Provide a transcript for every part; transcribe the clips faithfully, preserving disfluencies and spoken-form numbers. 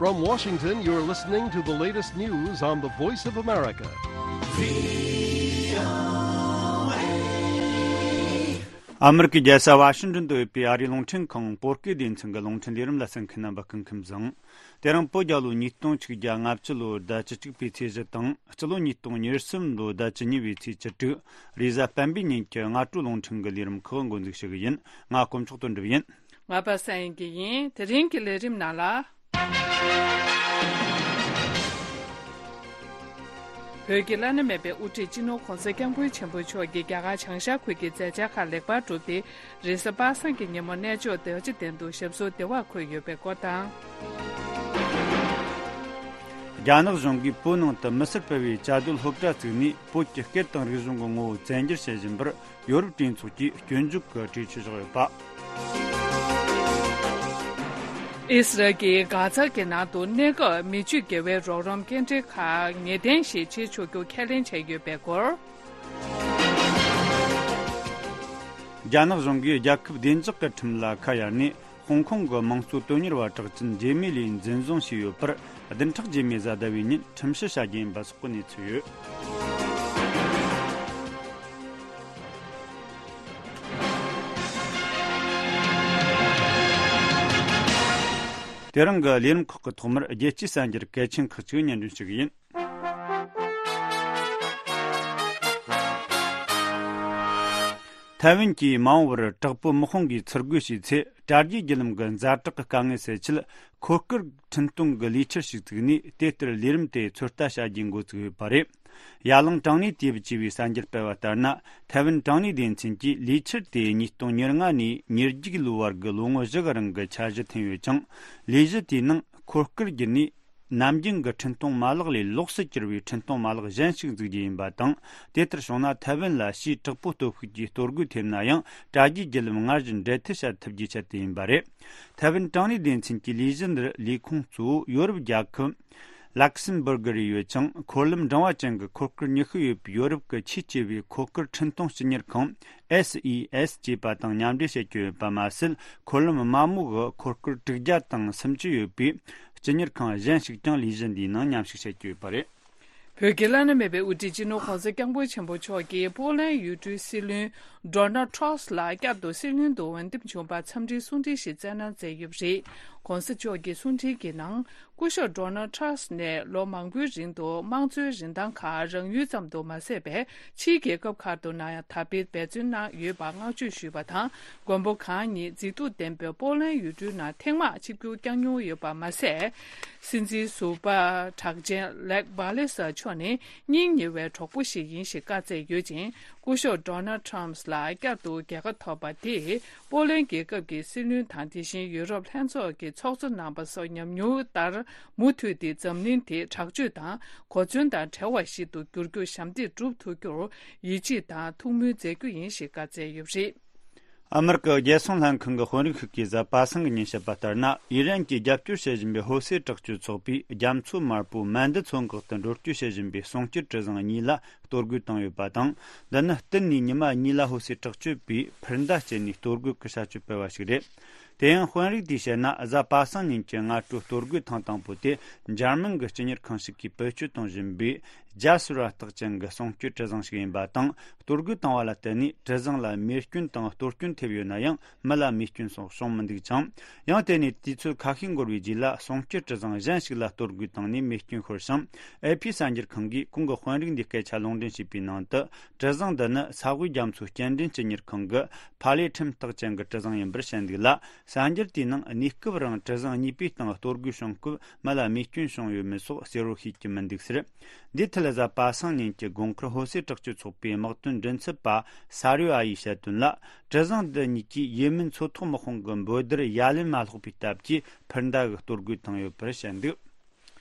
From Washington, you're listening to the latest news on the Voice of America. ཨ་མི་རི་ཀའི་རྒྱལ་ས་ཝ་ཤིང་ཏོན་དུ་ཡོད་པའི་ཨ་རིའི་རླུང་འཕྲིན་ཁང་བོད་སྐད་སྡེ་ཚན་གྱི་རླུང་འཕྲིན་ལས་རིམ་ལ་གསན་མཁན་རྣམ་པ་སྐུ་ཁམས་བཟང་། དེ་རིང་བོད་རྒྱལ་ལོ་ཉིས་སྟོང་ཆིག་བརྒྱ་ལྔ་བཅུ་ལོའི་ཟླ་བཅུ་གཅིག་པའི་ཚེས་བཞི་དང་། སྤྱི་ལོ་ཉིས་སྟོང་ཉེར་གསུམ་ལོའི་ཟླ་བཅུ་གཉིས་པའི་ཚེས་བཅུ་དྲུག་རེས་གཟའ་སྤེན་པའི་ཉིན་གྱི་སྔ་དྲོའི་རླུང་འཕྲིན་གྱི་ལས་རིམ་ཁག་འགོ་འཛུགས་ཞུ་གི་ཡིན། ང་དཀོན་མཆོག་དོན་གྲུབ་ཡིན། ང་པ་སངས་ཡིན་གྱི་ཡིན། དེ་རིང་གི་ལས་རིམ་ནང་ལ། བོད་ཀྱི་བླ་ན་མེད་པའི་དབུ་ཁྲིད་སྤྱི་ནོར་༧གོང་ས་༧སྐྱབས་མགོན་ཆེན་པོ་མཆོག་གིས་རྒྱ་གར་བྱང་ཤར་ཁུལ་གྱི་མཛད་འཆར་ཁག་ལེགས་པར་གྲུབ་སྟེ། རེས་གཟའ་པ་སངས་ཀྱི་ཉིན་མོ་གནས་མཆོག་རྡོ་རྗེ་གདན་དུ་ཞབས་སོར་བདེ་བར་འཁོད་ཡོད་པའི་སྐོར་དང་། རྒྱ་ནག་གཞུང་གིས་བོད་ནང་དུ་མི་སེར་སྤེལ་བའི་བཅའ་སྡོད་སློབ་གྲྭ་བཙུགས་ནས། བོད་ཀྱི་སྐད་དང་རིག་གཞུང་གི་ངོ་བོ་བཙན་འགྱུར་བྱེད་བཞིན་པར། ཡོ་རོབ་གྲོས་ཚོགས་ཀྱིས་སྐྱོན་བརྗོད་ཀྱི་གྲོས་ཆོད་བཞག་ཡོད་པ། ཨི་སི་རལ་གྱིས་གྷ་ཛ་གི་ནང་དུ་གནས་སྐབས་མི་ཆོས་དགེ་བའི་རོགས་རམ་སྐྱེལ་འདྲེན་ཁག་ངེས་གཏན་ཞིག་བྱེད་ཆོག་རྒྱུ་ཁས་ལེན་བྱས་ཡོད་པའི་སྐོར། རྒྱ་ནག་གཞུང་གིས་རྒྱལ་ཁབ་བདེ་འཇགས་ཀྱི་ཁྲིམས་ལ་ཁ་གཡར་ནས། ཧོང་ཀོང་གི་དམངས་གཙོ་དོན་གཉེར་བ་གྲགས་ཅན་ཇེ་མི་ལི་འཛིན་བཟུང་བྱས་ཡོད་པར། བདུན་ཕྲག་རྗེས་མའི་གཟའ་ཟླ་བའི་ཉིན་ཁྲིམས་ཞིབ་བྱ་རྒྱུ་ཡིན་པ་སོགས་ཀྱི་གནས་ཚུལ་ཡོད། དེ་རིང་གི་ལས་རིམ་ཁག་གི་ཐོག་མར་རྒྱལ་སྤྱིའི་གསར་འགྱུར་གལ་ཆེན་ཁག་ཅིག་སྙན་སྒྲོན་ཞུ་གི་ཡིན། ཐའེ་ཝན་གྱིས་མ་འོངས་པར་དྲག་པོའི་དམག་དཔུང་གིས་ཚུར་རྒོལ་བྱས་ཚེ། དྲ་རྒྱའི་བརྒྱུད་ལམ་གྱི་ཛ་དྲག་གི་དཀའ་ངལ་སེལ་ཆེད། འཁོར་སྐར་འཕྲིན་གཏོང་གི་ལས་འཆར་ཞིག་བཙུགས་ནས། དེ་ལྟར་ལས་རིམ་དེ་ཚོད་ལྟ་བྱ་རྒྱུའི་འགོ་བཙུགས་ཡོད་པ་རེད། ཡ་ལང་དྲང་གནས་དེབ་ཅེས་པའི་གསར་འགྱུར་སྤེལ་བ་ལྟར་ན། ཐའེ་ཝན་དྲང་གནས་སྡེ་ཚན་གྱིས་ལས་འཆར་དེ་ཉིས་སྟོང་ཉེར་ལྔ་ནས་ཉེར་བརྒྱད་ལོའི་བར་གྱི་ལོ་ངོ་བཞི་གི་རིང་གི་འཆར་གཞི་འཐེན་ཡོད་ཅིང་། ལས་གཞི་དེའི་ནང་འཁོར་སྐར་བརྒྱུད་ནས། ནམ་རྒྱུན་གྱི་འཕྲིན་གཏོང་མ་ལག་ལས་ལོགས་སུ་གྱུར་བའི་འཕྲིན་གཏོང་མ་ལག་གཞན་ཞིག་འཛུགས་རྒྱུ་ཡིན་པ་དང་། དེ་ལྟར་བྱུང་ན། ཐའེ་ཝན་ལ་ཕྱིའི་དྲག་པོའི་སྟོབས་ཤུགས་ཀྱིས་གཏོར་རྒོལ་ཐེབས་ན་ཡང་། དྲ་རྒྱའི་བརྒྱུད་ལམ་སྔར་བཞིན་འབྲེལ་མཐུད་བྱ་ཐུབ་རྒྱུའི་ཆེད་དུ་ཡིན་པ་རེད། ཐའེ་ཝན་དྲང་གནས་སྡེ་ཚན་གྱི་ལས་གཞི་འདིར་ལས་ཁུངས་གཙོ་བོ་ཡོ་རོབ་རྒྱལ་ཁབ་ལག་སེམ་སྦུར་གི་རུ་ཡོད་ཅིང་། འཁོར་ལམ་འབྲིང་བ་ཅན་གྱི་འཁོར་སྐར་ཉི་ཤུ་ཡོད་པའི་ཡོ་རོབ་ཀྱི་ཆེས་ཆེ་བའི་འཁོར་སྐར་འཕྲིན་གཏོང་སྤྱི་གཉེར་ཁང་། ཨེས་ཨི་ཨེས་ཅེས་པ་དང་མཉམ་འབྲེལ་བྱེད་ཀྱི་ཡོད་པ་མ་ཟད། འཁོར་ལམ་དམའ་མོ་གི་འཁོར་སྐར་དྲུག་བརྒྱ་དང་སུམ་ཅུ་ཡོད་པའི་སྤྱི་གཉེར་ཁང་གཞན་ཞིག་ཀྱང་ལས་གཞི་འདིའི་ནང་མཉམ་ཞུགས་བྱེད་ཀྱི་ཡོད་པ་རེད། བོད་ཀྱི་བླ་ན་མེད་པའི་དབུ་ཁྲིད་སྤྱི་ནོར་༧གོང་ས་༧སྐྱབས་མགོན་ཆེན་པོ་མཆོག་གིས་པོ་ལན་ཡུལ་གྲུའི་སྲིད་བློན་ཌོ་ནལ་ཊྲམཔ་ལ་བསྐྱར་དུ་སྲིད་བློན་དུ་འོས་འདེམས་བྱུང་བར་འཚམས་འདྲིའི་གསུང་འཕྲིན་ཞིག་བསྩལ་གནང་མཛད་ཡོད་པ་རེད། ༸གོང་ས་མཆོག་གི་གསུང་འཕྲིན་གྱི་ནང་། སྐུ་ཞབས་ཌོ་ནལ་ཊྲམཔ་ནས་ལོ་མང་པོའི་རིང་དུ་དམངས་གཙོའི་རིན་ཐང་ཁག་རང་ཡུལ་ཙམ་དུ་མ་ཟད་པའི་ཕྱིའི་རྒྱལ་ཁབ་ཁག་ཏུ་ནང་ཡང་དར་སྤེལ་འབད་བརྩོན་གནང་ཡོད་པར་བསྔགས་བརྗོད་ཞུས་པ་དང་། མགོན་པོ་གང་ཉིད་མཛེས་སྡུག་ལྡན་པའི་པོ་ལན་ཡུལ་གྲུའི་ནང་ཐེངས་མང་ཆིབས་བསྒྱུར་བསྐྱངས་མྱོང་ཡོད་པ་མ་ཟད། སྲིད་འཛིན་ཟུར་པ་གྲགས་ཅན་ལེག་བྷ་ལེ་སར་མཆོག་ནི་སྙིང་ཉེ་བའི་གྲོགས་པོ་ཞིག་ཡིན་ཞེས་བཀའ་སྩལ་ཡོད་ཅིང་། སྐུ་ཞབས་ཌོ་ནལ་ཊྲམཔ་ལ་བསྐྱར་དུ་རྒྱལ་ཁ་ཐོབ་པ་དེས་པོ་ལན་རྒྱལ་ཁབ་ཀྱི་སྲིད་བློན་དང་། དེ་བཞིན་ཡུ་རོབ་ལྷན་ཚོགས་ཀྱི་ཚོགས་གཙོ་རྣམ་པ་སོགས་ཉམས་མྱོང་ལྟར། མུ་མཐུད་དེ་འཛམ་གླིང་དེ་དྲག་སྤྱོད་དང་གོ་མཚོན་དང་བྲལ་བ་ཞིག་ཏུ་འགྱུར་རྒྱུར་ཞབས་འདེགས་སྒྲུབ་ཐུབ་རྒྱུར་ཡིད་ཆེས་དང་ཐུགས་སྨོན་མཛད་རྒྱུ་ཡིན་ཞེས་བཀའ་སྩལ་ཡོད་པ་རེད། ཨ་མི་རི་ཀའི་རྒྱལ་སྲུང་ལྷན་ཁང་གི་དཔོན་རིགས་ཤིག་གིས་གཟའ་པ་སངས་ཀྱི་ཉིན་བཤད་པ་ལྟར་ན། ཨི་རན་གྱིས་རྒྱབ་སྐྱོར་བྱེད་བཞིན་པའི་ཧོ་སེ་དྲག་སྤྱོད་ཚོགས་པས་རྒྱ་མཚོ་དམར་པོའི་མན་དི་མཚོ་འགག་ཏུ་འགྲུལ་སྐྱོད་བྱེད་བཞིན་པའི་གསུང་སྐྱོར་གྲུ་གཟིངས་གཉིས་ལ་གཏོར་རྒོལ་བཏང་ཡོད་པ་དང་། འདི་ནི་བསྟུན་ནས་ཉི་མ་གཉིས་ལ་ཧོ་སེ་དྲག་སྤྱོད་པས་འཕུར་མདའ་སྤྱད་ནས་གཏོར་རྒོལ་གྱི་བྱ་སྤྱོད་སྤེལ་བ་ཞིག་རེད། དེ་ཡང་དཔོན་རིགས་དེས་བཤད་ན། གཟའ་པ་སངས་ཉིན་གྱི་སྔ་དྲོའི་གཏོར་རྒོལ་ཐེངས་དང་པོ་དེ་འཇར་མན་གྱི་སྤྱི་གཉེར་ཁང་ཞིག་གིས་བེད་སྤྱོད་གཏོང་བཞིན་པའི་རྒྱ་ཟུར་བ་རྟགས་ཅན་གྱི་གསུང་སྐྱོར་གྲུ་གཟིངས་ཤིག་ཡིན་པ་དང་། གཏོར་རྒོལ་བཏང་བ་ལ་བརྟེན་ནས་གྲུ་གཟིངས་ལ་མེ་སྐྱོན་དང་གཏོར་སྐྱོན་ཐེབས་ཡོད་ན་ཡང་། མི་ལ་རྨས་སྐྱོན་སོགས་བྱུང་མི་འདུག་ཅིང་། ཡང་དེ་ནས་དུས་ཚོད་ཁ་ཤས་འགོར་བའི་རྗེས་ལ་གསུང་སྐྱོར་གྲུ་གཟིངས་གཞན་ཞིག་ལ་གཏོར་རྒོལ་བཏང་ནས་མེ་སྐྱོན་ཤོར་ཞིང་། ཨེ་ཕི་གསར་འགྱུར་ཁང་གིས་ཁོང་གི་དཔོན་རིགས་འདིའི་སྐད་ཆ་ལུང་འདྲེན་བྱས་པའི་ནང་དུ། གྲུ་གཟིངས་འདི་ནི་ས་དབུས་རྒྱ་མཚོའི་སྐྱེལ་འདྲེན་སྤྱི་གཉེར་ཁང་གི་ཕ་ལེ་ཁྲིམས་རྟགས་ཅན་གྱི་གྲུ་གཟིངས་ཡིན་པར་བཤད་འདུག་ལ། གསར་འགྱུར་དེའི་ནང་གནས་སྐབས་རིང་གྲུ་གཟིངས་གཉིས་པོའི་སྟེང་གཏོར་རྒོལ་བྱུང་སྐབས་མི་ལ་རྨས་སྐྱོན་བྱུང་ཡོད་མེད་སོགས་གསལ་བོར་ཤེས་ཀྱི་མི་འདུག་ཟེར། འདིའི་ཐད་གཟའ་པ་སངས་ཉིན་གྱི་དགོང་ཁར་ཧོ་སེ་དྲག་སྤྱོད་ཚོགས་པའི་དམག་དོན་མགྲིན་ཚབ་པ་ས་རུ་ཨ་ཡིས་བཤད་དོན་ལ། གྲུ་གཟིངས་འདི་གཉིས་ཀྱིས་ཡེ་མེན་མཚོ་ཐོག་དམག་དཔུང་གི་འབོད་སྡེར་ཡ་ལན་མ་སློག་པའི་སྟབས་ཀྱིས་འཕུར་མདའ་གི་གཏོར་རྒོལ་བཏང་ཡོད་པར་བཤད་འདུག།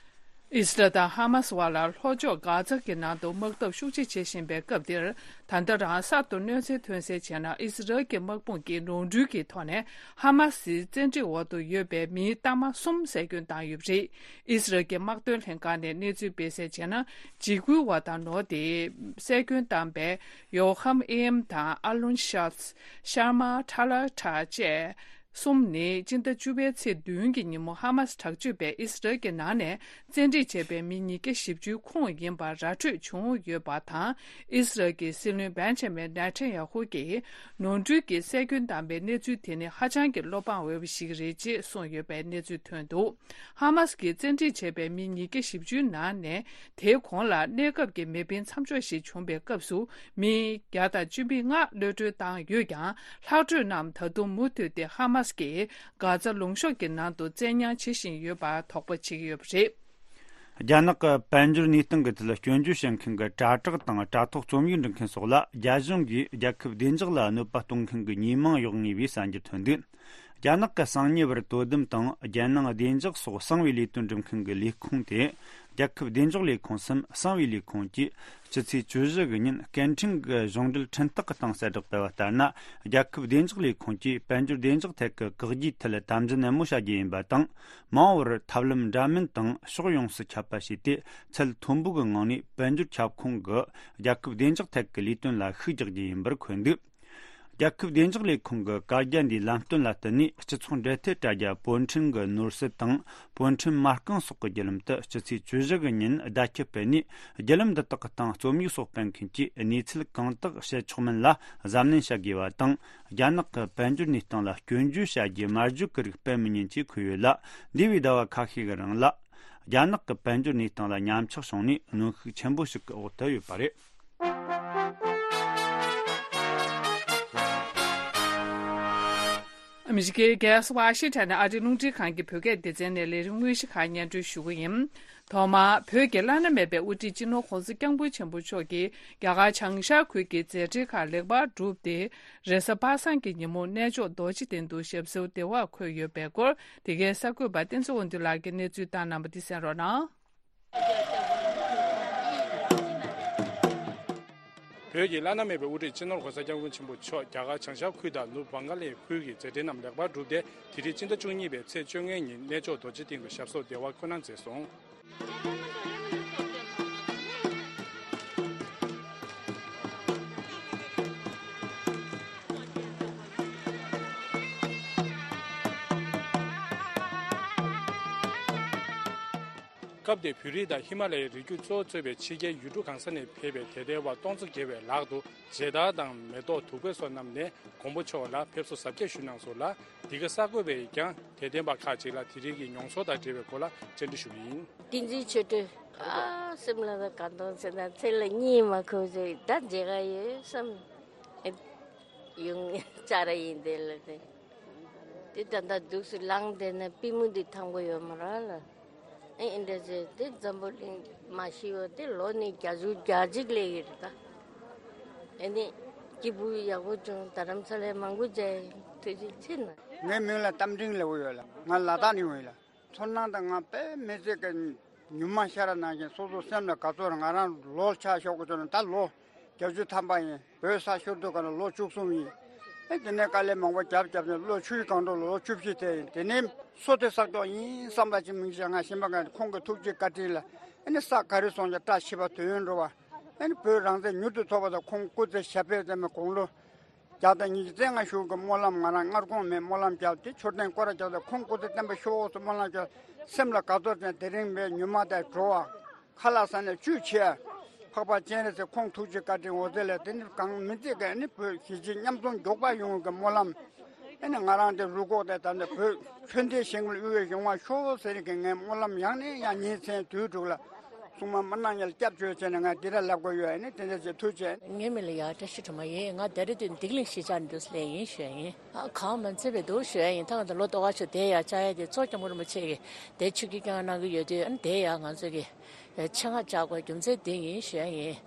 ཨི་སི་རལ་དང་ཧ་མ་སི་བར་ལ་ལྷོ་ཕྱོགས་གྷ་ཛ་གི་ནང་དུ་དམག་འཐབ་ཤུགས་ཆེ་བྱེད་བཞིན་པའི་སྐབས་འདིར། ད་ལྟ་རང་གསར་དུ་གནོད་འཚེ་ཐོན་གསལ་བྱས་ན། ཨི་སི་རལ་གྱི་དམག་དཔུང་གིས་ནོར་འཁྲུལ་གྱི་ཐོག་ནས་ཧ་མ་སིའི་བཙན་ཁྲིད་འོག་ཏུ་ཡོད་པའི་མིའི་གཏའ་མ་གསུམ་བསད་སྐྱོན་བཏང་ཡོད་པ་རེད། ཨི་སི་རལ་གྱི་དམག་དོན་ལྷན་ཁང་ནས་གནས་ཚུལ་སྤེལ་གསལ་བྱས་ན། འཇིགས་སྐུལ་བ་དང་ནོར་དེ་བསད་སྐྱོན་བཏང་པའི་ཡོ་ཧམ་ཨེ་ཨེམ་དང་ཨ་ལུན་ཤཱལ། ཤར་མ་ཐ་ལ་ཐ་བཅས། གསུམ་ནི་སྤྱི་ཟླ་བཅུ་པའི་ཚེས་བདུན་གྱི་ཉིན་མོ་ཧ་མ་སི་དྲག་སྤྱོད་པས་ཨི་སི་རལ་གྱི་ནང་ནས་བཙན་ཁྲིད་བྱས་པའི་མི་ཉིས་བརྒྱ་བཞི་བཅུའི་ཁོངས་ཡིན་པ་ར་འཕྲོད་བྱུང་ཡོད་པ་དང་། ཨི་སི་རལ་གྱི་སྲིད་བློན་བེན་ཇ་མིན་ནེ་ཐན་ཡ་ཧུ་གྱིས་ནོར་འཁྲུལ་གྱི་སྲོག་སྐྱོན་བཏང་པའི་གནས་ཚུལ་དེ་ནི་ཧ་ཅང་གི་བློ་ཕངས་འོས་པ་ཞིག་རེད་ཅེས་གསུངས་ཡོད་པའི་གནས་ཚུལ་ཐོན་འདུག་ཧ་མ་སི་གིས་བཙན་ཁྲིད་བྱས་པའི་མི་ཉིས་བརྒྱ་བཞི་བཅུའི་ནང་ནས། དེའི་གོང་ལ་གནས་སྐབས་ཀྱི་མེ་འཕེན་མཚམས་འཇོག་ཞིག་བྱུང་བའི་སྐབས་སུ། མི་བརྒྱ་དང་བཅུ་མེད་ལྔ་གློད་གྲོལ་བཏང་ཡོད་ཀྱང་། ལྷག་འཕྲོས་རྣམས་ད་དུང་མུ་མཐུད་དེ་ཧ་མ་སི་གིས་གྷ་ཛ་ལུང་གཤོང་གི་ནང་དུ་བཙན་ཉར་བྱེད་བཞིན་ཡོད་པར་དོགས་པ་བྱེད་ཀྱི་ཡོད་པ་རེད། རྒྱ་ནག་གི་དཔལ་འབྱོར་གནས་སྟངས་ཀྱི་ཐད་སྐྱོན་བརྗོད་བྱེད་མཁན་གྱི་དྲ་གྲགས་དང་དྲ་ཐོག་རྩོམ་ཡིག་འབྲི་མཁན་སོགས་ལ་རྒྱ་གཞུང་གིས་རྒྱལ་ཁབ་བདེ་འཇགས་ལ་གནོད་པ་གཏོང་མཁན་གྱི་ཉེས་མིང་གཡོག་ངེས་པའི་གསར་འགྱུར་ཐོན་འདུག་རྒྱ་ནག་གི་གསང་ཉུལ་བར་དོ་དམ་དང་རྒྱལ་ནང་བདེ་འཇགས་སོགས་གསང་བའི་ལས་དོན་སྒྲུབ་མཁན་གྱི་ལས་ཁུངས་དེ། རྒྱལ་ཁབ་བདེ་འཇགས་ལས་ཁུངས་སམ་གསང་བའི་ལས་ཁུངས་ཀྱིས་སྤྱི་ཚེས་བཅུ་བཞི་གི་ཉིན་སྐད་འཕྲིན་གྱི་གཞུང་འབྲེལ་འཕྲིན་སྟེགས་ཀྱི་སྟེང་གསལ་བསྒྲགས་སྤེལ་བ་ལྟར་ན། རྒྱལ་ཁབ་བདེ་འཇགས་ལས་ཁུངས་ཀྱིས་དཔལ་འབྱོར་བདེ་འཇགས་ཐད་ཀྱི་བཀག་རྒྱའི་ཐད་དམ་འཛིན་ནན་མོ་བྱ་རྒྱུ་ཡིན་པ་དང་། མ་འོངས་པར་ཐབས་ལམ་འདྲ་མིན་དང་ཕྱོགས་ཡོངས་སུ་ཁྱབ་པ་བྱས་ཏེ། ཚད་མཐོན་པོ་གི་ངང་ནས་དཔལ་འབྱོར་ཁྱབ་ཁོངས་ཀྱི་རྒྱལ་ཁབ་བདེ་འཇགས་ཐད་ཀྱི་ལས་དོན་ལ་ཤུགས་རྒྱག་རྒྱུ་ཡིན་པར་འཁོད་འདུག་རྒྱལ་ཁབ་བདེ་འཇགས་ལས་ཁུངས་ཀྱི་བཀའ་རྒྱ་འདིའི་ལམ་སྟོན་ལ་བསྟུན་ནས། སྤྱི་ཚོགས་འབྲེལ་མཐུད་དྲ་རྒྱ་པོ་ཁྲིན་གྱི་ནོར་སྲིད་དང་པོ་ཁྲིན་མ་རྐང་སོགས་ཀྱི་བརྒྱུད་ལམ་དུ་སྤྱི་ཚེས་བཅུ་བཞི་གི་ཉིན་བརྡ་ཁྱབ་སྤེལ་ནས། བརྒྱུད་ལམ་འདི་དག་གི་སྟེང་རྩོམ་ཡིག་སོགས་སྤེལ་མཁན་གྱིས་གནས་ཚུལ་གང་དག་བཤད་ཆོག་མིན་ལ་གཟབ་ནན་བྱ་དགོས་པ་དང་། རྒྱ་ནག་གི་དཔལ་འབྱོར་གནས་སྟངས་ལ་སྐྱོན་བརྗོད་བྱ་རྒྱུའི་སྨྲ་བརྗོད་ཀྱི་རིགས་སྤེལ་མི་ཉན་ཅེས་འཁོད་ཡོད་ལ། འདས་པའི་ཟླ་བ་ཁ་ཤས་ཀྱི་རིང་ལ། རྒྱ་ནག་གི་དཔལ་འབྱོར་གནས་སྟངས་ལ་ཉམས་ཆག་བྱུང་ནས་གནོན་ཤུགས་ཆེན་པོ་ཞིག་གི་འོག་ཏུ་ཡོད་པ་རེད། ཨ་མི་རི་ཀའི་རྒྱལ་ས་ཝ་ཤིང་ཊོན་ནས་ཨ་རིའི་རླུང་འཕྲིན་ཁང་གི་བོད་སྐད་སྡེ་ཚན་ནས་ལས་རིམ་དངོས་གཞི་ཁག་སྙན་སྒྲོན་ཞུ་གི་ཡིན། ཐོག་མར་བོད་ཀྱི་བླ་ན་མེད་པའི་དབུ་ཁྲིད་སྤྱི་ནོར་༸གོང་ས་༸སྐྱབས་མགོན་ཆེན་པོ་མཆོག་གིས་རྒྱ་གར་བྱང་ཤར་ཁུལ་གྱི་མཛད་འཕྲིན་ཁག་ལེགས་པར་གྲུབ་སྟེ། རེས་གཟའ་པ་སངས་ཀྱི་ཉིན་མོ་གནས་མཆོག་རྡོ་རྗེ་གདན་དུ་ཞབས་སོར་བདེ་བར་འཁོད་ཡོད་པའི་སྐོར། དེ་གའི་གསར་འགོད་པ་བསྟན་འཛིན་དབང་འདུས་ལགས་ཀྱིས་གནས་ཚུལ་བཏང་གནང་བ་འདི་གསན་རོགས་གནང་། བོད་ཀྱི་བླ་ན་མེད་པའི་དབུ་ཁྲིད་སྤྱི་ནོར་༸གོང་ས་༸སྐྱབས་མགོན་ཆེན་པོ་མཆོག་རྒྱ་གར་བྱང་ཤར་ཁུལ་དང་ནུབ་བང་ག་ལའི་ཁུལ་གྱི་མཛད་འཕྲིན་རྣམས་ལེགས་པར་གྲུབ་སྟེ། དེ་རིང་སྤྱི་ཟླ་བཅུ་གཉིས་པའི་ཚེས་བཅོ་ལྔའི་ཉིན་གནས་མཆོག་རྡོ་རྗེ་གདན་དུ་ཞབས་སོར་བདེ་བར་འཁོད་གནང་མཛད་སོང་། སྐབས་དེར་བོད་རིགས་དང་ཧི་མ་ལ་ཡའི་རི་རྒྱུད་གཙོ་བོ་གཙོས་པའི་ཕྱི་རྒྱལ་ཡུལ་གྲུ་གང་ས་ནས་ཕེབས་པའི་དད་ལྡན་པ་སྟོང་ཚོ་བརྒལ་བའི་ལག་ཏུ་མཇལ་དར་དང་མེ་ཏོག་བདུག་སྤོས་སོགས་བསྣམས་ནས་མགོན་པོ་མཆོག་ལ་ཕེབས་བསུ་གཟབ་རྒྱས་ཞུས་གནང་སོང་ལ། འདི་ག་གསར་འགོད་པས་ཀྱང་དད་ལྡན་པ་ཁག་ཅིག་ལ་དེ་རིང་གི་མྱོང་ཚོར་དང་འབྲེལ་བའི་སྐོར་ལ་བཅར་འདྲི་ཞུས་པ་ཡིན། བསྟན་འཛིན་ཆོས་སྒྲོན། ཨ་སེམས་ལ་ད་གང་དང་ཟེར་ན་ཚེ་ལ་གཉིད་མ་ཁུག་ཟེར་ད་མཇལ་ག་ཡོད་བསམ། ཨེ་ཡོང་བཅར་ཡིན་དེ་ལ་དེ། དེ་ད་ལྟ་འདུག་སེ་ལངས་བསྡད་ན་པུས་མོ་འདི་ཐང་པོ་ཡོད་མ་རེད་ལ། ཨེ་ཨེ་འདྲ་ཟེར་དེ་འཛམ་བུ་གླིང་མ་ཤི་བ་དེ་ལོ་ནི་བརྒྱད་ཅུ་གྱ་གཅིག་སླེབས་ཡོད་རེད་ད། ཨེ་ནི་སྐྱིད་པོ་ཡག་པོ་བྱུང་། རྡ་རམ་ས་ལའི་མང་པོ་མཇལ་ཡིན། ཐུགས་རྗེ་ཆེ་གནང་། ངའི་མིང་ལ་རྟ་མགྲིན་ལབ་ཀྱི་ཡོད་ལ། ང་ལ་དྭགས་ནས་ཡོང་ཡིན་ལ། ཚོར་སྣང་དང་ང་དཔེ་མི་སྲིད་ཀྱི་ཉུལ་མ་ཤ་ར་ནང་བཞིན་སོ་སོ་སེམས་ལ་དགའ་ཚོར། ང་རང་ལོ་ཆ་ཤོག་གི་ཚོར་ན་ད་ལོ་བརྒྱད་ཅུ་ཐམ་པ་ཡིན། བོད་ས་ཤོར་དུས་ག་ལ་ལོ་བཅུ་གསུམ་ཡིན། ཨེ་དེ་ནས་དཀའ་ལས་མང་པོ་བརྒྱབ་བརྒྱབ་ནས་ལོ་ཆུ་ཡི་སྒང་དྲུག་ལོ་ལོ་བཅུ་བཞི་དེ་ཡིན། དེ་ནས་སོ་དེ་བསགས་ཀྱོག་ཡིན་བསམ་པ་ཅིག་མིན་ཅིག་ང་ཤེས་པ་ག་ཁོང་གི་ཐུགས་རྗེ་བཀའ་དྲིན་ལ་ཨེ་ནི་ས་ག་རེ་སོང་ཀྱང་བཀྲ་ཤིས་པ་དོན་ཡོད་འགྲོ་བ། ཨེ་ནི་བོད་རང་བཙན་མྱུར་དུ་ཐོབ་པ་དང་ཁོང་སྐུ་ཚེ་ཞབས་པད་བརྟན་པའི་དགུང་ལོ་བརྒྱ་དང་ཉི་ཤུ་རྩ་ལྔ་བཞུགས་ཀྱི་སྨོན་ལམ། ང་རང་སྔར་གོང་མའི་སྨོན་ལམ་བརྒྱབ་སྟེ་མཆོད་རྟེན་སྐོར་ར་བརྒྱབ་སྟེ་ཁོང་སྐུ་ཚེ་བརྟན་པ་ཤོག་ཟེར་སྨོན་ལམ་བརྒྱབ། སེམས་ལ་དགའ་ཚོར་ཅན་དེ་རིང་བའི་ཉུལ་མ་དང་འགྲོ་བ། ཁ་ལག་ཟ་ནས་བཅུད་ཆེ། འཕགས་པ་སྤྱན་རས་གཟིགས་ཁོང་ཐུགས་རྗེ་བཀའ་དྲིན་འོད་ཟེར་ལས་དེ་ནི་གང་མི་ཚེ་ག་ནི་བོད་གཞིས་བྱེས་མཉམ་འཛོམས་མགྱོགས་པ་ཡོང་གི་སྨོན་ལམ། ཨེ་ནི་ང་རང་དེ་རུ་ཁོག་དེ་ད་ནི་བོད་ཆོས་ལྡན་ཞིང་ལ་དབུལ་བའི་གཞུང་བ་ཤོག་ཟེར་གི་ངའི་སྨོན་ལམ་ཡང་ནས་ཡང་ཉིན་མཚན་དུས་དྲུག་ལ། སྲུང་མ་མི་སྣང་ཉལ་སྐྱབས་བཅོལ་བྱས་ནས་ང་འདི་ར་ལབ་དགོས་ཡོད། ཨེ་ནི་དེ་འདྲ་ཞིག་ཐུགས་རྗེ་ཆེ། ངའི་མིང་ལ་ཡ་བཀྲ་ཤིས་སྒྲོལ་མ་ཡིན། ང་ད་རེས་དུས་བདེ་ལེགས་གཞིས་ཆགས་འདུག་སླེབས་ཡིན་ཞུ་ཡ་ཡིན། ཨ་གང་མ་ཚད་པའི་འདུག་ཞུ་ཡ་ཡིན། ད་ང་ཚོ་ལོ་ཏོག་ཁ་ཤོ་དེ་ཡ་བཅའ་ཡ་དེ་གཙོ་སྐྱབས་མགོན་རིན་པོ་ཆེ་གིས་དེ་ཆུ་སྐྱིད་བསྐྱངས་གནང་གི་ཡོད་དུས། ཨ་ནི་དེ་ཡ་ང་ཚོ་གི་ཆེད་མངགས་བཅའ་དགོས་རྒྱུ་མཚན་དེ་ཡིན་ཞུ་ཡ་ཡིན།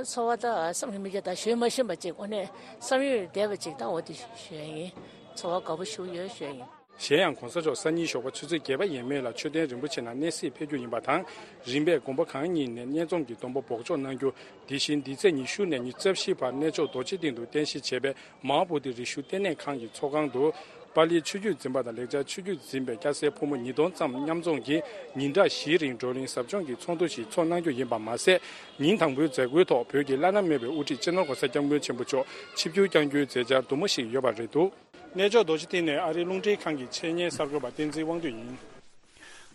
ཚོར་བ་ད་བསམ་གྱིས་མི་ཁྱབ། ད་ཞུ་མ་ཤེས་པ་ཅིག་དངོས་གནས་བསམ་ཡུལ་འདས་པ་ཅིག་ད་འོ་དེ་ཞུ་ཡ་ཡིན། ཚོར་བ་དགའ་པོ་ཞུ་ཡོད་ཞུ་ཡ་ཡིན། གཞན་ཡང་གོང་ས་མཆོག་སང་ཉིན་ཞོགས་པ་ཆུ་ཚོད་བརྒྱད་པ་ཡས་མས་ལ་མཆོད་རྟེན་རིན་པོ་ཆེ་ནང་གནས་གཟིགས་ཕེབས་རྒྱུ་ཡིན་པ་དང་། རིམ་པས་དགོན་པ་གང་ཉིད་ནས་སྙན་རྩོམ་གྱི་སྡོམ་པ་འབོགས་ཆོག་གནང་རྒྱུ། དེ་བཞིན་འདི་ཚེས་ཉི་ཤུ་ནས་ཉི་ཤུ་རྩ་བཞི་བར་གནས་མཆོག་རྡོ་རྗེ་གདན་དུ་རྟེན་གཞི་བྱས་པའི་མ་ཧཱ་བོ་དྷི་རི་ཤུ་ལྟེ་གནས་ཁང་གི་ཚོགས་ཁང་དུ། པཱ་ལིའི་ཆོས་བརྒྱུད་འཛིན་པ་དང་ལེགས་སྦྱར་ཆོས་བརྒྱུད་འཛིན་པའི་སྐྱ་སེར་ཕོ་མོ་ཉིས་སྟོང་ཙམ་མཉམ་འཛོམས་ཀྱིས་ཉིན་གྲངས་བཞིའི་རིང་བགྲོ་གླེང་ཟབ་སྦྱོང་གི་ཚོགས་འདུ་ཞིག་ཚོགས་གནང་རྒྱུ་ཡིན་པ་མ་ཟད། ཉིན་དང་པོའི་མཛད་སྒོའི་ཐོག་བོད་ཀྱི་བླ་ན་མེད་པའི་དབུ་ཁྲིད་སྤྱི་ནོར་༸གོང་ས་༸སྐྱབས་མགོན་ཆེན་པོ་མཆོག་ཆིབས་བསྒྱུར་བསྐྱང་རྒྱུའི་མཛད་འཆར་འདུ་མ་ཞིག་ཡོད་པ་རེད་འདུག་གནས་མཆོག་རྡོ་རྗེ་གདན་ནས་ཨ་རིའི་རླུང་འཕྲིན་ཁང་གི་ཆེད་གཉེར་གསར་འགོད་པ་བསྟན་འཛིན་དབང་འདུས་ཡིན།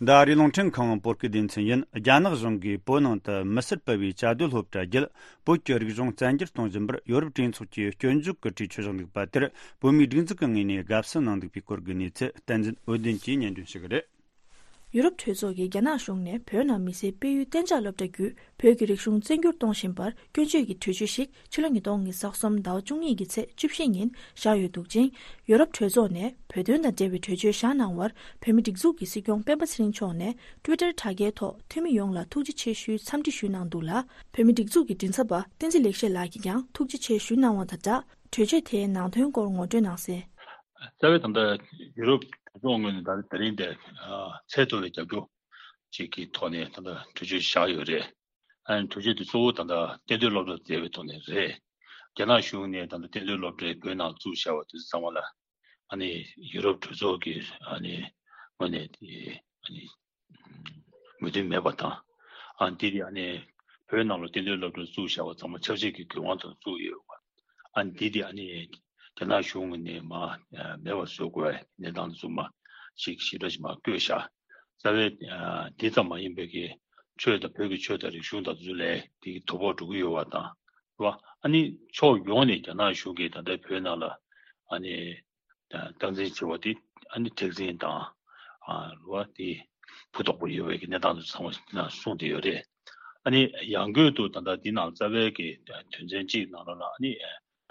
འདི་ཨ་རིའི་རླུང་འཕྲིན་ཁང་བོད་སྐད་སྡེ་ཚན་ཡིན། རྒྱ་ནག་གཞུང་གིས་བོད་ནང་དུ་མི་སེར་སྤེལ་བའི་བཅའ་སྡོད་སློབ་གྲྭ་བརྒྱད། བོད་ཀྱི་རིག་གཞུང་བཙན་སྒྱུར་གཏོང་བཞིན་པར་ཡོ་རོབ་གྲོས་ཚོགས་ཀྱིས་སྐྱོན་བརྗོད་ཀྱི་གྲོས་ཆོད་བཞག་འདུག་པ་དེར། བོད་མིའི་སྒྲིག་འཛུགས་ཀྱི་ངོས་ནས་དགའ་བསུ་གནང་འདུག་པའི་སྐོར་གྱི་གནས་ཚུལ། བསྟན་འཛིན་འོད་ལྡན་གྱིས་སྙན་སྒྲོན་ཞུ་གི་རེད། ཡུ་རོབ་གྲོས་ཚོགས་ཀྱིས་རྒྱ་ནག་གཞུང་ནས་བོད་ནང་མི་སེར་སྤེལ་ཡུལ་གཏན་འཇགས་སློབ་གྲྭ་བརྒྱུད་བོད་ཀྱི་རིག་གཞུང་བཙན་སྒྱུར་གཏོང་བཞིན་པར་སྐྱོན་བརྗོད་ཀྱི་གྲོས་ཆོད་ཞིག་ཕྱི་ལོ་ཉིས་སྟོང་ཉི་ཤུ་རྩ་གསུམ་ཟླ་བ་བཅུ་གཉིས་ཀྱི་ཚེས་བཅུ་བཞི་ཉིན་བཞག་ཡོད་འདུག་ཅིང་། ཡུ་རོབ་གྲོས་ཚོགས་ནས་བོད་དོན་དང་འབྲེལ་བའི་གྲོས་ཆོད་བཞག་གནང་བར་བོད་མི་སྒྲིག་འཛུགས་ཀྱི་སྲིད་སྐྱོང་སྤེན་པ་ཚེ་རིང་མཆོག་ནས་ཊུའི་ཊར་དྲ་རྒྱའི་ཐོག་འཐུས་མི་ཡོངས་ལ་ཐུགས་རྗེ་ཆེ་ཞུའི་འཚམས་འདྲི་ཞུས་གནང་འདུག་ལ། བོད་མི་སྒྲིག་འཛུགས་ཀྱི་མགྲིན་ཚབ་པ་བསྟན་འཛིན་ལེགས་བཤད་ལགས་ཀྱིས་ཀྱང་ཐུགས་རྗེ་ཆེ་ཞུས་གནང་བ་དང་སྦྲགས། གྲོས་ཆོད་དེའི་ནང་དོན་སྐོར་ངོ་སྤྲོད་གནང་གསལ། རྩ་བའི་ད་ལྟ་ཡུ་རོབ་གྲོས་ཚོགས་ངོས་ནས་ད་ད་རིང་དེ་ཚད་མཐོ་བའི་རྒྱབ་སྐྱོར་ཅིག་གི་ཐོག་ནས་ད་ལྟ་གྲོས་ཆོད་བཞག་ཡོད་རེད། ཨ་ནི་གྲོས་ཆོད་དེ་གཙོ་བོ་ད་ལྟ་གཏན་སྡོད་སློབ་གྲྭ་བསྡད་པའི་ཐོག་ནས་རེད། རྒྱ་ནག་གཞུང་ནས་ད་ལྟ་གཏན་སྡོད་སློབ་གྲྭའི་བོད་ནང་བཙུགས་བཞག་པ་དེ་ཚོ་ཚང་མ་ལ་ཨ་ནི་ཡུ་རོབ་གྲོས་ཚོགས་ཀྱི་ཨ་ནི་ངོས་ནས་དེ་ཨ་ནི་མོས་མཐུན་མེད་པ་དང་། ཨ་འདི་དེ་ཨ་ནི་བོད་ནང་ལ་གཏན་སྡོད་སློབ་གྲྭ་བཙུགས་བཞག་པ་ཚང་མ་ཆབ་སྲིད་ཀྱི་འགན་དབང་དུ་བཙུགས་ཡོད་པ། ཨ་འདི་དེ་ཨ་ནི་རྒྱ་ནག་གཞུང་ནས་མ་མེད་པ་བཟོ་དགོས་པའི་གནས་སྟངས་དེ་ཚོ་མ་ཞིག་ཞིབ་ཕྲ་ཞིག་མ་བཀོད་བཞག་རྩ་བའི་དེ་ཙམ་མ་ཡིན་པའི་གི་ཆོས་དང་བོད་ཀྱི་ཆོས་དང་རིག་གཞུང་དང་དེ་ཚོ་ལས་དེ་གི་དོ་ཕོག་འགྲོ་གི་ཡོད་པ་དང་། རེད་བ། ཨ་ནི་ཕྱོགས་ཡོངས་ནས་རྒྱ་ནག་གཞུང་གིས་ད་ལྟའི་བོད་ནང་ལ་ཨ་ནི། སྟངས་འཛིན་བྱེད་པ་དེ་ཨ་ནི་མཁྲེགས་འཛིན་དང་། ཨ་རུ་བ་དེ་ཕུ་དོག་པོ་ཡོད་པའི་གི་གནས་སྟངས་དེ་ཚང་མ་གསུངས་བསྡད་ཡོད་རེད། ཨ་ནི་ཡང་སྒོས་དུ་ད་ལྟ་འདི་ནང་རྩ་བའི་གི་དོན་ཚན་གཅིག་ནང་ལོགས་ལ་ཨ་ནི་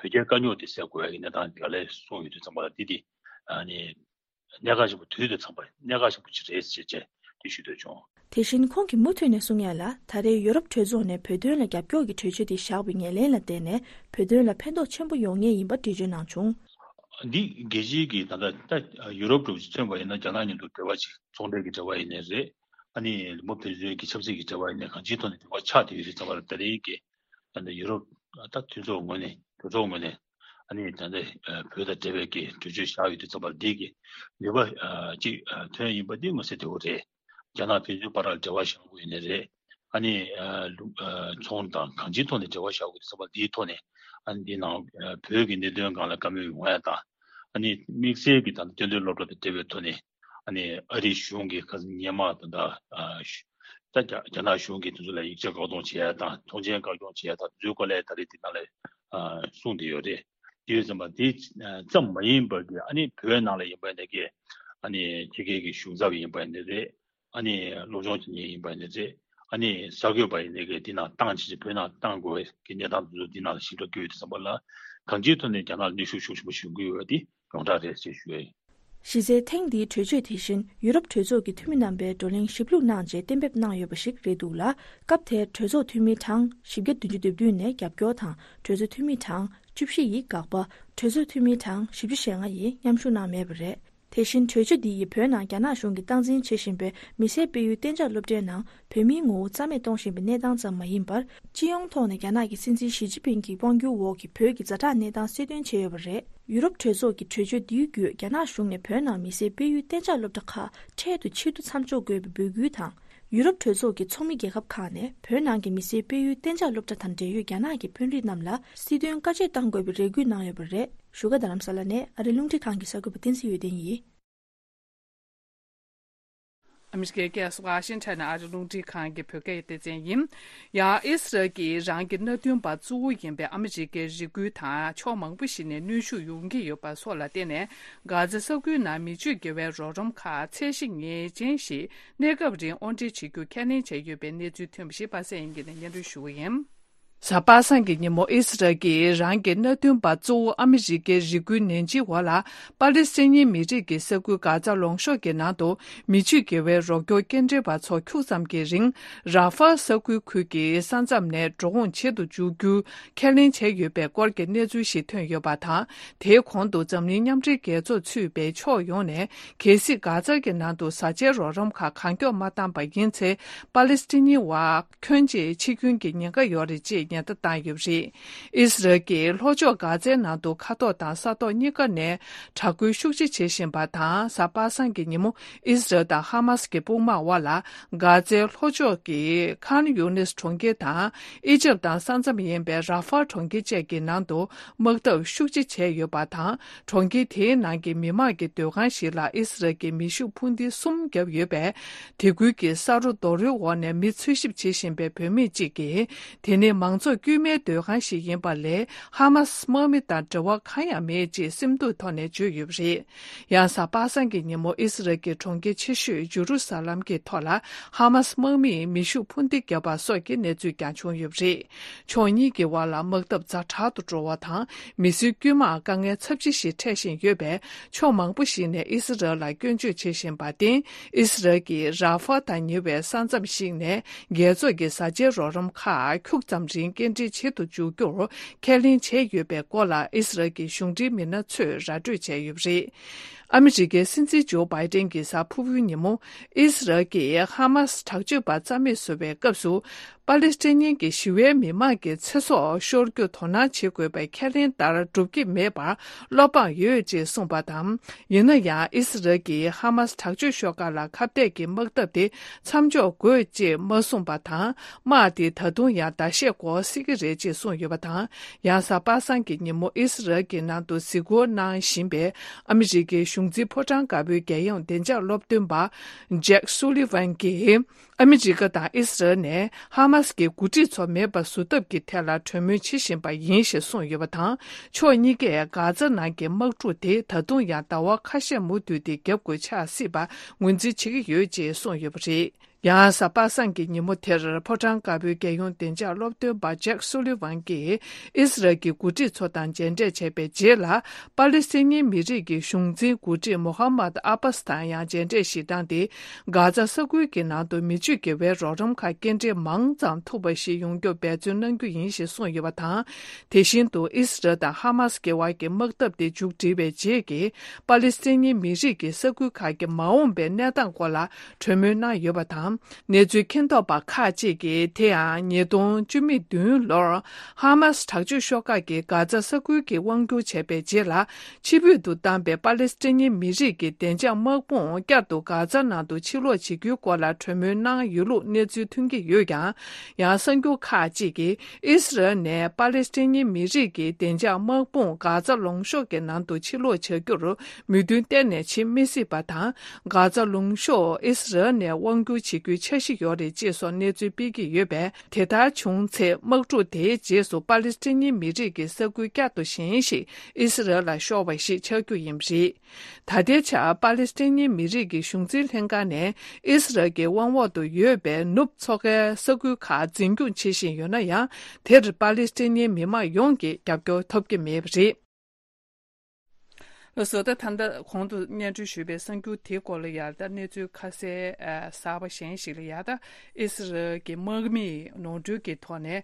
བོད་རྒྱའི་དཀའ་རྙོག་དེ་སེལ་དགོས་པའི་གི་གནས་སྟངས་ག་ལེར་གསུངས་ཡོད་དུས་ཙམ་པ་ལ་འདི་དེ་ཨ་ནི་གནད་འགག་ཆེན་པོ་དུས་དང་འཚམ་པ་གནད་འགག་ཆེན་པོ་ཅིག་རེད་ཅེས་བྱས་དེ་ཞུ་འདོད་བྱུང་། དེ་བཞིན་ཁོང་གིས་མུ་མཐུད་ནས་གསུང་ཡ་ལ། ད་རེས་ཡོ་རོབ་གྲོས་ཚོགས་ནས་བོད་དོན་ལ་རྒྱབ་སྐྱོར་གྱི་གྲོས་ཆོད་དེ་བཞག་པའི་ངོས་ལེན་ལ་བརྟེན་ནས་བོད་དོན་ལ་ཕན་ཐོགས་ཆེན་པོ་ཡོང་ངེས་ཡིན་པ་འགྲེལ་བརྗོད་གནང་བྱུང་། འདི་རྒྱལ་སྤྱིའི་གི་ད་ལྟ་ད་ཡོ་རོབ་གྲོས་ཚོགས་མཚོན་པ་ཡིན་ན་རྒྱ་ནག་མཉམ་དུ་འབྲེལ་བ་ཅིག་ཚོང་འབྲེལ་གྱི་འབྲེལ་བ་ཡིན་ནའི་རེད། ཨ་ནི་མི་ཕན་ཚུན་གྱི་ཆབ་སྲིད་ཀྱི་འབྲེལ་བ་ཡིན་ནའི་གང་ཅིའི་ཐོག་ནས་འབྲེལ་བ་ཆགས་བསྡད་ཡོད་རེད་ཙང་མ་རེད། ད་རེས་ཀྱི་ད་ལྟ་ཡོ་རོབ་ད་མཐུན་ཚོགས་ངོས་ནས་གྲོས་ཚོགས་ངོས་ནས་ཨ་ནི་ད་ལྟ་བོད་དང་འབྲེལ་བའི་གི་གྲོས་ཆོད་བཞག་ཡོད་དུས་ཙམ་པ་འདི་གི་ནུས་པ་ཅིག་ཐོན་ཡིན་པ་འདི་མངོན་གསལ་དོད་པོ་རེད། རྒྱ་ནག་ཕན་ཚུན་བར་ལ་འབྲེལ་བ་བཞག་དགོས་ཡིན་ནའི་རེད། ཨ་ནི་ཨ་ལུ་ཨ་ཚོང་དང་གང་ཅིའི་ཐོག་ནས་འབྲེལ་བ་བཞག་དགོས་དུས་ཙམ་པ་འདིའི་ཐོག་ནས་ཨ་ནི་འདི་ནང་ཨ་བོད་ཀྱི་གནད་དོན་སྒང་ལ་བཀའ་མོལ་ཡོང་ཡ་དང་། ཨ་ནི་དམིགས་བསལ་གྱི་ད་ལྟ་གཏན་སྡོད་སློབ་གྲྭ་དང་འབྲེལ་བའི་ཐོག་ནས་ཨ་ནི་ཨ་རིའི་གཞུང་གིས་ཁ་སང་སྔོན་མ་ད་ལྟ་ཨ་ད་རྒྱ་རྒྱ་ནག་གཞུང་གིས་དེ་ཚོ་ལ་ཡིག་ཆ་བཀག་སྡོམ་བྱེད་ཡ་དང་ཐོངས་མཆན་བཀག་སྐྱོང་བྱེད་ཡ་དང་དེ་ཚོའི་སྐོར་ལ་ད་རེས་འདི་ནང་ལ་ཨ་གསུངས་བསྡད་ཡོད་རེད། དེ་ཡོད་ཙམ་པ་དེ་ཙམ་མ་ཡིན་པར་གྱི་ཨ་ནི་བོད་ནང་ལ་ཡིན་པ་ཡིན་ནའི་གི་ཨ་ནི་ཕྱི་རྒྱལ་གྱི་གཞུང་ཚབ་ཡིན་པ་ཡིན་ནའི་རེད། ཨ་ནི་སློབ་སྦྱོང་བྱེད་མཁན་ཡིན་པ་ཡིན་ནའི་རེད། ཨ་ནི་གསར་འགོད་པ་ཡིན་ནའི་གི་འདི་ནང་བཏང་བྱས་བོད་ནང་བཏང་དགོས་པའི་གི་གནས་སྟངས་དེ་ཚོ་འདི་ནང་ལ་ཞིབ་ཕྲ་བཀོད་ཡོད་དུས་ཙམ་པ་ལ་གང་ཅིའི་ཐོག་ནས་རྒྱ་ནག་ལ་གནོན་ཤུགས་ཤུགས་ཆེན་པོ་ཞིག་འགྲོ་གི་ཡོད་པ་དེ་ཡོངས་གྲགས་རེད་ཅེས་ཞུ་ཡ་ཡིན། གཞི་རྩའི་ཐེངས་འདིའི་གྲོས་ཆོད་དེ་བཞིན་ཡུ་རོབ་གྲོས་ཚོགས་ཀྱི་འཐུས་མི་རྣམ་པས་བགྲོ་གླེང་ཞིབ་ལྷུག་གནང་རྗེས་གཏན་འབེབས་གནང་ཡོད་པ་ཞིག་རེད་འདུག་ལ། སྐབས་དེར་གྲོས་ཚོགས་འཐུས་མི་གྲངས་བཞི་བརྒྱ་བདུན་ཅུ་དོན་བདུན་ནས་རྒྱབ་སྐྱོར་དང་གྲོས་ཚོགས་འཐུས་མི་གྲངས་བཅུ་བཞི་ཡིས་དགག་པ། གྲོས་ཚོགས་འཐུས་མི་གྲངས་བཞི་བཅུ་ཞེ་ལྔ་ཡིས་མཉམ་ཞུགས་གནང་མེད་པ་རེད། དེ་བཞིན་གྲོས་ཆོད་འདི་ཡིས་བོད་ནང་རྒྱ་ནག་གཞུང་གིས་སྟངས་འཛིན་བྱེད་བཞིན་པའི་མི་སེར་སྤེལ་ཡུལ་གཏན་འཇགས་སློབ་གྲྭའི་ནང་བོད་མིའི་ངོ་བོ་རྩ་མེད་གཏོང་བཞིན་པའི་གནས་སྟངས་ཙམ་མ་ཡིན་པར། སྤྱི་ཡོངས་ཐོག་ནས་རྒྱ་ནག་གི་སྲིད་འཛིན་ཞི་ཅིན་ཕིང་གི་དབང་སྒྱུར་འོག་གི་བོད་ཀྱི་ཛ་དྲག་གནས་སྟངས་གསལ་སྟོན་བྱས་ཡོད་པ་རེད། ཡུ་རོབ་གྲོས་ཚོགས་ཀྱི་གྲོས་ཆོད་འདིའི་བརྒྱུད་རྒྱ་ནག་གཞུང་ནས་བོད་ནང་མི་སེར་སྤེལ་ཡུལ་གཏན་འཇགས་སློབ་གྲྭ་ཁག་འཕྲལ་དུ་ཕྱིར་བསྡུ་མཚམས་འཇོག་དགོས་པའི་འབོད་སྐུལ་དང་། ཡུ་རོབ་གྲོས་ཚོགས་ཀྱི་ཚོགས་མི་རྒྱལ་ཁབ་ཁག་ནས་བོད་ནང་གི་མི་སེར་སྤེལ་ཡུལ་གཏན་འཇགས་སློབ་གྲྭ་དང་འབྲེལ་ཡོད་རྒྱ་ནག་གི་དཔོན་རིགས་རྣམས་ལ་སྲིད་དོན་བཀའ་ཆད་གཏང་དགོས་པའི་རེ་སྐུལ་གནང་ཡོད་པ་རེད། བཞུགས་སྒར་རྡ་རམ་ས་ལ་ནས་ཨ་རིའི་རླུང་འཕྲིན་ཁང་གི་གསར་འགོད་པ་བསྟན་འཛིན་འོད་ལྡན་ཡིན། ཨ་མི་རི་ཀའི་རྒྱལ་ས་ཝ་ཤིང་ཊོན་ནས་ཨ་རིའི་རླུང་འཕྲིན་ཁང་གི་བོད་སྐད་སྡེ་ཚན་ཡིན། ཡང་ཨི་སི་རལ་གྱིས་རང་གི་མནའ་མཐུན་པ་གཙོ་བོ་ཡིན་པའི་ཨ་མི་རི་ཀའི་རིགས་རྒྱུད་དང་ཕྱོགས་མང་པོ་ཞིག་ནས་གནོན་ཤུགས་ཡོང་གི་ཡོད་པ་སོགས་ལ་བརྟེན་ནས། གྷ་ཛ་ས་ཁུལ་ནང་མི་སྤྱོད་དགེ་བའི་རོགས་རམ་ཁག་ཚད་གཞི་ངེས་ཅན་ཞིག་གནས་སྐབས་རིང་དབོར་འདྲེན་བྱེད་རྒྱུ་ཁས་ལེན་བྱས་ཡོད་པའི་གནས་ཚུལ་ཐོན་པ་ཞིག་པ་སངས་དབྱངས་སྐྱིད་ནས་སྙན་སྒྲོན་ཞུ་གི་ཡིན། གཟའ་པ་སངས་ཀྱི་ཉིན་མོ་ཨི་སི་རལ་གྱིས་རང་གི་མནའ་མཐུན་པ་གཙོ་བོ་ཨ་མི་རི་ཀའི་རིགས་རྒྱུད་ནན་ཅིང་ཝ་ལ་པ་ལི་སི་ཐན་མི་རིགས་ཀྱི་ས་ཁུལ་གྷ་ཛ་ལུང་གཤོང་གི་ནང་དུ་མི་སྤྱོད་དགེ་བའི་རོགས་སྐྱོར་སྐྱེལ་འདྲེན་པ་ཚོ་ཁྱུག་ཙམ་གྱི་རིང་ར་ཧྥལ་ས་ཁུལ་ཁུལ་གྱི་ས་མཚམས་ནས་འགྲོ་འོང་བྱེད་དུ་འཇུག་རྒྱུ་ཁས་ལེན་བྱས་ཡོད་པའི་སྐོར་གྱི་གནས་ཚུལ་ཞིག་ཐོན་ཡོད་པ་དང་། དེའི་གོང་དུ་འཛམ་གླིང་མཉམ་འབྲེལ་རྒྱལ་ཚོགས་ཚུད་པའི་ཕྱོགས་ཡོངས་ནས་གལ་སྲིད་གྷ་ཛ་གི་ནང་དུ་བཟའ་བཅའི་རོགས་རམ་ཁག་གང་མགྱོགས་མ་བཏང་པ་ཡིན་ཚེ་པ་ལི་སི་ཐན་མི་བ་ཁྱོན་ཆེ་འཆི་སྐྱོན་གྱི་ཉེན་ཁ་ཡོད་རེད་ཅེས་ ཉེན་བརྡ་བཏང་ཡོད་པ་རེད། ཨི་སི་རལ་གྱིས་ལྷོ་ཕྱོགས་གྷ་ཛའི་ནང་དུ་མཁའ་ཐོག་དང་ས་ཐོག་གཉིས་ཀ་ནས་དྲག་རྒོལ་ཤུགས་ཆེ་བྱེད་བཞིན་པ་དང་། གཟའ་པ་སངས་ཀྱི་ཉིན་མོ་ཨི་སི་རལ་དང་ཧ་མ་སི་ཀྱི་དཔུང་དམག་དབར་ལ་གྷ་ཛའི་ལྷོ་ཕྱོགས་ཀྱི་ཁཱན་ཡུ་ནིས་གྲོང་ཁྱེར་དང་། ཨི་ཇིབ་དང་ས་མཚམས་ཡིན་པའི་ར་ཧྥ་གྲོང་ཁྱེར་བཅས་ཀྱི་ནང་དུ་དམག་འཐབ་ཤུགས་ཆེ་བྱས་ཡོད་པ་དང་། གྲོང་ཁྱེར་དེའི་ནང་གི་མི་མང་གི་སྡོད་ཁང་ཞིག་ལ་ཨི་སི་རལ་གྱིས་མེ་ཤུགས་འཕུར་མདེལ་གསུམ་བརྒྱབ་ཡོད་པས། དེ་ཁུལ་གྱི་ས་རོ་རྡོ་རོའི་འོག་ནས་མི་འཚོལ་ཞིབ་བྱེད་བཞིན་པའི་བུད་མེད་ཅིག་གིས། དེ་ནི་མང་ཚོགས་དཀྱུས་མའི་སྡོད་ཁང་ཞིག་ཡིན་པ་ལས། ཧ་མ་སི་དམག་མི་དང་འབྲེལ་བ་གང་ཡང་མེད་ཅེས་སེམས་སྡུག་ཐོག་ནས་བརྗོད་ཡོད་པ་རེད། ཡང་གཟའ་པ་སངས་ཀྱི་ཉིན་མོ་ཨི་སི་རལ་གྱི་གྲོང་ཁྱེར་ཆེ་ཤོས་ཇུ་རུ་ས་ལམ་གྱི་ཐོག་ལ་ཧ་མ་སི་དམག་མིས་མེ་ཤུགས་འཕུར་མདེལ་བརྒྱབ་པ་སོགས་ཀྱི་གནས་ཚུལ་ཀྱང་བྱུང་ཡོད་པ་རེད། ཕྱོགས་གཉིས་ཀྱི་དབར་ལ་དམག་འཐབ་ཛ་དྲག་ཏུ་འགྲོ་བ་དང་། མི་སེར་དཀྱུས་མར་དཀའ་ངལ་ཚབས་ཆེ་ཞིག་འཕྲད་བཞིན་ཡོད་པས། ཕྱོགས་མང་པོ་ཞིག་ནས་ཨི་སི་རལ་ལ་སྐྱོན་བརྗོད་བྱེད་བཞིན་པར་བརྟེན། ཨི་སི་རལ་གྱིས་ར་ཧྥ་དང་ཉེ་བའི་ས་མཚམས་ཤིག་ནས་རྒྱལ་ཚོགས་ཀྱི་བཟའ་བཅའི་རོགས་རམ་ཁག་ཁྱུག་ཙམ་རིང་སྐྱེལ་འདྲེན་བྱེད་དུ་འཇུག་རྒྱུར་ཁས་ལེན་བྱས་ཡོད་པའི་སྐོར་ལ། ཨི་སི་རལ་གྱི་གཞུང་འབྲེལ་མི་སྣ་ཚོས་ར་སྤྲོད་བྱས་ཡོད་པ་རེད། ཨ་མི་རི་ཀའི་སྲིད་འཛིན་ཇོ་བྷའི་ཏན་གྱིས་གཟའ་ཕུར་བུའི་ཉིན་མོ། ཨི་སི་རལ་གྱིས་ཧ་མ་སི་དྲག་སྤྱོད་པ་རྩ་མེད་བཟོ་བའི་སྐབས་སུ། པ་ལི་སི་ཐན་ཉིན་གྱི་ཞི་བའི་མི་མང་གི་ཚེ་སྲོག་ཤོར་རྒྱུ་དོ་སྣང་བྱེད་དགོས་པའི་ཁས་ལེན་ལྟར་འགྲུབ་ཀྱི་མེད་པར་བློ་ཕམ་ཡོད་ཅེས་གསུངས་པ་དང་། ཡིན་ན་ཡང་ཨི་སི་རལ་གྱིས་ཧ་མ་སི་དྲག་སྤྱོད་ཤོག་ཁག་ལ་ཁ་གཏད་ཀྱི་དམག་འཐབ་དེ་མཚམས་འཇོག་དགོས་ཅེས་མ་གསུངས་པ་དང་། དམག་དེ་ད་དུང་ཡང་ཟླ་ཤས་འགོར་སྲིད་ཀྱི་རེད་ཅེས་གསུངས་ཡོད་པ་དང་། ཡང་གཟའ་པ་སངས་ཀྱི་ཉིན་མོ་ཨི་སི་རལ་གྱི་ནང་དུ་གཟིགས་སྐོར་གནང་བཞིན་པའི་ཨ་མི་རི་ཀའི་གཞུང་འཛིན་ཕོ་བྲང་དཀར་པོའི་རྒྱལ་ཡོངས་བདེ་འཇགས་སློབ་སྟོན་པ་ཇེག་སུ་ལི་ཝན་གྱིས། ཨ་མི་རི་ཀ་དང་ཨི་སི་རལ་ནས་ཧ་མ་སི་གི་འགོ་ཁྲིད་ཚོ་མེད་པ་བཟོ་ཐབས་ཀྱི་ཐད་ལ་གྲོས་མོལ་བྱེད་བཞིན་པ་ཡིན་ཞེས་གསུངས་ཡོད་པ་དང་། ཕྱོགས་གཉིས་ཀས་གྷ་ཛ་ནང་གི་དམག་འཁྲུག་དེ་ད་དུང་ཡང་ཟླ་བ་ཁ་ཤས་མུ་མཐུད་དེ་བརྒྱབ་དགོས་ཆགས་སྲིད་པ་ངོས་འཛིན་བྱེད་ཀྱི་ཡོད་ཅེས་གསུངས་ཡོད་པ་རེད། ཡང་གཟའ་པ་སངས་ཀྱི་ཉིན་མོ་དེར་ཕོ་བྲང་དཀར་པོའི་རྒྱལ་ཡོངས་བདེ་འཇགས་སློབ་སྟོན་པ་ཇེག་སུ་ལི་ཝན་གྱིས་ཨི་སི་རལ་གྱི་འགོ་ཁྲིད་ཚོ་དང་མཇལ་འཕྲད་བྱས་པའི་རྗེས་ལ། པ་ལི་སི་ཐན་མི་རིགས་ཀྱི་གཞུང་འཛིན་འགོ་ཁྲིད་མོ་ཧ་མད་ཨ་པཱ་སི་དང་ཡང་མཇལ་འཕྲད་ཞིག་བཏང་སྟེ། གྷ་ཛ་ས་ཁུལ་གྱི་ནང་དུ་མི་སྤྱོད་དགེ་བའི་རོགས་རམ་ཁག་སྐྱེལ་འདྲེན་མང་ཙམ་ཐུབ་པ་ཞིག་ཡོང་རྒྱུར་འབད་བརྩོན་གནང་རྒྱུ་ཡིན་ཞེས་གསུངས་ཡོད་པ་དང་། དེ་བཞིན་དུ་ཨི་སི་རལ་དང་ཧ་མ་སི་གི་དབར་གྱི་དམག་འཐབ་དེ་མཇུག་སྒྲིལ་བའི་རྗེས་ཀྱི་པ་ལི་སི་ཐན་མི་རིགས་ཀྱི་ས་ཁུལ་ཁག་གི་མ་འོངས་པའི་གནས་སྟངས་སྐོར་ལ་གྲོས་མོལ་གནང་ཡོད་པ་དང་། གནས་ཚུལ་མཁྱེན་རྟོགས་པ་ཁག་ཅིག་གིས། དེ་ཡང་ཉིས་སྟོང་བཅུ་མེད་བདུན་ལོར་ཧ་མ་སི་དྲག་སྤྱོད་ཤོག་ཁག་གིས་གྷ་ཛ་ས་ཁུལ་གྱི་དབང་སྒྱུར་བྱས་པའི་རྗེས་ལ། ཕྱིར་འབུད་དུ་བཏང་པའི་པ་ལི་སི་ཐན་མི་རིགས་ཀྱི་བདེ་འཇགས་དམག་དཔུང་བསྐྱར་དུ་གྷ་ཛ་ནང་དུ་ཕྱིར་ལོག་བྱེད་རྒྱུའི་སྐོར་ལ་གྲོས་མོལ་གནང་ཡོད་ལུགས་གནས་ཚུལ་ཐོན་གྱི་ཡོད་ཀྱང་། ཡང་གསར་འགྱུར་ཁག་ཅིག་གིས། ཨི་སི་རལ་ནས་པ་ལི་སི་ཐན་མི་རིགས་ཀྱི་བདེ་འཇགས་དམག་དཔུང་གྷ་ཛ་ལུང་གཤོང་གི་ནང་དུ་ཕྱིར་ལོག་བྱ་རྒྱུར་མོས་མཐུན་གཏན་ནས་བྱེད་མི་སྲིད་པ་དང་། གྷ་ཛ་ལུང་གཤོང་ཨི་སི་རལ་ནས་དབང་སྒྱུར་བྱེད་རྒྱུའི་འཆར་གཞི་ཡོད་རེད་ཅེས་སོགས་གནས་ཚུལ་སྤེལ་གྱི་ཡོད་པས། དེ་ལྟར་བྱུང་ཚེ། དམག་འཁྲུག་དེའི་རྗེས་སུ་པ་ལི་སི་ཐན་མི་རིགས་ཀྱི་ས་ཁུལ་བསྐྱར་དུ་གཞན་ཞིག་ཨི་སི་རལ་ལ་ཤོར་བ་ཞིག་ཆགས་རྒྱུ་ཡིན་པ་རེད། ད་ལྟའི་ཆར་པ་ལི་སི་ཐན་མི་རིགས་ཀྱི་གཞུང་འཛིན་ལྷན་ཁང་ནས་ཨི་སི་རལ་གྱི་དབང་འོག་ཏུ་ཡོད་པའི་ནུབ་མཚོ་ཁའི་ས་ཁུལ་ཁག་འཛིན་སྐྱོང་བྱེད་བཞིན་ཡོད་ན་ཡང་། དེར་པ་ལི་སི་ཐན་མི་མང་ཡོངས་ཀྱིས་རྒྱབ་སྐྱོར་ཐོབ་ཀྱི་མེད་པ་རེད། ལགས་སོ། ད་ད་ལྟ་གོང་དུ་སྙན་སྒྲོན་ཞུས་པའི་གསར་འགྱུར་དེའི་སྐོར་ལ་ཡང་ད་གནས་ཚུལ་ཁ་གསལ་ཨ་གསར་པ་གཞན་ཞིག་ལ་ཡང་ད་ཨི་སི་རལ་གྱི་དམག་མིས་ནོར་འཁྲུལ་གྱི་ཐོག་ནས་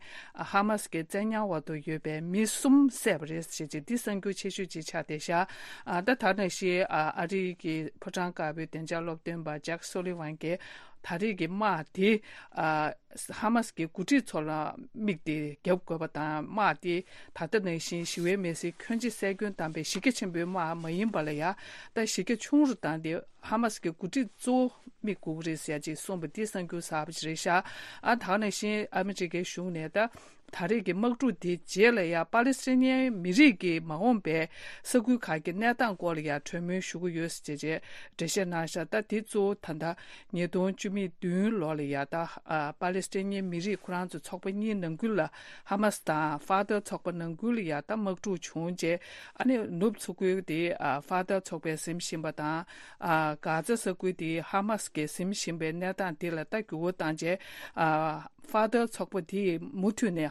ཧ་མ་སི་གི་བཙན་ཉར་འོག་ཏུ་ཡོད་པའི་མི་གསུམ་བསད་པ་རེད་ཞེས་བྱས། འདི་གསར་འགྱུར་ཆེ་ཤོས་ཅིག་ཆགས་བསྡད་ཤག་ཨ་ད་ད་ནང་བཞིན་ཨ་ཨ་རི་གི་ཕོ་བྲང་དཀར་པོའི་བདེ་འཇགས་སློབ་སྟོན་པ་ཇེག་སོ་ལི་ཝན་གྱིས་ད་རེས་ཀྱི་དམག་དེ་ཨ་ཧ་མ་སི་གི་འགོ་ཁྲིད་ཚོ་ལ་དམིགས་ཏེ་བརྒྱབ་དགོས་པ་དང་། དམག་དེ་ད་ལྟ་ནང་བཞིན་ཞི་བའི་མི་སེར་ཁྱོན་ཆེ་བསད་སྐྱོན་བཏང་པའི་གཞི་རྒྱ་ཆེན་པོའི་དམག་མ་ཡིན་པ་ལ་ཡང་ད་གཞི་རྒྱ་ཆུང་རུ་བཏང་སྟེ། ཧ་མ་སི་གི་འགོ་ཁྲིད་གཙོ་བོ་དམིགས་དགོས་ཀྱི་རེད་ཟེར་ཅིག་གསུངས་པ་འདི་གསར་འགྱུར་གསར་པ་ཅིག་རེད་ཤག་ཨ་ད་ག་ནང་བཞིན་ཨ་མི་རི་ཀའི་གཞུང་ནས་ད་ད་རེས་ཀྱི་དམག་འཁྲུག་དེའི་རྗེས་ལ་ཡང་པ་ལི་སི་ཐན་མི་རིགས་ཀྱི་མ་འོངས་པའི་ས་ཁུལ་ཁག་གི་གནས་སྟངས་སྐོར་ལ་ཡང་གྲོས་མོལ་ཞུ་གི་ཡོད་ཟེར་བྱས་འགྲེལ་བཤད་གནང་ཤག་ད་དེ་གཙོ་བོ་ད་ལྟ་ཉིས་སྟོང་བཅུ་མེད་བདུན་ལོ་ལ་ཡང་ད་ཨ་པ་ལི་སི་ཐན་མི་རིགས་ཁོ་རང་ཚོ་ཚོགས་པ་གཉིས་ནང་ཁུལ་ལ་ཧ་མ་སི་དང་ཧྥ་ཐར་ཚོགས་པ་ནང་ཁུལ་ལ་ཡང་ད་དམག་འཁྲུག་བྱུང་རྗེས། ཨ་ནི་ནུབ་མཚོ་ཁུལ་དེ་ཨ་ཧྥ་ཐར་ཚོགས་པས་ཟིན་བཞིན་པ་དང་། ཨ་གྷ་ཛ་ས་ཁུལ་དེ་ཧ་མ་སི་གིས་ཟིན་བཞིན་པའི་གནས་སྟངས་དེ་ལ་ད་འགྱུར་བ་བཏང་རྗེས། ཨ་ཧྥ་ཐར་ཚོགས་པ་དེས་མུ་མཐུད་ནས་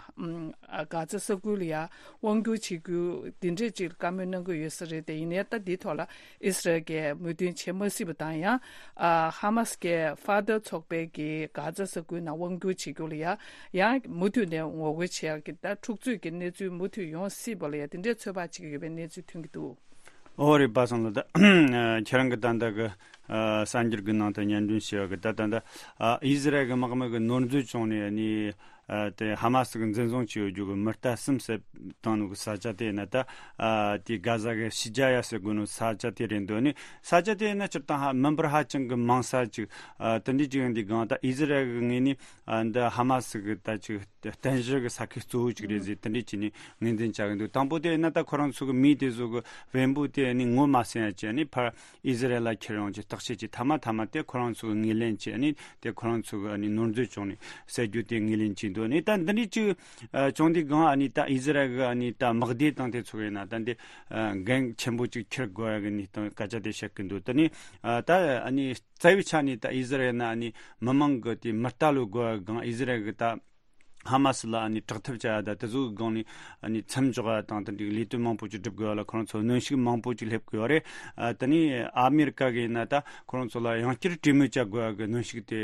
ཨ་གྷ་ཛ་ས་ཁུལ་ལ་ཡང་དབང་སྒྱུར་བྱེད་རྒྱུ་འདི་འདྲས་ཅིག་བཀའ་མོལ་གནང་གི་ཡོད་ས་རེད་དེ། ཡིན་ནའི་ད་འདིའི་ཐོག་ལ་ཨི་སི་རལ་གྱིས་མོས་མཐུན་བྱེད་མ་སྲིད་པ་དང་། ཡང་ཨ་ཧ་མ་སི་གིས་ཧྥ་ཐར་ཚོགས་པའི་གི་གྷ་ཛ་ས་ཁུལ་ནང་དབང་སྒྱུར་བྱེད་རྒྱུ་ལ་ཡང་ཡང་མུ་མཐུད་ནས་ངོ་རྒོལ་བྱེད་ཡག་གི་ད་འཁྲུག་རྩོད་ཀྱི་གནས་ཚུལ་མུ་མཐུད་ཡོང་སྲིད་པ་ལ་ཡང་དེ་འདྲའི་ཚོད་དཔག་བྱེད་ཀྱི་ཡོད་པའི་གནས་ཚུལ་ཐོན་གྱི་འདུག་ཨོ་རེད། པ་སངས་ལགས། ད་ཁྱེད་རང་གི་ད་ལྟ་གི་ཨ་གསར་འགྱུར་གྱི་ནང་དུ་སྙན་སྒྲོན་ཞུས་པ་གི་ད་ད་ལྟ་ཨ་ཨི་སི་རལ་གྱི་དམག་མི་གི་ནོར་འཛོལ་བྱུང་ནས་ནི་ ཨ་དེ་ཧ་མ་སི་གི་འཛིན་བཟུང་བྱས་ཡོད་རྒྱུ་གི་མི་རྟ་གསུམ་བསད་བཏང་ནོ་གི་ས་ཆ་དེ་ཡིན་ན་ད། ཨ་དེ་གྷ་ཟ་གི་ཤི་ཇ་ཡ་ཟེར་གོ་ནོ་ས་ཆ་དེ་རེད་འདུག་ནི་ས་ཆ་དེ་ཡིན་ན་སྤྱིར་བཏང་ཧ་མི་འབོར་ཧ་ཅང་གི་མང་ས་ཅིག་ཨ་དེ་འདྲའི་ཅིག་ཡིན་དུས་གང་ད་ཨི་ཟི་རལ་གི་ངོས་ནས་ཨ་འདི་ཧ་མ་སི་གི་ད་ཅིག་རྟེན་གཞི་གི་ས་ཁུལ་གཙོ་བོ་ཅིག་རེད་ཟེར་དེ་འདྲའི་ཅིག་ནས་ངོས་འཛིན་བྱ་གི་འདུག་དང་པོ་དེ་ཡིན་ན་ད་ཁོ་རང་ཚོ་གི་མི་དེ་ཚོ་གི་བེམ་པོ་དེ་ནི་ངོ་མ་ཟིན་ཡ་ཅིག་ནི་ཕར་ཨི་ཟི་རལ་ལ་ཁྱེར་ཡོང་ཅིག་བརྟག་དཔྱད་ཅིག་མཐའ་མ་མཐའ་མ་དེ་ཁོ་རང་ཚོ་གི་ངོས་ལེན་ཅིག་ནི་དེ་ཁོ་རང་ཚོ་གི་ནི་ནོར་འཛོལ་བྱུང་ནས་བསད་རྒྱུ་དེ་ངོས་ལེན་བྱས་འདུག་ནི་ད་འདི་འདྲའི་ཅིག་ཨ་བྱུང་དུས་གང་ཨ་ནི་ད་ཨི་ཟི་རལ་གི་ཨ་ནི་ད་དམག་སྡེ་དང་དེ་ཚོ་ཡིན་ན་ད་འདི་ཨ་འགན་ཆེན་པོ་ཅིག་འཁྱེར་དགོས་ཡ་གི་ནི་དང་སྐད་ཆ་དེ་བཤད་གི་འདུག་དེ་ནི་ཨ་ད་ཨ་ནི་རྩ་བའི་ཆ་ནས་ད་ཨི་ཟི་རལ་ན་ཨ་ནི་མི་མང་གི་དེ་མི་རྟ་ལོ་དགོས་ཡ་གང་ཨི་ཟི་རལ་གི་ད་ཧ་མ་སི་ལ་ཨ་ནི་དྲག་ཐབས་བྱ་ཡ་ད་དེ་ཚོ་གི་སྒང་ནས་ཨ་ནི་མཚམས་འཇོག་ཡ་དང་དེ་འདྲའི་ལས་དོན་མང་པོ་ཅིག་སྒྲུབ་དགོས་ཡ་ལ་ཁོ་རང་ཚོ་གནོན་ཤུགས་མང་པོ་ཅིག་སླེབས་དགོས་ཡ་རེད། ཨ་དེ་ནས་ཨ་མེ་རི་ཀ་གི་ཡིན་ན་ད་ཁོ་རང་ཚོ་ལ་ཡང་བསྐྱར་གྲོས་མོལ་བྱ་དགོས་ཡ་གི་གནོན་ཤུགས་དེ་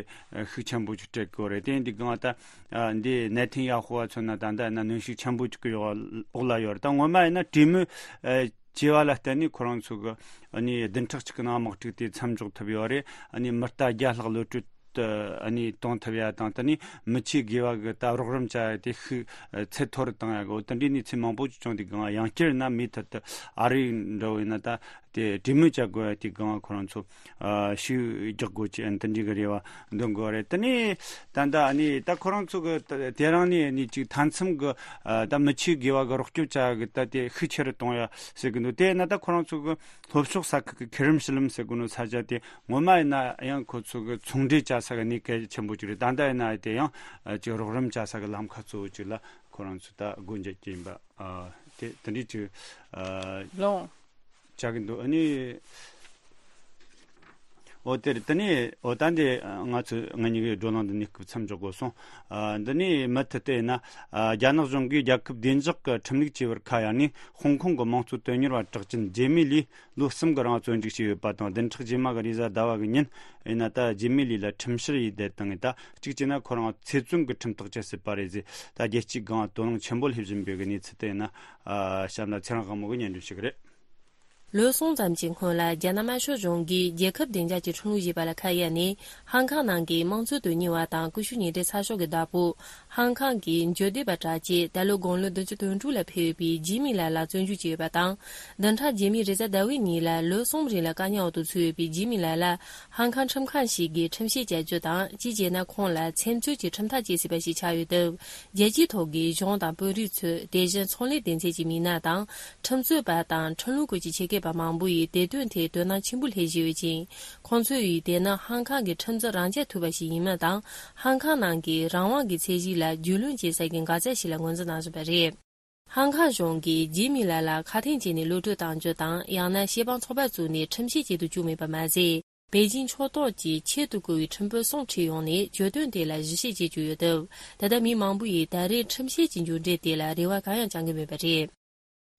ཤུགས་ཆེན་པོ་ཅིག་སྤྲད་དགོས་རེད། དེ་འདི་གང་ད་ཨ་འདི་ནེ་ཐན་ཡ་ཧུ་བ་མཚོན་ན་ད་ལྟ་ཡིན་ན་གནོན་ཤུགས་ཆེན་པོ་ཅིག་གི་འོག་ལ་ཡོད་རེད། ད་སྔོན་མ་ཡིན་ན་གྲོས་མོལ་ཨ་བྱས་པ་ལ་བརྟེན་ནས་ཁོ་རང་ཚོ་གི་ཨ་ནི་བདུན་ཕྲག་གཅིག་གི་ནང་དམག་འཁྲུག་དེ་མཚམས་འཇོག་ཐུབ་ཡོད་རེད། ཨ་ནི་མི་རྟ་བརྒྱ་ལྷག་གློད་གྲོལ་དུ་ཨ་ནི་གཏོང་ཐུབ་ཡ་དང་དེ་ནི་མི་ཆོས་དགེ་བ་གི་ད་རོགས་རམ་བྱ་ཡ་དེ་ཤུགས་ཚད་མཐོ་རུ་བཏང་ཡ་གི་འོ་དེ་འདྲའི་གནས་ཚུལ་མང་པོ་ཅིག་བྱུང་དུས་གང་ཡང་བསྐྱར་ན་མུ་མཐུད་དུ་ཨ་རི་འདྲ་བོ་ཡིན་ན་ད་དེ་གྲོས་མོལ་བྱ་དགོས་ཡ་དེ་གང་ཁོ་རང་ཚོ་ཨ་ཤུགས་རྒྱག་དགོས་ཀྱི་ཨ་ནི་དེ་འདྲའི་གི་རེ་བ་འདོན་དགོས་རེད། དེ་ནས་ད་ལྟ་ཨ་ནི་ད་ཁོ་རང་ཚོ་གི་ད་དེ་རིང་ནས་ཨ་ནི་ཅིག་མཐའ་མཚམས་གི་ཨ་ད་མི་ཆོས་དགེ་བ་གི་རོགས་སྐྱོབ་བྱ་གི་ད་དེ་ཤུགས་ཆེ་རུ་གཏོང་ཡ་ཟེར་གི་འདུག་དེ་ན་ད་ཁོ་རང་ཚོ་གི་ལྷོ་ཕྱོགས་ས་ཁུལ་གི་ཁེ་རིམ་ཤི་ལམ་ཟེར་གི་འདུག་ས་ཆ་དེ་ངོ་མ་ཡིན་ན་ཡང་ཁོ་ཚོ་གི་ཚོང་འབྲེལ་བྱ་ས་གི་གནས་གལ་ཆེན་པོ་ཅིག་རེད། ད་ལྟ་ཡིན་ན་དེ་ཡང་ཨ་ཅིག་རོགས་རམ་བྱ་ས་གི་ལམ་ཁ་གཙོ་བོ་ཅིག་ལ་ཁོ་རང་ཚོ་ད་སྒོ་འབྱེད་ཀྱི་ཡིན་པ་ཨ་དེ་དེ་འདྲའི་ཅིག་ཨ་ལོང་བྱ་གི་འདུག་ཨ་ནི། འོ་དེར་དེ་ནས་འོ་ད་འདི་ང་ཚོ་ང་གཉིས་ཀྱི་བགྲོ་གླེང་འདི་ནས་སྐབས་མཚམས་འཇོག་དགོས་སོང་། ཨ་འདི་ནས་མུ་མཐུད་དེ་ཡིན་ན་ཨ་རྒྱ་ནག་གཞུང་གིས་རྒྱལ་ཁབ་བདེ་འཇགས་ཀྱི་ཁྲིམས་ལུགས་བཅོས་པར་ཁ་གཡར་ནས་ཧོང་ཀོང་གི་དམངས་གཙོ་དོན་གཉེར་བ་གྲགས་ཅན་ཇེ་མི་ལི་ལོ་གསུམ་གྱི་རིང་བཙོན་འཇུག་བྱས་ཡོད་པ་དང་། བདུན་ཕྲག་རྗེས་མ་གི་རེས་གཟའ་ཟླ་བ་གི་ཉིན་ཡིན་ན་ད་ཇེ་མི་ལི་ལ་ཁྲིམས་བཤེར་ཡས་བསྡད་བཏང་ངེ་ད་གཅིག་བྱས་ན་ཁོ་རང་ཚེ་བཙོན་གྱི་ཁྲིམས་ཐག་བཅད་སྲིད་པ་རེད་ཟེར། ད་རྒྱལ་སྤྱིའི་སྒང་དོ་སྣང་ཆེན་པོ་སླེབས་བཞིན་པའི་གི་གནས་ཚུལ་དེ་ཡིན་ན་ཨ་གཤམ་ལ་ཚེ་རིང་དབང་མོ་གིས་སྙན་སྒྲོན་ཞུ་གི་རེད། ལོ་གསུམ་ཙམ་གྱི་སྔོན་ལ་རྒྱ་ནག་དམར་ཤོག་གཞུང་གིས་རྒྱལ་ཁབ་བདེ་འཇགས་ཀྱི་ཁྲིམས་ལུགས་ཞེས་པ་ལ་ཁ་གཡར་ནས་ཧང་ཀང་ནང་གི་དམངས་གཙོ་དོན་གཉེར་བ་དང་ཀུ་ཤུ་ཉེ་འབྲེལ་ཚགས་ཤོག་གི་བདག་པོ་ཧང་ཀང་གི་འགྱུར་འདེད་པ་གྲགས་ཅན་ད་ལོ་དགུང་ལོ་བདུན་ཅུ་དོན་དྲུག་ལ་ཕེབས་ཡོད་པའི་ཇི་མི་ལ་ལ་བཙོན་འཇུག་བྱས་ཡོད་པ་དང་། བདུན་ཕྲག་རྗེས་མའི་རེས་གཟའ་ཟླ་བའི་ཉིན་ལ་ལོ་གསུམ་རིང་ལ་བཀག་ཉར་འོག་ཏུ་ཚུད་ཡོད་པའི་ཇི་མི་ལ་ལ་ཧང་ཀང་ཁྲིམས་ཁང་ཞིག་གིས་ཁྲིམས་བཤེར་བྱ་རྒྱུ་དང་། གཅིག་བྱས་ན་ཁོང་ལ་མཚན་རྩོད་ཀྱི་ཁྲིམས་ཐག་བཅད་སྲིད་པ་ཞིག་ཆགས་ཡོད་སྟབས། རྒྱལ་སྤྱིའི་ཐོག་གི་གཞུང་དང་དཔོན་རིགས་ཚོས་དེ་བཞིན་ཚོང་ལས་སྡེ་ཚན་གྱི་མི་སྣ་དང་། ཁྲིམས་རྩོད་པ་དང་ཁྲིམས་ལུགས་སྐོར་གྱི་ཆེད་མཁས་པ་མང་པོ་ཡིས་དེ་དོན་ཐད་དོ་སྣང་ཆེན་པོ་སླེབས་བཞིན་ཡོད་ཅིང་། ཁོང་ཚོས་ཡིས་དེ་ནི་ཧང་ཀང་གི་ཁྲིམས་འཛིན་རང་རྐྱ་ཐུབ་པ་ཞིག་ཡིན་མིན་དང་། ཧང་ཀང་ནང་གི་རང་དབང་གི་ཚད་གཞི་ལ་རྒྱུས་ལོན་བྱེད་ས་ཀྱི་འགག་རྩ་ཞིག་ལ་ངོས་འཛིན་གནང་བཞིན་པ་རེད། ཧང་ཀང་གཞུང་གིས་ཇི་མི་ལ་ལ་ཁ་དན་བྱས་ནས་གློད་གྲོལ་གཏང་རྒྱུ་དང་། ཡང་ན་ཤེས་དཔང་ཚོགས་པ་བཙུགས་ནས་ཁྲིམས་བཤེར་བྱེད་དུ་བཅུག་མེད་པ་མ་ཟད། པེ་ཅིང་ཕྱོགས་གཏོགས་ཀྱི་ཆེད་དུ་བསྐོས་པའི་ཁྲིམས་དཔོན་གསུམ་ཁྲིད་ཡོང་ནས་གྱོད་དོན་དེ་ལ་ཞིབ་བཤེར་བྱེད་ཀྱི་ཡོད་སྟབས། ད་ལྟ་མི་མང་པོ་ཡིས་ད་རེས་ཁྲིམས་བཤེར་གྱི་མཇུག་འབྲས་དེ་ལ་རེ་བ་གང་ཡང་བཅང་གི་མེད་པ་རེད།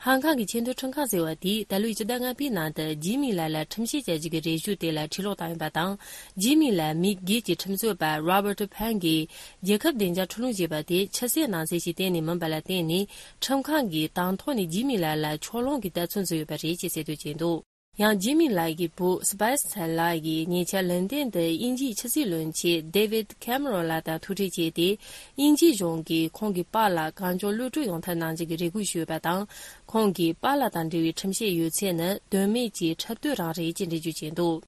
ཧང་ཀང་གི་ཆེས་མཐོའི་ཁྲིམས་ཁང་ཟེར་བ་དེས་ད་ལོའི་སྤྱི་ཟླ་ལྔ་པའི་ནང་དུ་ཇི་མི་ལ་ལ་ཁྲིམས་བཤེར་བྱ་རྒྱུ་གི་རེ་ཞུ་དེ་ལ་ཕྱིར་སློག་བཏང་ཡོད་པ་དང་། ཇི་མི་ལ་མི་སྒེར་གྱི་ཁྲིམས་རྩོད་པ་Robert Pan གིས་རྒྱལ་ཁབ་བདེ་འཇགས་ཁྲིམས་ལུགས་ཞེས་པ་དེ་ཕྱི་གསལ་ནང་གསལ་ཞིག་གཏན་ནས་མིན་པ་ལ་བརྟེན་ནས། ཁྲིམས་ཁང་གིས་དང་ཐོག་ནས་ཇི་མི་ལ་ལ་ཕྱོགས་ལྷུང་གི་ལྟ་ཚུལ་འཛིན་ཡོད་པ་རེད་ཅེས་གསལ་འདོན་བྱས་འདུག་ཡང་ཇི་མི་ལགས་ཀྱི་བུ་སི་པའེ་སི་ལགས་ཀྱིས་ཉེ་ཆར་ལན་ཏན་དུ་དབྱིན་ཇིའི་ཕྱི་སྲིད་བློན་ཆེན་David Cameron ལགས་དང་ཐུག་འཕྲད་བྱས་ཏེ། དབྱིན་ཇིའི་གཞུང་གིས་ཁོང་གི་པཱ་ལགས་གང་མགྱོགས་གློད་གྲོལ་ཡོང་ཐབས་གནང་རྒྱུ་གི་རེ་སྐུལ་ཞུས་ཡོད་པ་དང་། ཁོང་གིས་པཱ་ལགས་དང་འབྲེལ་བའི་ཁྲིམས་བཤེར་ཡོད་ཚད་ནི་དོན་མེད་ཀྱི་འཁྲབ་སྟོན་རང་རེད་ཅེས་འགྲེལ་བརྗོད་བྱས་འདུག་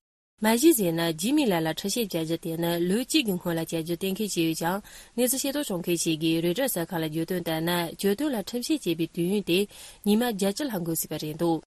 མ་གཞི་ཟེར་ན། ཇི་མི་ལགས་ལ་ཁྲིམས་བཤེར་བྱ་རྒྱུ་དེ་ནི་ལོ་གཅིག་གི་སྔོན་ལ་བྱ་རྒྱུ་གཏན་འཁེལ་བྱས་ཡོད་ཀྱང་། གནས་ཚུལ་ཤེས་རྟོགས་བྱུང་མཁན་ཞིག་གིས་རོའི་ཊར་གསར་ཁང་ལ་བརྗོད་དོན་ལྟར་ན། གྱོད་དོན་ལ་ཁྲིམས་བཤེར་བྱེད་པའི་དུས་ཡུན་དེ་ཉི་མ་བརྒྱད་ཅུ་ལྷག་འགོར་སྲིད་པ་རེད་འདུག་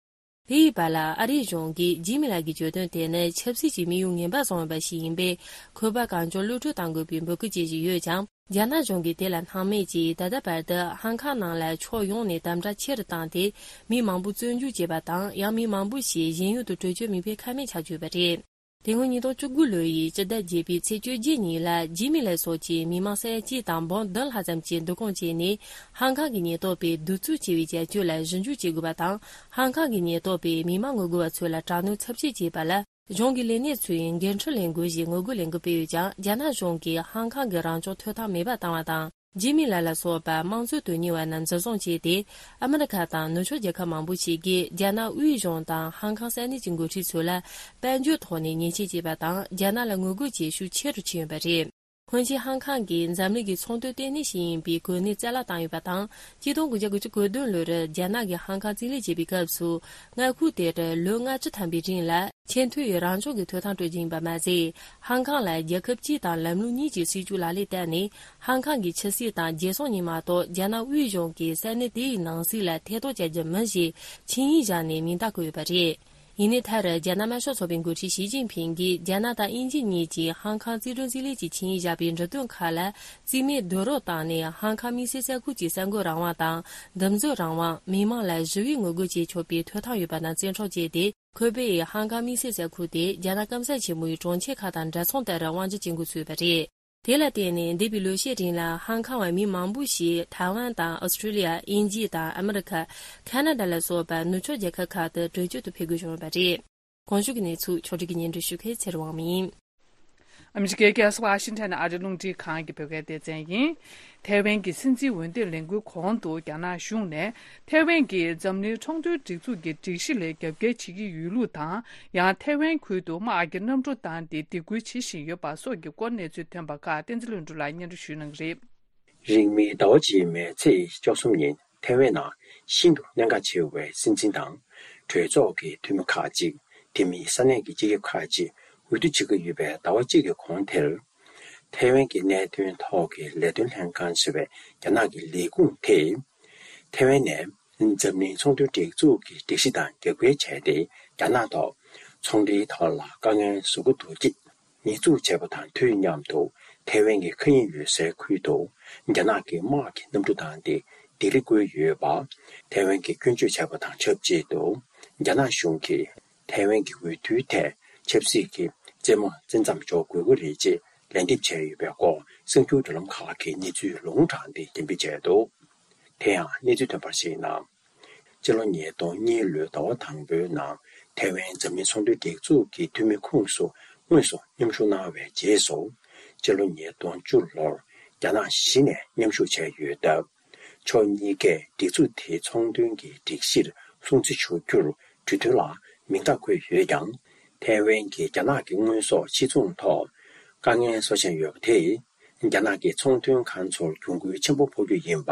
དེ་ཡི་བར་ལ་ཨ་རིའི་གཞུང་གིས་ཇི་མི་ལགས་ཀྱི་གྱོད་དོན་དེ་ནི་ཆབ་སྲིད་ཀྱི་དམིགས་ཡུལ་ངན་པ་བཟུང་ཡོད་པ་ཞིག་ཡིན་པས། ཁོའི་པཱ་གང་མགྱོགས་གློད་གྲོལ་གཏང་དགོས་པའི་འབོད་སྐུལ་བྱེད་བཞིན་ཡོད་ཀྱང་། རྒྱ་ནག་གཞུང་གིས་དེ་ལ་སྣང་མེད་ཀྱིས་ད་ལྟ་བར་དུ་ཧང་ཀང་ནང་ལ་ཕྱོགས་ཡོངས་ནས་དམ་དྲག་ཆེ་རུ་བཏང་སྟེ། མི་མང་པོ་བཙོན་འཇུག་བྱས་པ་དང་། ཡང་མི་མང་པོ་ཞིག་གཞན་ཡུལ་དུ་བྲོས་བྱོལ་མེད་པའི་ཁ་མེད་ཆགས་ཀྱི་ཡོད་པ་རེད། དེ་སྔོན་ཉིས་སྟོང་བཅུ་དགུ་ལོ་ཡི་སྤྱི་ཟླ་བརྒྱད་པའི་ཚེས་བཅོ་བརྒྱད་ཉིན་ལ། ཇི་མི་ལགས་སོགས་ཀྱི་མི་མང་ས་ཡ་གཅིག་དང་འབུམ་བདུན་ལྷག་ཙམ་གྱིས་འདུ་སྐོང་བྱས་ནས། ཧང་ཀང་གི་ཉེན་རྟོག་པས་གདུག་རྩུབ་ཆེ་བའི་བྱ་སྤྱོད་ལ་ཞིབ་འཇུག་བྱེད་དགོས་པ་དང་། ཧང་ཀང་གི་ཉེན་རྟོག་པས་མི་མང་ངོ་རྒོལ་བ་ཚོ་ལ་དྲག་གནོན་ཚབས་ཆེ་བྱས་པ་ལ། གཞུང་གི་ལས་སྣེ་ཚོས་འགན་འཁྲི་ལེན་དགོས་ཞེས་ངོ་རྒོལ་ལས་འགུལ་སྤེལ་ཡོད་ཀྱང་། རྒྱ་ནག་གཞུང་གིས་ཧང་ཀང་གི་རང་སྐྱོང་ཐོབ་ཐང་མེད་པ་བཏང་བ་དང་། ཇི་མི་ལགས་ལ་སོགས་པ་དམངས་གཙོ་དོན་གཉེར་བ་རྣམས་འཛིན་བཟུང་བྱས་ཏེ། ཨ་མི་རི་ཁ་དང་ནུབ་ཕྱོགས་རྒྱལ་ཁབ་མང་པོ་ཞིག་གིས་རྒྱ་ནག་དབུས་གཞུང་དང་ཧང་ཀང་ས་གནས་ཀྱི་འགོ་ཁྲིད་ཚོ་ལ་དཔལ་འབྱོར་ཐོག་ནས་ཉེས་ཆད་བཅད་པ་དང་། རྒྱ་ནག་ལ་ངོ་རྒོལ་བྱེད་ཤུགས་ཆེ་རུ་ཕྱིན་ཡོད་པ་རེད། སྔོན་ཆད་ཧང་ཀང་གིས་འཛམ་གླིང་གི་ཚོང་དོན་ལྟེ་གནས་ཤིག་ཡིན་པའི་གོ་གནས་བཙན་བརླག་བཏང་ཡོད་པ་དང་། ཆིག་སྟོང་དགུ་བརྒྱ་དགུ་བཅུ་གོ་བདུན་ལོར་རྒྱ་ནག་གིས་ཧང་ཀང་རྩིས་ལེན་བྱས་པའི་སྐབས་སུ། མངའ་ཁུལ་དེར་ལོ་ལྔ་བཅུ་ཐམ་པའི་རིང་ལ་ཆེས་མཐོའི་རང་སྐྱོང་གི་ཐོབ་ཐང་སྤྲོད་རྒྱུ་ཡིན་པ་མ་ཟད། ཧང་ཀང་ལ་རྒྱལ་ཁབ་སྤྱི་དང་ལམ་ལུགས་གཉིས་ཀྱི་སྲིད་བྱུས་ལག་ལེན་བསྟར་ནས། ཧང་ཀང་གི་ཆབ་སྲིད་དང་རྒྱལ་སྲུང་གཉིས་མ་གཏོགས། རྒྱ་ནག་དབུས་གཞུང་གིས་ས་གནས་དེའི་ནང་སྲིད་ལ་ཐེ་གཏོགས་བྱ་རྒྱུ་མིན་ཞེས་ཆིངས་ཡིག་བཞག་ནས་མིང་རྟགས་བཀོད་ཡོད་པ་རེད། ཡིན་ནའི། མཐར་རྒྱ་ནག་དམར་ཤོག་ཚོགས་པའི་འགོ་ཁྲིད་ཞི་ཅིན་ཕིང་གིས་རྒྱ་ནག་དང་དབྱིན་ཇི་གཉིས་ཀྱིས་ཧང་ཀང་རྩིས་སྤྲོད་རྩིས་ལེན་གྱི་ཆིངས་ཡིག་བཞག་པའི་འབྲུ་དོན་ཁག་ལ། རྩིས་མེད་རྡོག་རོལ་བཏང་ནས། ཧང་ཀང་དམིགས་བསལ་ས་ཁུལ་གྱི་གསར་འགོད་རང་དབང་དང་། འདེམས་རྩོད་རང་དབང་། མི་མང་ལ་ཞི་བའི་ངོ་རྒོལ་བྱེད་ཆོག་པའི་ཐོབ་ཐང་ཡོད་པ་དང་བཙན་འཕྲོག་བྱས་ཏེ། ཁོ་པས་ཧང་ཀང་དམིགས་བསལ་ས་ཁུལ་དེ་རྒྱ་ནག་སྐམ་ས་ཆེན་མོའི་གྲོང་ཁྱེར་ཁག་དང་འདྲ་མཚུངས་ལྟར་དབང་སྒྱུར་བྱེད་འགོ་ཚུགས་པ་རེད། དེ་ལ་བརྟེན་ནས། འདས་པའི་ལོ་ཤས་རིང་ལ་ཧང་ཀང་བ་མི་མང་པོ་ཞིག་ཐའེ་ཝན་དང་ཨོ་སི་ཀྲི་ལི་ཡ། དབྱིན་ཇི་དང་ཨ་མི་རི་ཁ། ཁ་ན་ཌ་ལ་སོགས་པ་ནུབ་ཕྱོགས་རྒྱལ་ཁབ་ཁག་ཏུ་བྲོས་བྱོལ་དུ་ཕེབས་དགོས་བྱུང་ཡོད་པ་རེད། གོང་ཞུས་ཀྱི་གནས་ཚུལ་ཕྱོགས་སྒྲིག་གིས་སྙན་སྒྲོན་ཞུ་མཁན་ཚེ་རིང་དབང་མོ་ཡིན། ཨ་མི་རི་ཀའི་རྒྱལ་ས་ཝ་ཤིང་ཊོན་ཨ་རིའི་རླུང་འཕྲིན་ཁང་གི་བོད་སྐད་སྡེ་ཚན་ཡིན། ཐའེ་ཝན་གྱི་སྲིད་འཛིན་འོས་འདེམས་ལས་འགུལ་གོང་དུ། རྒྱ་ནག་གཞུང་ནས་ཐའེ་ཝན་གྱིས་འཛམ་གླིང་ཚོང་དོན་སྒྲིག་འཛུགས་ཀྱི་སྒྲིག་གཞི་ལ་རྒྱབ་འགལ་བྱེད་ཀྱི་ཡོད་ལུགས་དང་། ཡང་ཐའེ་ཝན་ཁུལ་དུ་དམག་གི་གནམ་གྲུ་བཏང་སྟེ་སྡིགས་སྐུལ་བྱེད་བཞིན་ཡོད་པ་སོགས་ཀྱི་སྐོར་གནས་ཚུལ་ཐོན་པ་ཁག་བསྟན་འཛིན་ལྷུན་གྲུབ་ལགས་སྙན་སྒྲོན་ཞུ་གནང་གི་རེད། རིང་མིན་ཟླ་བ་རྗེས་མའི་ཚེས་བཅུ་གསུམ་ཉིན་ཐའེ་ཝན་ནང་ཤིན་ཏུ་གནད་འགག་ཆེ་བའི་སྲིད་འཛིན་དང་། གྲོས་ཚོགས་ཀྱི་འཐུས་མི་ཁག་ཅིག་དེ་མིན་ས་གནས་ཀྱི་སྤྱི་ཁྱབ་ཁག་ཅིག་འོས་བསྡུ་བྱེད་ཀྱི་ཡོད་པའི་ཟླ་བ་གཅིག་གི་གོང་དེར། ཐའེ་ཝན་གྱི་གནད་དོན་ཐོག་གི་ལས་དོན་ལྷན་ཁང་ཞེས་པའི་རྒྱ་ནག་གི་ལས་ཁུངས་དེས། ཐའེ་ཝན་ནས་འཛམ་གླིང་ཚོང་དོན་སྒྲིག་འཛུགས་ཀྱི་སྒྲིག་གཞི་དང་རྒྱབ་འགལ་བྱས་ཏེ། རྒྱ་ནག་ཐོག་ཚོང་འབྲེལ་ཐོག་ལ་དཀའ་ངལ་བཟོ་གི་འདུག་ཅེས་ཉེས་འཛུགས་བྱས་པ་དང་དུས་མཉམ་དུ། ཐའེ་ཝན་གྱི་མཁའ་དབྱིངས་ཡོད་སའི་ཁུལ་དུ་རྒྱ་ནག་གི་དམག་གི་གནམ་གྲུ་བཏང་སྟེ་ལྡི་ལི་བསྐོར་ཡོད་པ། ཐའེ་ཝན་གྱིས་སྐྱོན་བརྗོད་བྱས་པ་དང་ཆབས་ཅིག་ཏུ། རྒྱ་ནག་གཞུང་གིས་ཐའེ་ཝན་གྱི་འོས་བསྡུའི་ཐད་ཆབ་སྲིད་ཀྱི་རྩེད་མོ་རྩེ་མཚམས་འཇོག་དགོས་ཀྱི་རེད་ཅེས་ལན་འདེབས་བྱས་ཡོད་པའི་སྐོར་གསར་འགྱུར་བརྒྱུད་ལམ་ཁག་གིས་གནས་ཚུལ་ལུང་དྲངས་ཏེ་འགྲེམས་སྤེལ་བྱས་འདུག་དེ་ཡང་གནས་ཚུལ་ཐོན་པར་གཞིགས་ན། སྤྱི་ལོ་ཉིས་སྟོང་གཉིས་ལོའི་ཟླ་བ་དང་པོའི་ནང་ཐའེ་ཝན་འཛམ་གླིང་ཚོང་དོན་སྒྲིག་འཛུགས་ཀྱི་འཐུས་མི་ཁོངས་སུ་དངོས་སུ་མཉམ་ཞུགས་གནང་བའི་རྗེས་སུ། སྤྱི་ལོ་ཉིས་སྟོང་བཅུ་ལོར་རྒྱ་ནག་གཞི་ནས་མཉམ་ཞུགས་བྱས་ཡོད་སྟབས། ཕྱོགས་གཉིས་ཀས་སྒྲིག་འཛུགས་དེའི་ཚོང་དོན་གྱི་སྒྲིག་གཞིར་སྲུང་བརྩི་ཞུ་རྒྱུར་གྲོས་མཐུན་ལ་མིང་རྟགས་བཀོད་ཡོད་ཀྱང་། ཐའེ་ཝན་གྱིས་རྒྱ་ནག་གི་དངོས་ཟོག་ཕྱིར་ཚོང་ཐོག་དཀའ་ངལ་བཟོ་བཞིན་ཡོད་པ་དེས། རྒྱ་ནག་གི་ཚོང་དོན་ཁང་ཚོར་གྱོང་གུན་ཆེན་པོ་ཕོག་རྒྱུ་ཡིན་པ་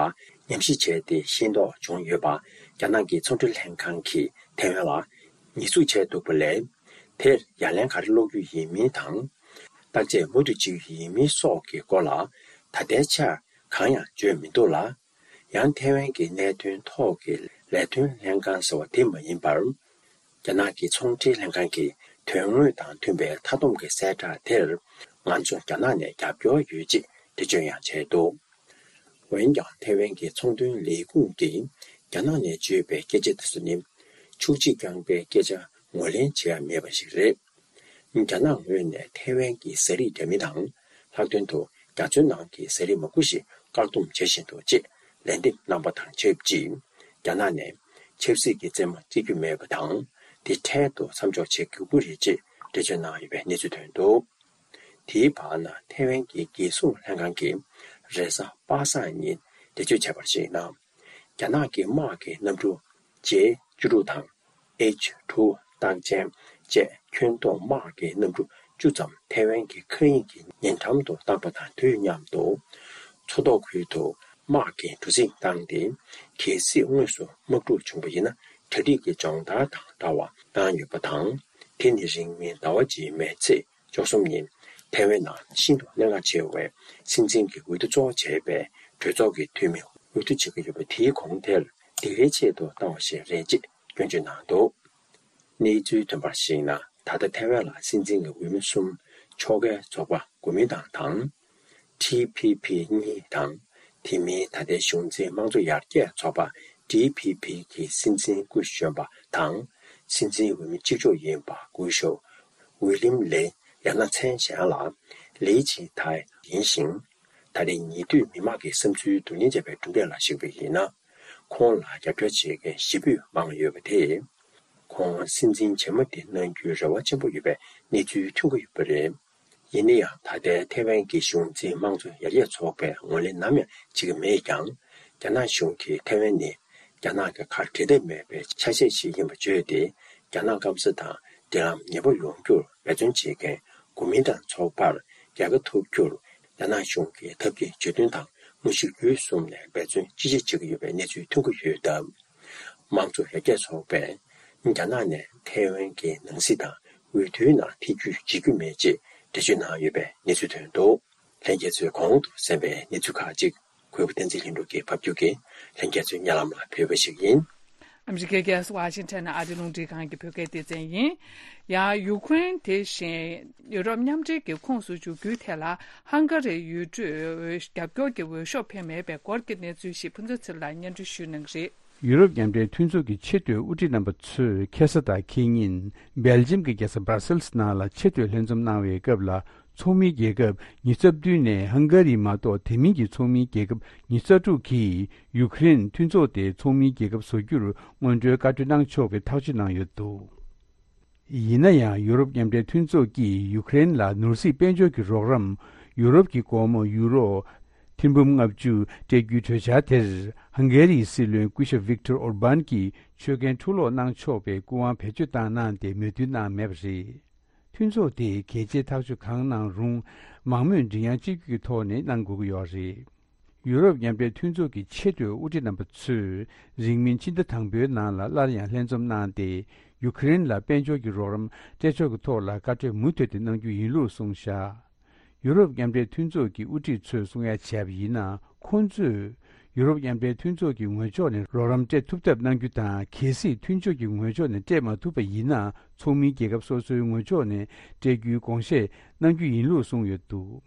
ཉམས་ཞིབ་བྱས་ཏེ་ཤེས་རྟོགས་བྱུང་ཡོད་པ། རྒྱ་ནག་གི་ཚོང་འབྲེལ་ལྷན་ཁང་གིས་ཐའེ་ཝན་ལ་ཉེས་འཛུགས་བྱས་འདུག་པ་ལས། དེར་ཡ་ལན་ག་རེ་སློག་རྒྱུ་ཡིན་མིན་དང་། བརྟག་དཔྱད་མུ་མཐུད་བྱེད་རྒྱུ་ཡིན་མིན་སོགས་ཀྱི་སྐོར་ལ་ད་ལྟའི་ཆར་གང་ཡང་བརྗོད་མི་འདུག་ལ། ཡང་ཐའེ་ཝན་གྱི་གནད་དོན་ཐོག་གི་ལས་དོན་ལྷན་ཁང་ཟེར་བ་དེ་མ་ཡིན་པར། རྒྱ་ནག་གི་ཚོང་འབྲེལ་ལྷན་ཁང་གི་དོན་དངོས་དང་མཐུན་པའི་མཐའ་སྡོམ་གྱི་གསལ་བསྒྲགས་དེར། ང་ཚོ་རྒྱ་ནག་ནས་རྒྱབ་སྐྱོར་ཡོད་ཅེས་འགྲེལ་བརྗོད་ཡང་བྱས་འདུག་འོན་ཀྱང་ཐའེ་ཝན་གྱི་ཚོང་དོན་ལས་ཁུངས་ཀྱིས་རྒྱ་ནག་ནས་བརྗོད་པའི་སྐད་ཆ་དེ་ཚོ་ནི། འཁྱུག་ཅིང་རྐྱང་པའི་སྐད་ཆ་ངོས་ལེན་བྱེད་ཡ་མེད་པ་ཞིག་རེད། རྒྱ་ནག་ངོས་ནས་ཐའེ་ཝན་གྱི་ཟས་རིགས་འདྲ་མིན་དང་། ལྷག་དོན་དུ་རྒྱ་མཚོའི་ནང་གི་ཟས་རིགས་མང་པོ་ཞིག་བཀག་སྡོམ་བྱེད་བཞིན་འདུག་ཅེས་ལན་འདེབས་གནང་པ་དང་ཆབས་ཅིག་རྒྱ་ནག་ནས་ཆབ་སྲིད་ཀྱི་རྩེད་མོ་རྩེ་རྒྱུ་མེད་པ་དང་། དེ་འཕྲལ་དུ་མཚམས་འཇོག་བྱེད་དགོས་ཀྱི་རེད་ཅེས་འགྲེལ་བརྗོད་གནང་ཡོད་པའི་གནས་ཚུལ་ཐོན་འདུག་དེའི་བར་ན་ཐའེ་ཝན་གྱི་རྒྱལ་སྲུང་ལྷན་ཁང་གིས་རེས་གཟའ་པ་སངས་ཉིན་འགྲེལ་བརྗོད་བྱས་པར་གཞིགས་ན། རྒྱ་ནག་གི་དམག་གི་གནམ་གྲུ་ཇེ་བཅུ་དྲུག་དང་། ཨེཆ་དྲུག་རྟགས་ཅན་བཅས་ཁྱོན་བསྡོམས་དམག་གི་གནམ་གྲུ་བཅུ་ཙམ་ཐའེ་ཝན་གྱི་མཁའ་དབྱིངས་ཀྱི་ཉེ་འགྲམ་དུ་བཏང་པ་དང་དུས་མཉམ་དུ། མཚོ་ཐོག་ཁུལ་དུ་དམག་གི་གྲུ་གཟིངས་བཏང་སྟེ། གལ་སྲིད་དངོས་སུ་དམག་འཁྲུག་བྱུང་བ་ཡིན་ན། གྲ་སྒྲིག་གི་སྦྱོང་བརྡར་དང་འདྲ་བ་བཏང་ཡོད་པ་དང་། དེ་ནི་རིང་མིན་ཟླ་བ་རྗེས་མའི་ཚེས་བཅུ་གསུམ་ཉིན་ཐའེ་ཝན་ནང་ཤིན་ཏུ་གནད་འགག་ཆེ་བའི་སྲིད་འཛིན་གྱི་འོས་བསྡུ་གཙོ་བོ་བྱས་པའི་གྲོས་ཚོགས་ཀྱི་འཐུས་མི་འོས་བསྡུ་བྱེད་ཀྱི་ཡོད་པ་དེའི་གོང་དེར་སྡིགས་རའི་ཆེད་དུ་བཏང་བ་ཞིག་རེད་ཅེས་སྐྱོན་བརྗོད་གནང་འདུག་གནས་ཚུལ་ཐོན་པར་གཞིགས་ན། ད་ལྟ་ཐའེ་ཝན་ལ་སྲིད་འཛིན་གྱི་འོས་མི་གསུམ་ཕྱོགས་འགལ་ཚོགས་པ་གོ་མིན་ཏང་དང་། ཊི་ཕི་ཕི་གཉིས་དང་། དེ་མིན་ད་ལྟའི་གཞུང་འཛིན་དམངས་གཙོ་ཡར་རྒྱས་ཚོགས་པ་ཌི་ཕི་ཕི་གི་སྲིད་འཛིན་སྐུ་གཞོན་པ་དང་། སྲིད་འཛིན་འོས་མི་གཅིག་ལྕོགས་ཡིན་པ་སྐུ་ཞབས་ཝི་ལིམ་ལེ། ཡང་ན་མཚན་གཞན་ལ་ལི་ཅི་ཐའེ་ཡིན་ཞིང་། ད་རེས་ཉེ་དུས་མི་མང་གི་བསམ་ཚུལ་བསྡུ་ལེན་བྱས་པའི་གྲུབ་འབྲས་ལ་གཞིགས་པ་ཡིན་ན། ཁོང་ལ་རྒྱབ་སྐྱོར་བྱེད་མཁན་ཞེ་པོས་མང་ཡོད་པ་དེས། ཁོང་སྲིད་འཛིན་རྗེས་མ་དེ་གནང་རྒྱུའི་རེ་བ་ཆེན་པོ་ཡོད་པའི་གནས་ཚུལ་ཐོན་གྱི་ཡོད་པ་རེད། ཡིན་ན་ཡང་། ད་ལྟའི་ཐའེ་ཝན་གྱི་གཞུང་འཛིན་དམངས་གཙོ་ཡར་རྒྱས་ཚོགས་པས་ངོས་ལེན་ནམ་ཡང་བྱེད་ཀྱི་མེད་ཀྱང་། རྒྱ་ནག་གཞུང་གིས་ཐའེ་ཝན་ནི་རྒྱ་ནག་གི་ཁར་འབྲལ་ཐབས་མེད་པའི་ཆ་ཤས་ཤིག་ཡིན་པ་བརྗོད་དེ། རྒྱ་ནག་སྐམ་ས་དང་འབྲེལ་ལམ་ཉེ་པོ་ཡོང་རྒྱུར་འབད་བརྩོན་བྱེད་མཁན་གོ་མིན་ཏང་ཚོགས་པར་རྒྱལ་ཁ་ཐོབ་རྒྱུར་ རྒྱ་ནག་གཞུང་གིས་ཐབས་ཀྱིས་ཇུས་འདོན་དང་མུ་བཞི་རྒྱུད་གསུམ་ནས་འབད་བརྩོན་ཅི་ཆེ་བྱེད་ཀྱི་ཡོད་པའི་གནས་ཚུལ་ཐོན་གྱི་ཡོད་སྟབས། དམངས་གཙོ་ཡར་རྒྱས་ཚོགས་པས་རྒྱ་ནག་ནས་ཐའེ་ཝན་གྱི་ནང་སྲིད་དང་འོས་བསྡུའི་ནང་ཐེ་ཇུས་བྱེད་རྒྱུ་མེད་ཅེས་འགྲེལ་བརྗོད་གནང་ཡོད་པའི་གནས་ཚུལ་ཐོན་འདུག་ལྷན་རྒྱས་ཚོས་གོང་དུ་གསན་པའི་གནས་ཚུལ་ཁག་ཅིག་གུས་པ་བསྟན་འཛིན་ལྷུན་གྲུབ་ཀྱིས་ཕབ་སྒྱུར་གྱིས་ལྷན་རྒྱས་ཚོའི་སྙན་ལམ་ལ་ཕུལ་བ་ཞིག་ཡིན། ཨ་མི་རི་ཀའི་རྒྱལ་ས་ཝ་ཤིང་ཊོན་ནས་ཨ་རི་རླུང་འཕྲིན་ཁང་གི་བོད་སྐད་སྡེ་ཚན་ཡིན། ཡང་ཡུ་ཀེ་རེན་དེ་བཞིན་ཡུ་རོབ་མཉམ་འབྲེལ་གྱི་ཁོངས་སུ་འཇུག་རྒྱུའི་ཐད་ལ་ཧང་ག་རིའི་ཡུལ་གྲུས་རྒྱབ་སྐྱོར་གྱི་འོས་ཤོག་འཕེན་མེད་པའི་སྐོར་གྱི་གནས་ཚུལ་ཞིག་ཕུན་ཚོགས་ཚེ་རིང་ལགས་སྙན་སྒྲོན་ཞུ་གནང་གི་རེད། ཡུ་རོབ་མཉམ་འབྲེལ་མཐུན་ཚོགས་ཀྱི་ཆེས་མཐོའི་དབུ་ཁྲིད་རྣམ་པ་ཚོས་ཁ་སང་དང་ཁེ་ཉིན་སྦེལ་ཇམ་གྱི་རྒྱལ་ས་སྦར་སེལ་སི་ནང་ལ་ཆེས་མཐོའི་ལྷན་འཛོམས་གནང་བའི་སྐབས་ལ། ཚོགས་མིའི་རྒྱལ་ཁབ་ཉི་ཤུ་རྩ་བདུན་ནས་ཧང་ག་རི་མ་གཏོགས་དེ་མིན་གྱི་ཚོགས་མིའི་རྒྱལ་ཁབ་ཉི་ཤུ་རྩ་དྲུག་གིས་ཡུ་ཀེ་རེན་མཐུན་ཚོགས་དེ་ཚོགས་མིའི་རྒྱལ་ཁབ་བཟོ་རྒྱུར་སྔོན་འགྲོའི་བཀའ་འཁྲོལ་གནང་ཆོག་པའི་ཐག་གཅོད་གནང་ཡོད་འདུག་ཡིན་ན་ཡང་ཡུ་རོབ་མཉམ་འབྲེལ་མཐུན་ཚོགས་ཀྱིས་ཡུ་ཀེ་རེན་ལ་ནོར་སྲིད་དཔལ་འབྱོར་གྱི་རོགས་རམ། ཡུ་རོབ་ཀྱི་སྒོར་མོ་ཡུ་རོ་ཐེར་འབུམ་ལྔ་བཅུ་སྤྲད་རྒྱུའི་གྲོས་འཆར་དེར་ཧང་གེ་རིའི་སྲིད་བློན་སྐུ་ཞབས་ཝིག་ཏོར་ཨོར་བན་གྱིས་ཆོད་གན་འཕྲུ་སློག་གནང་ཆོག་པའི་སྐུ་དབང་བེད་སྤྱོད་བཏང་གནང་སྟེ་མོས་མཐུན་གནང་མེད་པ་རེད། མཐུན་ཚོགས་དེས་གལ་ཆེའི་ཐག་གཅོད་གང་གནང་རུང་མང་མོས་མགྲིན་དབྱངས་གཅིག་གྱུར་གྱི་ཐོག་ནས་གནང་དགོས་ཀྱི་ཡོད་རེད། ཡུ་རོབ་མཉམ་འབྲེལ་མཐུན་ཚོགས་ཀྱི་ཆེས་མཐོའི་དབུ་ཁྲིད་རྣམ་པ་ཚོས་རིང་མིན་ཕྱི་ཟླ་དང་པོའི་ནང་ལ་སླར་ཡང་ལྷན་འཛོམས་གནང་སྟེ། ཡུ་ཀེ་རེན་ལ་དཔལ་འབྱོར་གྱི་རོགས་རམ་སྤྲད་ཕྱོགས་ཀྱི་ཐོག་ལ་བཀའ་འཁྲོལ་མུ་མཐུད་དེ་གནང་རྒྱུ་ཡིན་ལུགས་གསུངས་བཞག་ཡུ་རོབ་མཉམ་འབྲེལ་མཐུན་ཚོགས་ཀྱི་དབུ་ཁྲིད་ཚོས་གསུང་ཡ་བྱས་པ་ཡིན་ན། ཁོང་ཚོས་ཡུ་རོབ་མཉམ་འབྲེལ་མཐུན་ཚོགས་ཀྱི་ངོས་ཕྱོགས་ནས་རོགས་རམ་སྤྲད་ཐུབ་ཐབས་གནང་རྒྱུ་དང་། གལ་སྲིད་མཐུན་ཕྱོགས་ཀྱི་ངོས་ཕྱོགས་ནས་སྤྲད་མ་ཐུབ་པ་ཡིན་ན། ཚོགས་མིའི་རྒྱལ་ཁབ་སོ་སོའི་ངོས་ཕྱོགས་ནས་སྤྲད་རྒྱུའི་དགོངས་བཞེས་གནང་རྒྱུ་ཡིན་ལུགས་གསུངས་ཡོད་འདུག་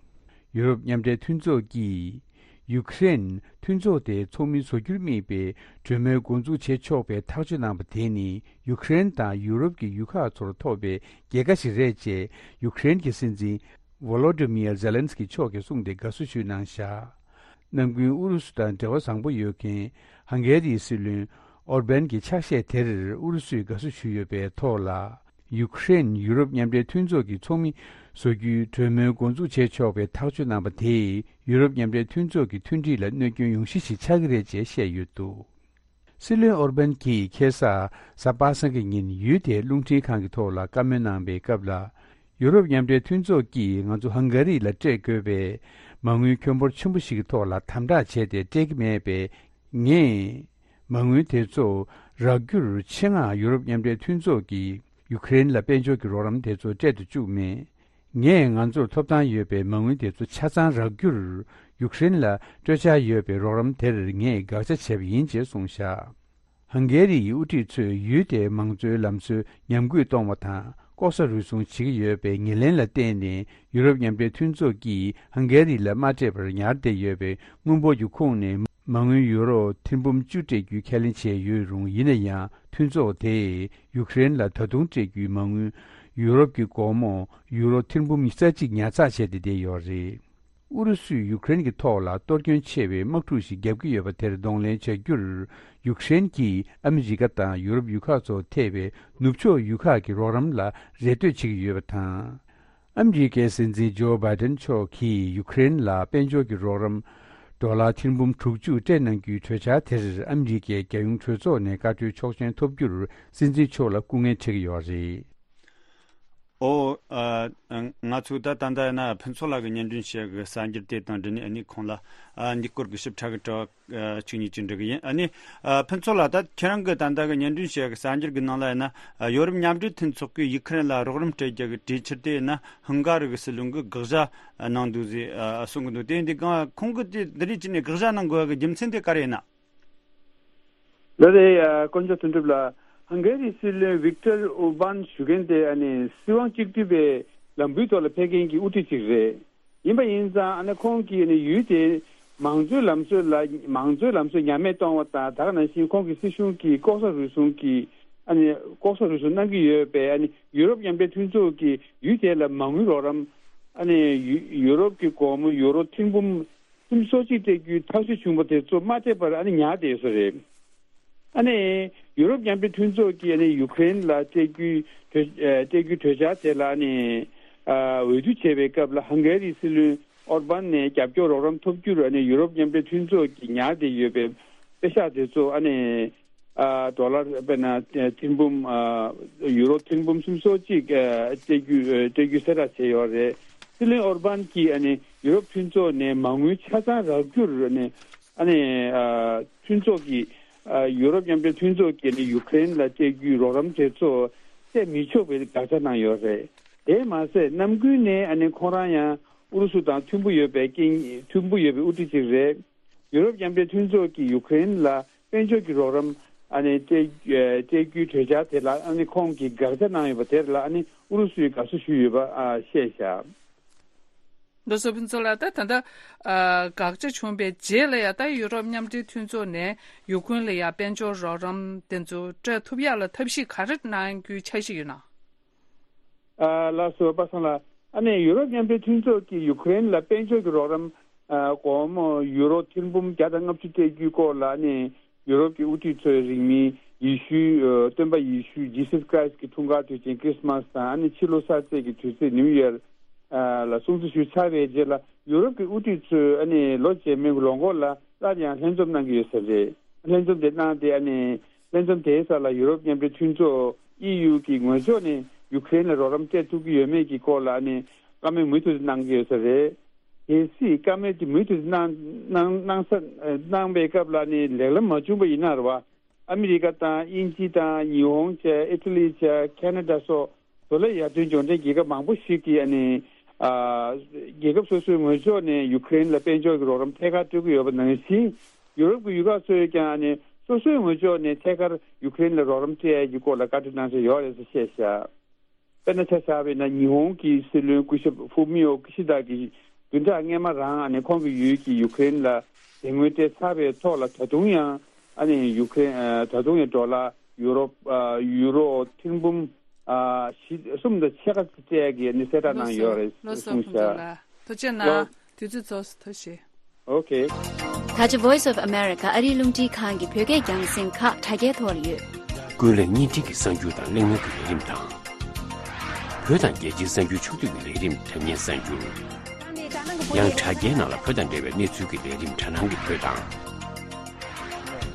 ཡུ་རོབ་མཉམ་འབྲེལ་མཐུན་ཚོགས་ཀྱིས་ཡུ་ཀེ་རེན་མཐུན་ཚོགས་དེ་ཚོགས་མི་བཟོ་རྒྱུར་དམིགས་པའི་གྲོས་མོལ་འགོ་འཛུགས་བྱེད་ཆོག་པའི་ཐག་གཅོད་གནང་པ་དེ་ནི། ཡུ་ཀེ་རེན་དང་ཡུ་རོབ་ཀྱི་ཡུལ་ཁག་ཚོར་ཐོབ་པའི་རྒྱལ་ཁ་ཞིག་རེད་ཅེས་ཡུ་ཀེ་རེན་གྱི་སྲིད་འཛིན་ཝོ་ལོ་ཏི་མིར་ཛེ་ལན་སི་ཀི་མཆོག་གིས་གསུངས་ཏེ་དགའ་བསུ་ཞུས་གནང་བཞག་གནམ་དགུན་ཨུ་རུ་སུ་དང་འབྲེལ་བ་བཟང་པོ་ཡོད་མཁན་ཧང་གེ་རིའི་སྲིད་བློན་ཨོར་བན་གྱི་ཕྱག་བཞེས་དེར་ཨུ་རུ་སུས་དགའ་བསུ་ཞུས་ཡོད་པའི་ཐོག་ལ། ཡུ་ཀེ་རེན་ཡུ་རོབ་མཉམ་འབྲེལ་མཐུན་ཚོགས་ཀྱི་ཚོགས་མི་བཟོ་རྒྱུའི་གྲོས་མོལ་འགོ་འཛུགས་བྱེད་ཆོག་པའི་ཐག་གཅོད་གནང་པ་དེས་ཡུ་རོབ་མཉམ་འབྲེལ་མཐུན་ཚོགས་ཀྱི་མཐུན་སྒྲིལ་ལ་གནོད་སྐྱོན་ཡོང་གཞི་ཞིག་ཆགས་ཀྱི་རེད་ཅེས་བཤད་ཡོད་འདུག་སྲིད་བློན་ཨོར་བན་གྱིས་ཁ་སང་གཟའ་པ་སངས་ཀྱི་ཉིན་ཡུལ་དེའི་རླུང་འཕྲིན་ཁང་གི་ཐོག་ལ་བཀའ་མོལ་གནང་པའི་སྐབས་ལ། ཡུ་རོབ་མཉམ་འབྲེལ་མཐུན་ཚོགས་ཀྱིས་ང་ཚོ་ཧང་ག་རི་ལ་སྤྲད་དགོས་པའི་མ་དངུལ་ཁྱོན་འབོར་ཆེན་པོ་ཞིག་གི་ཐོག་ལ་དམ་དྲག་བྱས་ཏེ་སྤྲད་ཀྱི་མེད་པས། ངས་མ་དངུལ་དེ་ཚོ་རག་རྒྱུར་ཆེད་མངགས་ཡུ་རོབ་མཉམ་འབྲེལ་མཐུན་ཚོགས་ཀྱིས་ཡུ་ཀེ་རེན་ལ་དཔལ་འབྱོར་གྱི་རོགས་རམ་དེ་ཚོ་སྤྲད་དུ་བཅུག་མེད། ངས་ང་ཚོར་ཐོབ་ཐང་ཡོད་པའི་མ་དངུལ་དེ་ཚོ་ཆ་ཚང་རག་རྒྱུར་ཡུཀ་རེན་ལ་སྤྲོད་འཆར་ཡོད་པའི་རོགས་རམ་དེར་ངས་དགག་བྱ་བྱས་པ་ཡིན་ཅེས་གསུངས་བཞག་ཧང་གེ་རི་ཡི་དབུ་ཁྲིད་ཚོས་ཡུལ་དེའི་མང་གཙོའི་ལམ་སྲོལ་ཉམས་རྒུད་གཏོང་བ་དང་ལྐོག་ཟ་རུལ་སུངས་བྱེད་ཀྱི་ཡོད་པའི་ངོས་ལེན་ལ་བརྟེན་ནས་ཡུ་རོབ་མཉམ་འབྲེལ་མཐུན་ཚོགས་ཀྱིས་ཧང་གེ་རི་ལ་མ་སྤྲད་པར་ཉར་བསྡད་ཡོད་པའི་དངུལ་འབོར་གྱི་ཁོངས་ནས་མ་དངུལ་ཡུ་རོ་ཐེར་འབུམ་བཅུ་སྤྲད་རྒྱུའི་ཁས་ལེན་བྱས་ཡོད་རུང་། ཡིན་ན་ཡང་མཐུན་ཚོགས་དེས་ཡུཀ་རེན་ལ་ད་དུང་སྤྲད་རྒྱུའི་མ་དངུལ་ཡུ་རོབ་ཀྱི་སྒོར་མོ་ཡུ་རོ་ཐེར་འབུམ་ཉི་ཤུ་རྩ་གཅིག་ཉར་ཚགས་བྱས་ཏེ་བསྡད་ཡོད་རེད། ཨུ་རུ་སུས་ཡུཀ་རེན་གྱི་ཐོག་ལ་གཏོར་སྐྱོན་ཆེ་བའི་དམག་འཁྲུག་ཞིག་བརྒྱབ་ཀྱི་ཡོད་པ་དེར་གདོང་ལེན་བྱ་རྒྱུར་ཡུཀ་རེན་གྱིས་ཨ་མི་རི་ཀ་དང་ཡུ་རོབ་ཡུལ་ཁག་ཚོ་ཐེ་བའི་ནུབ་ཕྱོགས་ཡུལ་ཁག་གི་རོགས་རམ་ལ་རེ་ལྟོས་བྱེད་ཀྱི་ཡོད་པ་དང་། ཨ་མི་རི་ཀའི་སྲིད་འཛིན་ཇོ་བྷའི་ཏན་མཆོག་གིས་ཡུཀ་རེན་ལ་དཔལ་འབྱོར་གྱི་རོགས་རམ་ཌོ་ལར་ཐེར་འབུམ་དྲུག་ཅུ་སྤྲད་གནང་རྒྱུའི་གྲོས་འཆར་དེར་ཨ་མི་རི་ཀའི་རྒྱལ་ཡོངས་གྲོས་ཚོགས་ནས་བཀའ་འཁྲོལ་ཆོག་མཆན་ཐོབ་རྒྱུར་སྲིད་འཛིན་མཆོག་ལ་སྐུ་ངལ་འཕྲད་ཀྱི་ཡོད་རེད། ཨོ། ཨ། ང་ཚོས་ད་ད་ལྟ་ཡིན་ན་ཕུན་ཚོགས་ལགས་ཀྱི་སྙན་སྒྲོན་བྱེད་ཀྱི་གསར་འགྱུར་དེ་དང་འབྲེལ་ནས་ཨ་ནི་ཁོང་ལ་ཨ་འདི་སྐོར་གྱི་ཞིབ་ཕྲ་གི་དྲི་བ་ཨ་གཅིག་གཉིས་ཅིག་འདྲི་གི་ཡིན། ཨ་ནི་ཨ་ཕུན་ཚོགས་ལགས། ད་ཁྱེད་རང་གི་ད་ལྟ་གི་སྙན་སྒྲོན་བྱེད་ཀྱི་གསར་འགྱུར་གྱི་ནང་ལ་ཡིན་ན་ཨ་ཡོ་རོབ་མཉམ་འབྲེལ་མཐུན་ཚོགས་ཀྱིས་ཡུ་ཁུ་རེན་ལ་རོགས་རམ་སྤྲད་རྒྱུ་གི་གྲོས་འཆར་དེ་ཡིན་ན་ཧང་ག་རི་གི་སྲིད་བློན་གྱིས་དགག་བྱ་གནང་འདུག་ཟེར་ཨ་གསུང་གི་འདུག་དེ་འདི་གང་ཁོང་གིས་དེ་འདི་རིགས་བྱས་ནས་དགག་བྱ་གནང་དགོས་ཀྱི་རྒྱུ་མཚན་དེ་ག་རེ་ཡིན་ན། ལགས་རེད། ཨ་དཀོན་མཆོག་དོན་གྲུབ་ལགས། ཧང་གེ་རི་སྲིད་བློན་ཝིག་ཏར་ཨོར་བན་ཞུ་མཁན་དེ་ཨ་ནི་སྲིད་དབང་གཅིག་སྡུད་པའི་ལམ་བུའི་ཐོག་ལ་ཕེབས་མཁན་གྱི་དབུ་ཁྲིད་ཅིག་རེད། ཡིན་པ་ཡིན་ཙང་ཨ་ནི་ཁོང་གིས་ཨ་ནི་ཡུལ་དེའི་མང་གཙོའི་ལམ་སྲོལ་ལ་མང་གཙོའི་ལམ་སྲོལ་ཉམས་དམས་གཏོང་བ་དང་། ད་ག་ནང་བཞིན་ཁོང་གི་སྲིད་གཞུང་གིས་ལྐོག་ཟ་རུལ་སུངས་ཀྱི་ཨ་ནི་ལྐོག་ཟ་རུལ་སུངས་གནང་གི་ཡོད་པས། ཨ་ནི་ཡུ་རོབ་མཉམ་འབྲེལ་མཐུན་ཚོགས་ཀྱིས་ཡུལ་དེ་ལ་མ་དངུལ་རོགས་རམ། ཨ་ནི་ཡུ་ཡུ་རོབ་ཀྱི་སྒོར་མོ་ཡུ་རོ་ཐེར་འབུམ་སུམ་ཅུ་སོ་གཅིག་སྤྲད་རྒྱུའི་ཐག་གཅོད་བྱུང་བ་དེ་ཚོ་མ་སྤྲད་པར་ཨ་ནི་ཉར་བསྡད་ཡོད་ས་རེད། ཨ་ནི་ཡུ་རོབ་མཉམ་འབྲེལ་མཐུན་ཚོགས་ཀྱིས་ཨ་ནི་ཡུ་ཀེ་རེན་ལ་སྤྲད་རྒྱུའི་གྲོས་ཨ་སྤྲད་རྒྱུའི་གྲོས་འཆར་དེ་ལ་ཨ་ནི་ཨ་འོས་བསྡུ་བྱས་པའི་སྐབས་ལ་ཧང་གེ་རིའི་སྲིད་བློན་ཨོར་བན་ནས་རྒྱབ་སྐྱོར་རོགས་རམ་ཐོབ་རྒྱུར་ཨ་ནི་ཡུ་རོབ་མཉམ་འབྲེལ་མཐུན་ཚོགས་ཀྱིས་ཉར་བསྡད་ཡོད་པའི་པེ་ཤག་དེ་ཚོ་ཨ་ནི་ཨ་ཌོ་ལར་དཔེར་ན་ཐེར་འབུམ་ཨ་ཡུ་རོ་ཐེར་འབུམ་སུམ་ཅུ་སོ་གཅིག་ཨ་སྤྲད་རྒྱུ་ཨ་སྤྲད་རྒྱུ་གསལ་བསྒྲགས་བྱས་ཡོད་རེད། སྲིད་བློན་ཨོར་བན་གྱིས་ཨ་ནི་ ཡུ་རོབ་མཐུན་ཚོགས་ནས་མ་དངུལ་ཆ་ཚང་རག་རྒྱུར་ནས་ཨ་ནི་ཨ་མཐུན་ཚོགས་ཀྱི་ཨ་ཡུ་རོབ་མཉམ་འབྲེལ་མཐུན་ཚོགས་ཀྱིས་ནི་ཡུ་ཀེ་རེན་ལ་སྤྲད་རྒྱུའི་རོགས་རམ་དེ་ཚོ་སྤྲད་མི་ཆོག་པའི་དགག་བྱ་གནང་ཡོད་རེད། དེས་མ་ཟད་གནམ་དགུན་ནས་ཨ་ནི་ཁོང་རང་ཡང་ཨུ་རུ་སུ་དང་མཐུན་པོ་ཡོད་པའི་རྐྱེན་མཐུན་པོ་ཡོད་པའི་དབུ་ཁྲིད་ཅིག་རེད། ཡུ་རོབ་མཉམ་འབྲེལ་མཐུན་ཚོགས་ཀྱིས་ཡུ་ཀེ་རེན་ལ་དཔལ་འབྱོར་གྱི་རོགས་རམ་ཨ་ནི་སྤྲད་སྤྲད་རྒྱུའི་གྲོས་འཆར་དེ་ལ་ཨ་ནི་ཁོང་གིས་དགག་བྱ་གནང་ཡོད་པ་དེར་ལ་ཨ་ནི་ཨུ་རུ་སུས་དགའ་བསུ་ཞུས་ཡོད་པ་ཨ་བཤད་བཞག་ལོ་སོ་ཕུན་ཚོགས་ལགས། ད་ད་ལྟ་ཨ་དགག་བྱ་བྱུང་བའི་རྗེས་ལ་ཡང་ད་ཡུ་རོབ་མཉམ་འབྲེལ་མཐུན་ཚོགས་ནས་ཡུ་ཀེ་རེན་ལ་ཡང་དཔལ་འབྱོར་རོགས་རམ་དེ་ཚོ་སྤྲད་ཐུབ་ཡག་ལ་ཐབས་ཤེས་ག་རེ་གནང་རྒྱུའི་འཆར་གཞི་ཡོད་ན། ཨ་ལགས་སོ་པ་སངས་ལགས། ཨ་ནི་ཡུ་རོབ་མཉམ་འབྲེལ་མཐུན་ཚོགས་ཀྱིས་ཡུ་ཀེ་རེན་ལ་དཔལ་འབྱོར་གྱི་རོགས་རམ་ཨ་སྒོར་མོ་ཡུ་རོ་ཐེར་འབུམ་བརྒྱ་དང་ལྔ་བཅུ་སྤྲད་རྒྱུའི་སྐོར་ལ་ཨ་ནི་ཡུ་རོབ་ཀྱི་དབུ་ཁྲིད་ཚོས་རིང་མིན་ཡེ་ཤུའི་ཨ་སྟོན་པ་ཡེ་ཤུ་Jesus Christ གྱི་འཁྲུངས་སྐར་དུས་ཆེན་Christmas དང་ཨ་ནི་ཕྱི་ལོ་གསར་ཚེས་ཀྱི་དུས་ཚིགས་New Year ཨ་ལ་སྲུང་བརྩི་ཞུས་ཚར་བའི་རྗེས་ལ་ཡུ་རོབ་ཀྱི་དབུ་ཁྲིད་ཚོས་ཨ་ནི་ལོ་རྗེས་མའི་ལོ་འགོ་ལ་སླར་ཡང་ལྷན་འཛོམས་གནང་གི་ཡོད་ས་རེད། ལྷན་འཛོམས་དེ་གནང་སྟེ་ཨ་ནི་ལྷན་འཛོམས་དེའི་སར་ལ་ཡུ་རོབ་མཉམ་འབྲེལ་མཐུན་ཚོགས་ཨི་ཡུ་གི་ངོས་ཕྱོགས་ནས་ཡུ་ཀེ་རེན་ལ་རོགས་རམ་སྤྲད་ཐུབ་ཀྱི་ཡོད་མེད་ཀྱི་སྐོར་ལ་ཨ་ནི་བཀའ་མོལ་མུ་མཐུད་དུ་གནང་གི་ཡོད་ས་རེད། གལ་སྲིད་བཀའ་མོལ་དེ་མུ་མཐུད་དུ་གནང་གནང་གནང་ས་གནང་བའི་སྐབས་ལ་ཨ་ནི་ལེགས་ལམ་མ་བྱུང་པ་ཡིན་ན་རེད་བ། ཨ་མི་རི་ཀ་དང་དབྱིན་ཇི་དང་ཉི་ཧོང་བཅས་ཨི་ཊ་ལི་བཅས་ཁེ་ན་ཌ་སོགས་བཟོ་ལས་ཡར་ཐོན་འབྱོར་ལྡན་རྒྱལ་ཁབ་མང་པོ་ཞིག་གིས་ཨ་ནི་ཨ་རྒྱལ་ཁབ་སོ་སོའི་ངོས་ཕྱོགས་ནས་ཡུ་ཀེ་རེན་ལ་དཔལ་འབྱོར་གྱི་རོགས་རམ་ཐད་ཀར་སྤྲོད་ཀྱི་ཡོད་པ་ནང་བཞིན། ཡུ་རོབ་ཀྱི་ཡུལ་ཁག་ཚོས་ཀྱང་ཨ་ནི་སོ་སོའི་ངོས་ཕྱོགས་ནས་ཐད་ཀར་ཡུ་ཀེ་རེན་ལ་རོགས་རམ་སྤྲད་ཡ་གི་སྐོར་ལ་བཀའ་འཁྲོལ་གནང་འཆར་ཡོད་རེད་ཟེར་བཤད་བཞག་དཔེར་ན་ཆ་བཞག་པ་ཡིན་ན་ཉི་ཧོང་གི་སྲིད་བློན་སྐུ་ཞབས་ཧྥུ་མིའོ་ཀི་ཤི་ད་གིས་བདུན་ཕྲག་སྔོན་མ་རང་ཨ་ནི་ཁོང་གི་ཡུལ་གྱི་ཡུ་ཀེ་རེན་ལ་དེ་སྔོན་སྤྲད་ཚར་བའི་ཐོག་ལ་ད་དུང་ཡང་ཨ་ནི་ཡུ་ཀེ་རེན་ད་དུང་ཡང་ཌོ་ལར་ཡུ་རོ་ཡུ་རོ་ཐེར་འབུམ་བཞི་གསུམ་དང་ཕྱེད་ཀ་སྤྲད་ཀྱི་ཨ་ནི་གསལ་བསྒྲགས་གནང་ཡོད་རེད་ལོ་སོ་གསུངས་ཕུན་ཚོགས་ཤག་ལགས། ཐུགས་རྗེ་གནང་། དུས་ཚོད་རྫོགས་སོང་། ཐུགས་རྗེ་ཆེ། ཨོ་ཁེ། ད་ཆ་Voice of America ཨ་རིའི་རླུང་འཕྲིན་ཁང་གི་བོད་སྐད་རྒྱང་སྲིང་ཁག་དྲ་རྒྱའི་ཐོག་ལ་ཡོད། ཀུན་གླེང་བརྙན་འཕྲིན་གྱི་གསར་འགྱུར་དང་གླེང་མོལ་གྱི་ལས་རིམ་དང་། བོད་དང་རྒྱལ་སྤྱིའི་གསར་འགྱུར་ཕྱོགས་བསྡུས་ཀྱི་ལས་རིམ་དྲ་བརྙན་གསར་འགྱུར། ཡང་དྲ་རྒྱའི་ནང་ལ་བོད་དང་འབྲེལ་བའི་གནས་ཚུལ་གྱི་ལས་རིམ་དྲ་སྣང་གི་བོད་དང་།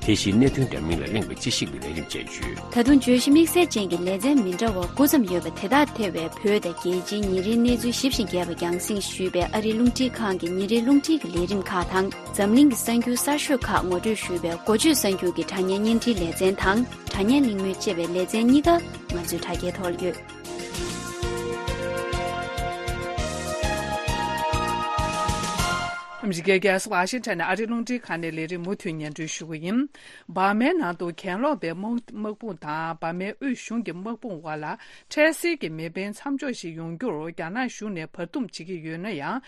དེ་བཞིན་གནད་དོན་འདྲ་མིན་ལ་གླེང་བའི་དཔྱད་ཞིབ་ཀྱི་ལས་རིམ་བཅས་ཡོད། ད་དུང་བརྗོད་གཞི་དམིགས་བསལ་ཅན་གྱི་ལེ་ཚན་མི་འདྲ་བ་དགུ་ཙམ་ཡོད་པ་དེ་དག་ཐེ་བའི་བོད་དང་རྒྱལ་སྤྱིའི་ཉིན་རེའི་གནས་ཚུལ་ཞིབ་ཞིང་རྒྱས་པ་རྒྱང་སྲིང་ཞུས་པའི་ཨ་རིའི་རླུང་འཕྲིན་ཁང་གི་ཉིན་རེའི་རླུང་འཕྲིན་གྱི་ལས་རིམ་ཁག་དང་། འཛམ་གླིང་གི་གསར་འགྱུར་གསར་ཤོས་ཁག་ངོ་སྤྲོད་ཞུས་པའི་འགོ་བརྗོད་གསར་འགྱུར་གྱི་དྲ་བརྙན་བརྙན་འཕྲིན་ལེ་ཚན་དང་། དྲ་བརྙན་གླེང་མོལ་ཅེས་པའི་ལེ་ཚན་གཉིས་ཀ་ང་ཚོའི་དྲ་རྒྱའི་ཐོག་ལ་ཡོད། ཨ་མི་རི་ཀའི་རྒྱལ་ས་ཝ་ཤིང་ཊོན་ནས་ཨ་རིའི་རླུང་འཕྲིན་ཁང་ནས་ལས་རིམ་མུ་མཐུད་སྙན་སྒྲོན་ཞུ་གི་ཡིན། འབར་མའི་ནང་དུ་གྱེན་ལོག་པའི་དམག་དམག་དཔུང་དང་འབར་མའི་དབུས་གཞུང་གི་དམག་དཔུང་དབར་ལ་འཕྲལ་སེལ་གྱི་མེ་འཕེན་མཚམས་འཇོག་ཞིག་ཡོང་རྒྱུར་རྒྱ་ནག་གཞུང་ནས་བར་འདུམ་བྱེད་ཀྱི་ཡོད་ན་ཡང་།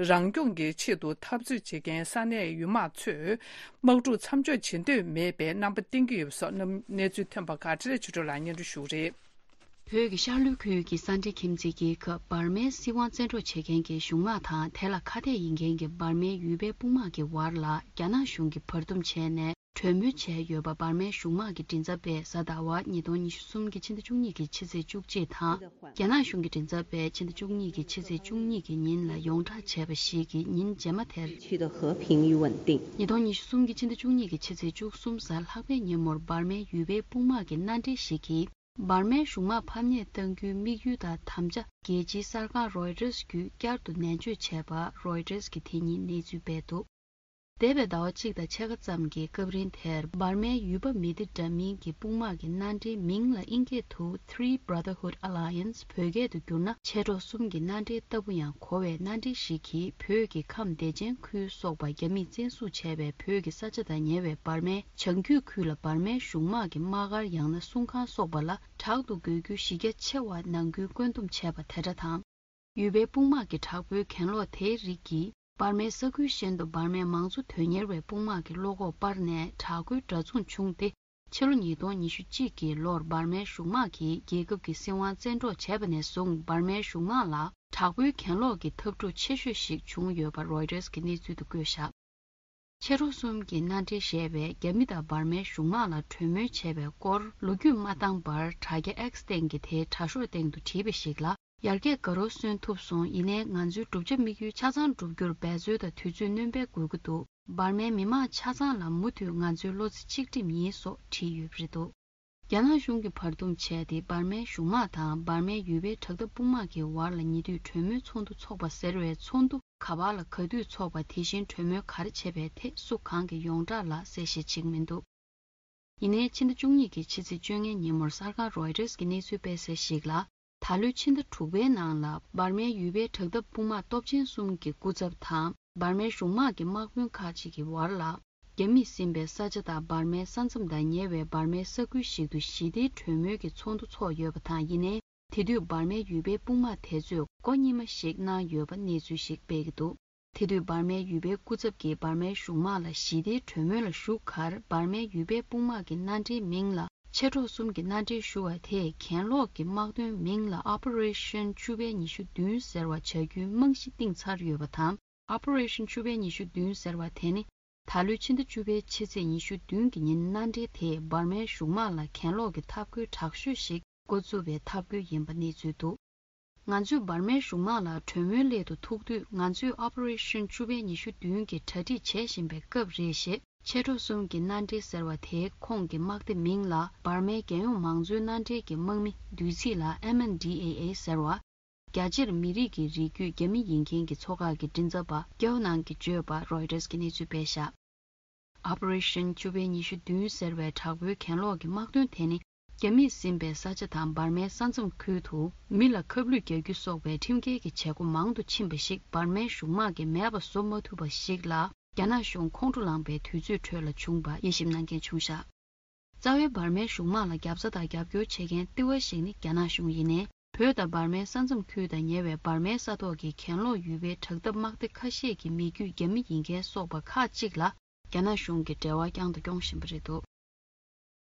རང་སྐྱོང་གི་ཆེད་དུ་འཐབ་རྩོད་བྱེད་མཁན་ས་གནས་ཡུལ་དམག་ཚོས་དམག་འཁྲུག་མཚམས་འཇོག་བྱེད་འདོད་མེད་པའི་རྣམ་པ་བསྟན་གྱི་ཡོད་པ་སོགས་རྣམ་གནས་ཚུལ་ཐོན་པ་ཁག་འཕྲིན་ལས་ཆོས་སྒྲོན་ལགས་སྙན་སྒྲོན་ཞུ་གི་རེད། བོད་ཀྱི་ཤར་ལྷོའི་ཁུལ་གྱི་ས་འབྲེལ་ཁྱིམ་མཚེས་རྒྱལ་ཁབ་འབར་མའི་སྲིད་དབང་བཙན་འཕྲོག་བྱེད་མཁན་གྱི་གཞུང་དམག་དང་དེ་ལ་ཁ་གཏད་ཡིན་མཁན་གྱི་འབར་མའི་ཡུལ་པའི་དཔུང་དམག་གི་བར་ལ་རྒྱ་ནག་གཞུང་གིས་བར་འདུམ་བྱས་ནས་གྲོས་མོལ་བྱས་ཡོད་པ་འབར་མའི་གཞུང་དམག་གི་མགྲིན་ཚབ་པས་གཟའ་ཟླ་བ་ཉིས་སྟོང་ཉི་ཤུ་གསུམ་གྱི་ཕྱི་ཟླ་བཅུ་གཉིས་ཀྱི་ཕྱི་ཚེས་བཅུ་གཅིག་དང་། རྒྱ་ནག་གཞུང་གི་མགྲིན་ཚབ་པས་ཕྱི་ཟླ་བཅུ་གཉིས་ཀྱི་ཕྱི་ཚེས་བཅུ་གཉིས་ཀྱི་ཉིན་ལ་ཡོངས་བསྒྲགས་བྱས་པ་ཞིག་གིས་ཉིན་རྗེས་མ་དེར། 区的和平与稳定。 ཉིས་སྟོང་ཉི་ཤུ་གསུམ་གྱི་ཕྱི་ཟླ་བཅུ་གཉིས་ཀྱི་ཕྱི་ཚེས་བཅུ་གསུམ་གཟའ་ལྷག་པའི་ཉིན་མོར་འབར་མའི་ཡུལ་པའི་དཔུང་དམག་གི་མནའ་འབྲེལ་ཞིག་གིས། འབར་མའི་གཞུང་དམག་ཕམ་ཉེས་གཏང་རྒྱུའི་དམིགས་ཡུལ་དང་དམ་བཅའ་རྒྱལ་སྤྱིའི་གསར་ཁང་Reuters་བརྒྱུད་བསྐྱར་དུ་ནན་བརྗོད་བྱས་པ་Reuters་གིས་དེ་ཉིན་གནས་ཚུལ་སྤེལ་འདུག་འདས་པའི་ཟླ་བ་གཅིག་དང་ཕྱེད་ཀ་ཙམ་གྱི་སྐབས་རིང་དེར་འབར་མའི་ཡུལ་པ་མི་སྡེ་འདྲ་མིན་གྱི་དཔུང་དམག་གི་མནའ་འབྲེལ་མིང་ལ་དབྱིན་སྐད་དུ་Three Brotherhood Alliance བོད་སྐད་དུ་བསྒྱུར་ན་མཆེད་གྲོགས་གསུམ་གྱི་མནའ་འབྲེལ་ལྟ་བུ་ཡང་གོ་བའི་མནའ་འབྲེལ་ཞིག་གིས་བོད་ཀྱི་ཁམས་བདེ་ཆེན་ཁུལ་སོགས་པ་རྒྱ་མིས་བཙན་བཟུང་བྱས་པའི་བོད་ཀྱི་ས་ཆ་དང་ཉེ་བའི་འབར་མའི་བྱང་རྒྱུད་ཁུལ་ལ་འབར་མའི་གཞུང་དམག་གི་དམག་སྒར་ཡང་ན་སྲུང་ཁང་སོགས་པ་ལ་དྲག་ཏུ་དགོས་རྒྱུ་གཞི་རྒྱ་ཆེ་བ་ནང་ཁུལ་བཀོད་འདོམས་བྱས་པ་དེ་འདྲ་དང་། ཡུལ་པའི་དཔུང་དམག་གི་དྲག་པོའི་གྱེན་ལོག་དེའི་རིགས་ཀྱིས་འབར་མའི་ས་ཁུལ་གཞན་དུ་འབར་མའི་མང་གཙོ་དོན་གཉེར་བའི་དཔུང་དམག་གི་བློ་ཁོག་སྤར་ནས་དྲག་རྒོལ་འདྲ་མཚུངས་བྱུང་སྟེ། ཕྱི་ལོ་ཉིས་སྟོང་ཉི་ཤུ་གཅིག་གི་ལོར་འབར་མའི་གཞུང་དམག་གིས་རྒྱལ་ཁབ་ཀྱི་སྲིད་དབང་བཙན་འཕྲོག་བྱས་པ་ནས་བཟུང་འབར་མའི་གཞུང་དམག་ལ་དྲག་པོའི་གྱེན་ལོག་གི་འཐབ་འཁྲུག་ཆེ་ཤོས་ཤིག་བྱུང་ཡོད་པ་Reuters་གི་གནས་ཚུལ་དུ་བཀོད་བཞག་མཆེད་གྲོགས་གསུམ་གྱི་མནའ་འབྲེལ་བཞེས་པའི་རྒྱ་མི་དང་འབར་མའི་གཞུང་དམག་ལ་གྲོས་མོལ་བྱས་པའི་སྐོར་ལོ་རྒྱུས་མ་བཏང་བར་དྲ་རྒྱ་X་སྟེང་གི་དེའི་དྲ་ཤོག་སྟེང་དུ་བྲིས་པ་ཞིག་ལ། ཡར་རྒྱས་དགའ་རབ་སོན་ཐུབ་སོང་། ཡིན་ནའི་ང་ཚོའི་བསྒྲུབ་བྱ་དམིགས་ཡུལ་ཆ་ཚང་འགྲུབ་རྒྱུར་འབད་རྩོལ་དང་དུས་ཚོད་སྣོན་པའི་དགོས་ཀྱི་འདུག་འབར་མའི་མི་མང་ཆ་ཚང་ལ་མུ་མཐུད་ང་ཚོའི་བློ་རྩེ་གཅིག་སྒྲིམ་ཡིན་སོགས་བྲིས་ཡོད་པ་རེད་འདུག་རྒྱ་ནག་གཞུང་གིས་བར་འདུམ་བྱས་ཏེ། འབར་མའི་གཞུང་དམག་དང་འབར་མའི་ཡུལ་པའི་དྲག་འཐབ་དཔུང་དམག་གི་བར་ལ་ཉེ་དུས་གྲོས་མོལ་ཚོགས་འདུ་འཚོགས་པ་ཟེར་བའི་ཚོགས་འདུ་ག་པར་ལ་ག་དུས་འཚོགས་པ། དེ་བཞིན་གྲོས་མོལ་ག་རེ་བྱས་པའི་ཐད་སུ་གང་གིས་ཡོངས་གྲགས་ལ་གསལ་བཤད་བྱེད་ཀྱི་མི་འདུག་ཡིན་ནའི། ཕྱི་ཟླ་བཅུ་གཉིས་ཀྱི་ཕྱི་ཚེས་བཅོ་ལྔའི་ཉིན་མོར་གསར་ཁང་Reuters་གི་གནས་ཚུལ་སྤེལ་གསལ་ཞིག་ལ། ད་ལོའི་ཕྱི་ཟླ་དྲུག་པའི་ནང་ལ། འབར་མའི་ཡུལ་པའི་དྲག་འཐབ་དཔུང་དམག་སྟོབས་ཆེན་གསུམ་གྱི་སྐུ་ཚབ་དང་། འབར་མའི་གཞུང་དམག་གི་དམག་དཔོན་ཁག་ཅིག་གི་བར་ལ། རྒྱ་མིས་ཟིན་པའི་ས་ཆ་དང་འབར་མའི་ས་མཚམས་དང་ཉེ་བའི་འབར་མའི་ས་ཁུལ་ཞིག་ཏུ་ཞི་བདེའི་གྲོས་མོལ་གྱི་ཚོགས་འདུ་འཚོགས་ཡོད་པ་དང་། ཡིན་ནའི། དེ་དུས་འབར་མའི་ཡུལ་པའི་དཔུང་དམག་དེ་ཚོས་སྒོ་གཉིས་མ་ཞིག་གནང་ཡོད་པ་གནས་ཚུལ་ཞིག་སྤེལ་གྱི་འདུག་དེ་དུས་འབར་མའི་ཡུལ་པའི་སྐུ་ཚབ་ཀྱིས་འབར་མའི་གཞུང་དམག་ལ་ཞི་བདེའི་གྲོས་མོལ་ལ་ཞུགས་ཁར། འབར་མའི་ཡུལ་པའི་དཔུང་དམག་གི་མནའ་འབྲེལ་མིང་ལ་མཆེད་གྲོགས་གསུམ་གྱི་མནའ་འབྲེལ་ཞུ་བ་དེས། གྱེན་ལོག་གི་དམག་དོན་མིང་ལ་Operation་བཅུ་པའི་ཉི་ཤུ་བདུན་ཟེར་བ་བྱ་རྒྱུའི་རྨང་གཞི་བཏིང་ཚར་ཡོད་པ་དང་། Operation་བཅུ་པའི་ཉི་ཤུ་བདུན་ཟེར་བ་དེ་ནི། ད་ལོའི་ཕྱི་ཟླ་བཅུ་པའི་ཕྱི་ཚེས་ཉི་ཤུ་བདུན་གྱི་ཉིན། མནའ་འབྲེལ་དེས་འབར་མའི་གཞུང་དམག་ལ་གྱེན་ལོག་གི་འཐབ་རྒོལ་དྲག་ཤོས་ཤིག་འགོ་བཙུགས་པའི་འཐབ་རྒོལ་ཡིན་པ་གནས་ཚུལ་འདུག་ང་ཚོས་འབར་མའི་གཞུང་དམག་ལ་གྲོས་མོལ་སླད་དུ་ཐུག་དུས། ང་ཚོས་Operation་བཅུ་པའི་ཉི་ཤུ་བདུན་གྱི་གྲ་སྒྲིག་བྱེད་བཞིན་པའི་སྐབས་རེད། ཞེས་མཆེད་གྲོགས་གསུམ་གྱི་མནའ་འབྲེལ་ཟེར་བ་དེའི་ཁོངས་ཀྱི་དམག་སྡེ་མིང་ལ། འབར་མའི་རྒྱལ་ཡོངས་མང་གཙོའི་མནའ་འབྲེལ་གྱི་དམག་མི། བསྡུས་ཚིག་ལ་M N D A A་ཟེར་བ། རྒྱ་ཆེར་མི་རིགས་ཀྱི་རིགས་རྒྱུད་རྒྱ་མི་ཡིན་མཁན་གྱི་ཚོགས་ཁག་གི་མགྲིན་ཚབ་པ་ཀྱའོ་ནང་གིས་བརྗོད་པ་Reuters་གིས་གནས་ཚུལ་སྤེལ་བཞག Operation་བཅུ་པའི་ཉི་ཤུ་བདུན་ཟེར་བའི་དྲག་པོའི་གྱེན་ལོག་གི་དམག་དོན་དེ་ནི། རྒྱ་མིས་ཟིན་པའི་ས་ཆ་དང་འབར་མའི་ས་མཚམས་ཁུལ་དུ་མི་ལ་ཁབ་ལུད་རྒྱག་རྒྱུ་སོགས་པའི་ཁྲིམས་འགལ་གྱི་བྱེད་སྒོ་མང་དུ་ཕྱིན་པ་ཞིག་འབར་མའི་གཞུང་དམག་གིས་མེད་པ་བཟོ་མ་ཐུབ་པ་ཞིག་ལ། རྒྱ་ནག་གཞུང་ཁོང་ཁྲོ་ལངས་པའི་དུས་ཚོད་ཁྲོད་ལ་བྱུང་བ་དབྱེ་ཞིབ་གནང་མཁན་བྱུང་བཞག་རྩ་བའི་འབར་མའི་གཞུང་དམག་ལ་རྒྱབ་རྩ་དང་རྒྱབ་སྐྱོར་བྱེད་མཁན་ལྟེ་བ་ཞིག་ནི་རྒྱ་ནག་གཞུང་ཡིན་ནའི། བོད་དང་འབར་མའི་ས་མཚམས་ཁུལ་དང་ཉེ་བའི་འབར་མའི་ས་ཐོག་གི་གྱེན་ལོག་ཡུལ་པའི་དྲག་འཐབ་དམག་སྡེ་ཁ་ཤས་ཀྱི་མི་རྒྱུད་རྒྱ་མི་ཡིན་མཁན་སོགས་པ་ཁག་ཅིག་ལ། རྒྱ་ནག་གཞུང་གིས་འབྲེལ་བ་བསྐྱངས་དང་སྐྱོང་བཞིན་པ་རེད་འདུག་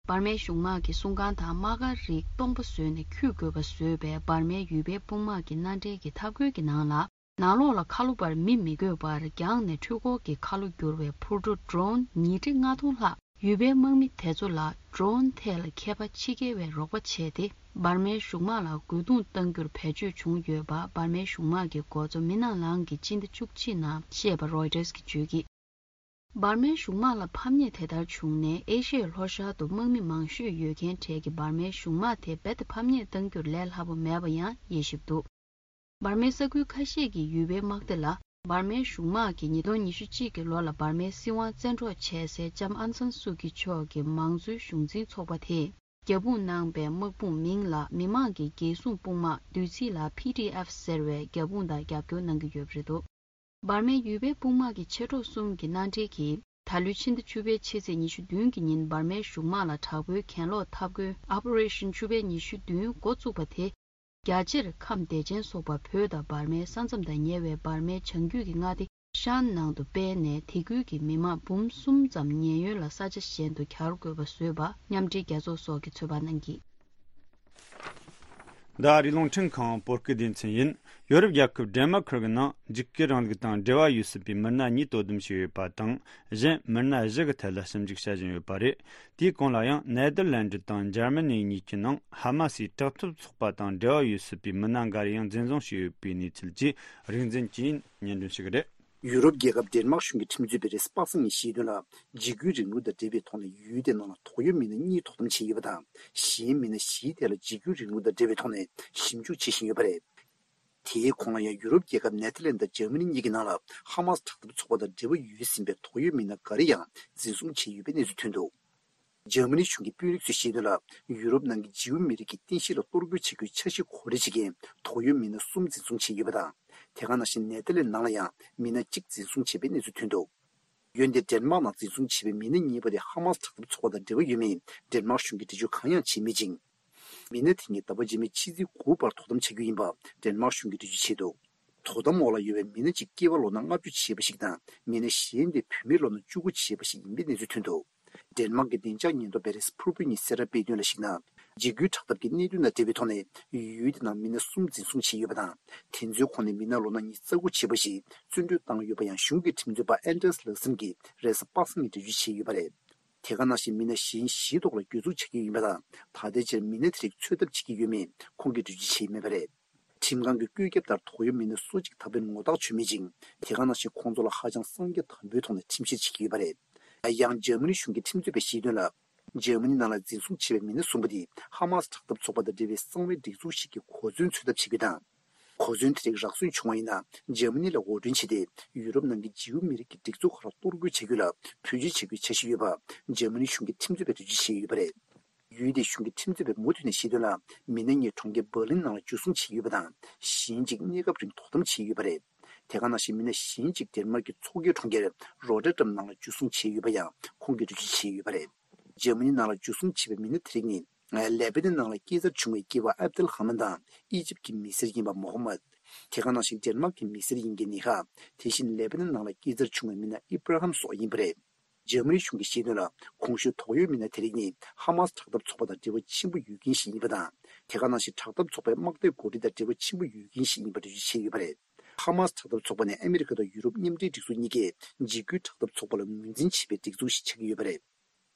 འབར་མའི་གཞུང་དམག་གི་སྲུང་ཁང་དང་དམག་སྒར་རིགས་སྟོང་པ་བཟོས་ནས་འཁྱུད་དགོས་པ་བཟོས་པའི་འབར་མའི་ཡུལ་པའི་དཔུང་དམག་གི་མནའ་འབྲེལ་གྱི་འཐབ་རྒོལ་གྱི་ནང་ལ། ནང་ལོགས་ལ་ཁ་ལོ་པར་མི་མི་དགོས་པར་རྒྱང་ནས་འཕྲུལ་འཁོར་གྱི་ཁ་ལོ་བསྒྱུར་བའི་འཕུར་གྲུ་Drone་ཉིས་ཁྲི་ལྔ་སྟོང་ལྷག་ཡུལ་པའི་དམག་མི་དེ་ཚོ་ལ་Drone་ཐད་ལ་མཁས་པ་ཕྱི་རྒྱལ་བས་རོགས་པ་བྱས་ཏེ། འབར་མའི་གཞུང་དམག་ལ་རྒོལ་རྡུང་གཏང་རྒྱུར་བེད་སྤྱོད་བྱུང་ཡོད་པ། འབར་མའི་གཞུང་དམག་གི་འགོ་གཙོ་མི་ནང་ལང་གིས་སྤྱི་ཟླ་བཅུ་གཅིག་ནང་བཤད་པ་Reuters་གིས་བརྗོད་ཀྱིས། འབར་མའི་གཞུང་དམག་ལ་ཕམ་ཉེས་དེ་ལྟར་བྱུང་ནས། ཨེ་ཤི་ཡའི་ལྷོ་ཤར་དུ་དམག་མི་མང་ཤོས་ཡོད་མཁན་གྲས་ཀྱི་འབར་མའི་གཞུང་དམག་དེ་རྦད་དེ་ཕམ་ཉེས་གཏང་རྒྱུར་ལས་སླ་པོ་མེད་པ་ཡང་དབྱེ་ཞིབ་འདུག་འབར་མའི་ས་ཁུལ་ཁ་ཤས་ཀྱི་ཡུལ་པའི་དམག་སྡེ་ལ། འབར་མའི་གཞུང་དམག་གིས་ཉིས་སྟོང་ཉི་ཤུ་གཅིག་གི་ལོ་ལ་འབར་མའི་སྲིད་དབང་བཙན་འཕྲོག་བྱས་སའི་ལྕམ་ཨང་སན་སུའུ་ཀི་མཆོག་གི་མང་གཙོའི་གཞུང་འཛིན་ཚོགས་པ་དེས་རྒྱབ་དཔུང་གནང་པའི་དམག་དཔུང་མིང་ལ་མི་དམངས་ཀྱི་རྒྱལ་སྲུང་དཔུང་དམག་བསྡུས་ཚིག་ལ་P D F་ཟེར་བའི་རྒྱབ་དཔུང་དང་རྒྱབ་སྐྱོར་གནང་གི་ཡོད་པ་རེད་འདུག་འབར་མའི་ཡུལ་པའི་དཔུང་དམག་གི་མཆེད་གྲོགས་གསུམ་གྱི་མནའ་འབྲེལ་གྱིས། ད་ལོའི་ཕྱི་ཟླ་བཅུ་པའི་ཕྱི་ཚེས་ཉི་ཤུ་བདུན་གྱི་ཉིན་འབར་མའི་གཞུང་དམག་ལ་དྲག་པོའི་གྱེན་ལོག་འཐབ་རྒོལ་Operation་བཅུ་པའི་ཉི་ཤུ་བདུན་འགོ་བཙུགས་པ་དེ། རྒྱ་ཆེར་ཁམས་བདེ་ཆེན་སོགས་པ་བོད་དང་འབར་མའི་ས་མཚམས་དང་ཉེ་བའི་འབར་མའི་བྱང་རྒྱུད་ཀྱི་མངའ་སྡེ་ཤན་ནང་དུ་སྤེལ་ནས། དེ་ཁུལ་གྱི་མི་མང་འབུམ་གསུམ་ཙམ་ཉེན་གཡོལ་ལ་ས་ཆ་གཞན་དུ་གྱར་དགོས་པ་བཟོས་པ་མཉམ་འབྲེལ་རྒྱལ་ཚོགས་སོགས་ཀྱིས་ཚོད་དཔག་གནང་གིས། ད་རེས་རླུང་འཕྲིན་ཁང་བོད་སྐད་སྡེ་ཚན་ཡིན། ཡོ་རོབ་རྒྱལ་ཁབ་ཌེན་མར་ཁུར་གྱི་ནང་འཇིགས་སྐུལ་རིང་ལུགས་དང་འབྲེལ་བ་ཡོད་སྲིད་པའི་མི་སྣ་གཉིས་དོ་དམ་བྱས་ཡོད་པ་དང་། གཞན་མི་སྣ་བཞི་གི་ཐད་ལ་ཞིབ་འཇུག་བྱ་བཞིན་ཡོད་པ་རེད། དེའི་གོང་ལ་ཡང་ནེ་དར་ལན་ཌི་དང་འཇར་མ་ནི་གཉིས་ཀྱི་ནང་ཧ་མ་སིའི་དྲག་འཐབ་ཚོགས་པ་དང་འབྲེལ་བ་ཡོད་སྲིད་པའི་མི་སྣ་འགའ་རེ་ཡང་འཛིན་བཟུང་བྱས་ཡོད་པའི་གནས་ཚུལ་བཅས་རིག་འཛིན་གྱིས་སྙན་སྒྲོན་ཞུ་གི་རེད། ཡུ་རོབ་རྒྱལ་ཁབ་ཌེན་མཱག་གཞུང་གི་ཁྲིམས་རྩོད་པས་རེས་གཟའ་པ་སངས་ཉིན་བཤད་དོན་ལ། འཇིགས་སྐུལ་རིང་ལུགས་དང་འབྲེལ་བའི་ཐོག་ནས་ཡུལ་དེའི་ནང་ལ་དོགས་ཡོད་མི་སྣ་གཉིས་དོ་དམ་བྱས་ཡོད་པ་དང་། གཞན་མི་སྣ་བཞིའི་ཐད་ལ་འཇིགས་སྐུལ་རིང་ལུགས་དང་འབྲེལ་བའི་ཐོག་ནས་ཞིབ་འཇུག་བྱེད་བཞིན་ཡོད་པ་རེད། དེའི་གོང་ལ་ཡང་ཡུ་རོབ་རྒྱལ་ཁབ་ནེ་ཐར་ལན་དང་འཇར་མ་ནི་གཉིས་ཀྱི་ནང་ལ་ཧ་མ་སི་དྲག་འཐབ་ཚོགས་པ་དང་འབྲེལ་བ་ཡོད་ཟིན་པའི་དོགས་ཡོད་མི་སྣ་འགའ་རེ་ཡང་འཛིན་བཟུང་བྱས་ཡོད་པའི་གནས་ཚུལ་ཐོན་འདུག་འཇར་མ་ནི་གཞུང་གི་དཔོན་རིགས་ཚོས་བཤད་དོན་ལ། ཡུ་རོབ་ནང་གི་ཇིའུ་མི་རིགས་ཀྱི་རྟེན་གཞི་ལ་གཏོར་རྒོལ་བྱེད་རྒྱུའི་འཆར་གཞི་གོ་སྒྲིག་བྱེད་མཁན་དོགས་ཡོད་མི་སྣ་གསུམ་འཛིན་བཟུང་བྱས་ཡོད་པ་དང་། དེ་ག་ནང་བཞིན་ནེ་ཐར་ལན་ནང་ལ་ཡང་མི་སྣ་གཅིག་འཛིན་བཟུང་བྱས་པའི་གནས་ཚུལ་ཐོན་འདུག་འོན་ཏེ་ཌེན་མཱག་ནང་འཛིན་བཟུང་བྱས་པའི་མི་སྣ་གཉིས་པ་དེ་ཧ་མ་སི་དྲག་འཐབ་ཚོགས་པ་དང་འབྲེལ་བ་ཡོད་མེད་ཌེན་མཱག་གཞུང་གིས་འགྲེལ་བརྗོད་གང་ཡང་བྱས་མེད་ཅིང་། མི་སྣ་དེ་གཉིས་ཟླ་བ་རྗེས་མའི་ཕྱི་ཚེས་དགུ་བར་དོ་དམ་བྱ་རྒྱུ་ཡིན་པ་ཌེན་མཱག་གཞུང་གིས་འགྲེལ་བརྗོད་བྱས་འདུག་དོ་དམ་འོག་ལ་ཡོད་པའི་མི་སྣ་གཅིག་སྐྱེས་པ་ལོ་ན་ལྔ་བཅུ་བྱས་པ་ཞིག་དང་། མི་སྣ་གཞན་དེ་བུད་མེད་ལོ་ན་བཅུ་དགུ་བྱས་པ་ཞིག་ཡིན་པའི་གནས་ཚུལ་ཐོན་འདུག་ཌེན་མཱག་གི་བདེ་འཇགས་ཉེན་རྟོག་པས་རེས་གཟའ་ཕུར་བུའི་ཉིན་གསལ་བསྒྲགས་སྤེལ་དོན་ལ་གཞིགས་ན། འཇིགས་སྐུལ་དྲག་འཐབ་ཀྱི་གནད་དོན་དང་འབྲེལ་བའི་ཐོག་ནས་ཡུལ་དེ་ནང་མི་སྣ་གསུམ་འཛིན་བཟུང་བྱས་ཡོད་པ་དང་། དེ་ཚོའི་ཁོངས་ནས་མི་སྣ་ལོ་ན་ཉི་ཤུ་རྩ་དགུ་བྱས་པ་ཞིག་བཙོན་གྲོལ་བཏང་ཡོད་པ་ཡང་གཞུང་གི་ཁྲིམས་རྩོད་པ་ཨན་ཏྲེས་ལག་སམ་གྱིས་རེས་གཟའ་པ་སངས་ཉིན་འགྲེལ་བརྗོད་བྱས་ཡོད་པ་རེད། དེ་ག་ནང་བཞིན་མི་སྣ་གཞན་བཞིའི་ཐོག་ལ་གྱོད་འཛུགས་བྱ་རྒྱུ་ཡིན་པ་དང་། ད་ལྟའི་ཆར་མི་སྣ་དེ་རིགས་འཚོལ་ཐབས་བྱེད་ཀྱི་ཡོད་མེད་ཁོང་གིས་འགྲེལ་བརྗོད་བྱས་མེད་པ་རེད། ཁྲིམས་ཁང་གི་བཀོད་ཁྱབ་ལྟར་དོགས་ཡོད་མི་སྣ་སོ་གཅིག་ད་བར་ངོ་རྟགས་བྱུང་མེད་ཅིང་། དེ་ག་ནང་བཞིན་ཁོང་ཚོ་ལ་ཧ་ཅང་གསང་རྒྱ་དམ་པོའི་ཐོག་ནས་ཁྲིམས་བཤེར་བྱེད་ཀྱི་ཡོད་པ་རེད། ཡང་འཇར་མ་ནི་གཞུང་གི་ཁྲིམས་རྩོད་པས་བཤད་དོན་ལ། འཇར་མ་ནི་ནང་ལ་འཛིན་བཟུང་བྱས་པའི་མི་སྣ་གསུམ་པོ་དེ་ཧ་མ་སི་དྲག་འཐབ་ཚོགས་པ་དང་འབྲེལ་བའི་གསང་བའི་སྒྲིག་འཛུགས་ཤིག་གི་གོ་མཚོན་འཚོལ་ཐབས་བྱེད་རྒྱུ་དང་། གོ་མཚོན་དེ་རིགས་རག་སོན་བྱུང་བ་ཡིན་ན། འཇར་མ་ནི་ལ་འོར་སྐྲུན་བྱས་ཏེ། ཡུ་རོབ་ནང་གི་འཇིའུ་མི་རིགས་ཀྱི་སྒྲིག་འཛུགས་ཁག་ལ་གཏོར་རྒོལ་བྱ་རྒྱུ་ལ་བེད་སྤྱོད་བྱ་རྒྱུའི་འཆར་གཞི་ཡོད་པ། འཇར་མ་ནི་གཞུང་གི་ཁྲིམས་རྩོད་པས་འགྲེལ་བརྗོད་བྱས་ཡོད་པ་རེད། ཡུལ་དེའི་གཞུང་གི་ཁྲིམས་རྩོད་པས་མུ་མཐུད་ནས་བཤད་དོན་ལ། མི་སྣ་གཉིས་གྲོང་ཁྱེར་འབར་ལིན་ནང་ལ་འཇུ་བཟུང་བྱས་ཡོད་པ་དང་། གཞན་གཅིག་གནས་སྐབས་རིང་དོ་དམ་བྱས་ཡོད་པ་རེད། དེ་ག་ནང་བཞིན་མི་སྣ་གཞན་གཅིག་ཌེན་མཱརཀ་གི་མཚོ་ཁའི་གྲོང་ཁྱེར་རོ་ཊར་ཌམ་ནང་ལ་འཇུ་བཟུང་བྱས་ཡོད་པ་ཡང་ཁོང་གིས་འགྲེལ་བརྗོད་བྱས་ཡོད་པ་རེད། འཇར་མ་ནི་ནང་ལ་འཇུ་བཟུང་བྱས་པའི་མི་སྣ་དེ་རིགས་ནི། ལེ་བྷ་ནན་ནང་ལ་སྐྱེས་འཚར་བྱུང་བའི་སྐྱེས་པ་ཨབ་དེལ་ཧ་མན་དང་ཨི་ཇིབ་ཀྱི་མི་སེར་ཡིན་པ་མོ་ཧ་མད། དེ་ག་ནང་བཞིན་ཌེན་མཱརཀ་གི་མི་སེར་ཡིན་མཁན་ནི་ཧ། དེ་བཞིན་ལེ་བྷ་ནན་ནང་ལ་སྐྱེས་འཚར་བྱུང་བའི་མི་སྣ་ཨི་བྷ་ར་ཧམ་སོགས་ཡིན་པ་རེད། འཇར་མ་ནི་གཞུང་གིས་བཤད་དོན་ལ། གོང་ཞུས་དོགས་ཡོད་མི་སྣ་དེ་རིགས་ནི་ཧ་མ་སི་དྲག་འཐབ་ཚོགས་པ་དང་འབྲེལ་བ་ཆེན་པོ་ཡོད་མཁན་ཞིག་ཡིན་པ་དང་། དེ་ག་ནང་བཞིན་དྲག་འཐབ་ཚོགས་པའི་དམག་སྡེ་འགོ་ཁྲིད་དང་འབྲེལ་བ་ཆེན་པོ་ཡོད་མཁན་ཞིག་ཡིན་པ་འགྲེལ་བརྗོད་བྱས་ཡོད་པ་རེད། ཧ་མ་སི་དྲག་འཐབ་ཚོགས་པ་ནི་ཨ་མི་རི་ཀ་དང་ཡུ་རོབ་མཉམ་འབྲེལ་སྒྲིག་འཛུགས་གཉིས་ཀས་འཇིགས་སྐུལ་དྲག་འཐབ་ཚོགས་པ་ལ་ངོས་འཛིན་བྱེད་པའི་སྒྲིག་འཛུགས་ཤིག་ཆགས་ཀྱི་ཡོད་པ་རེད།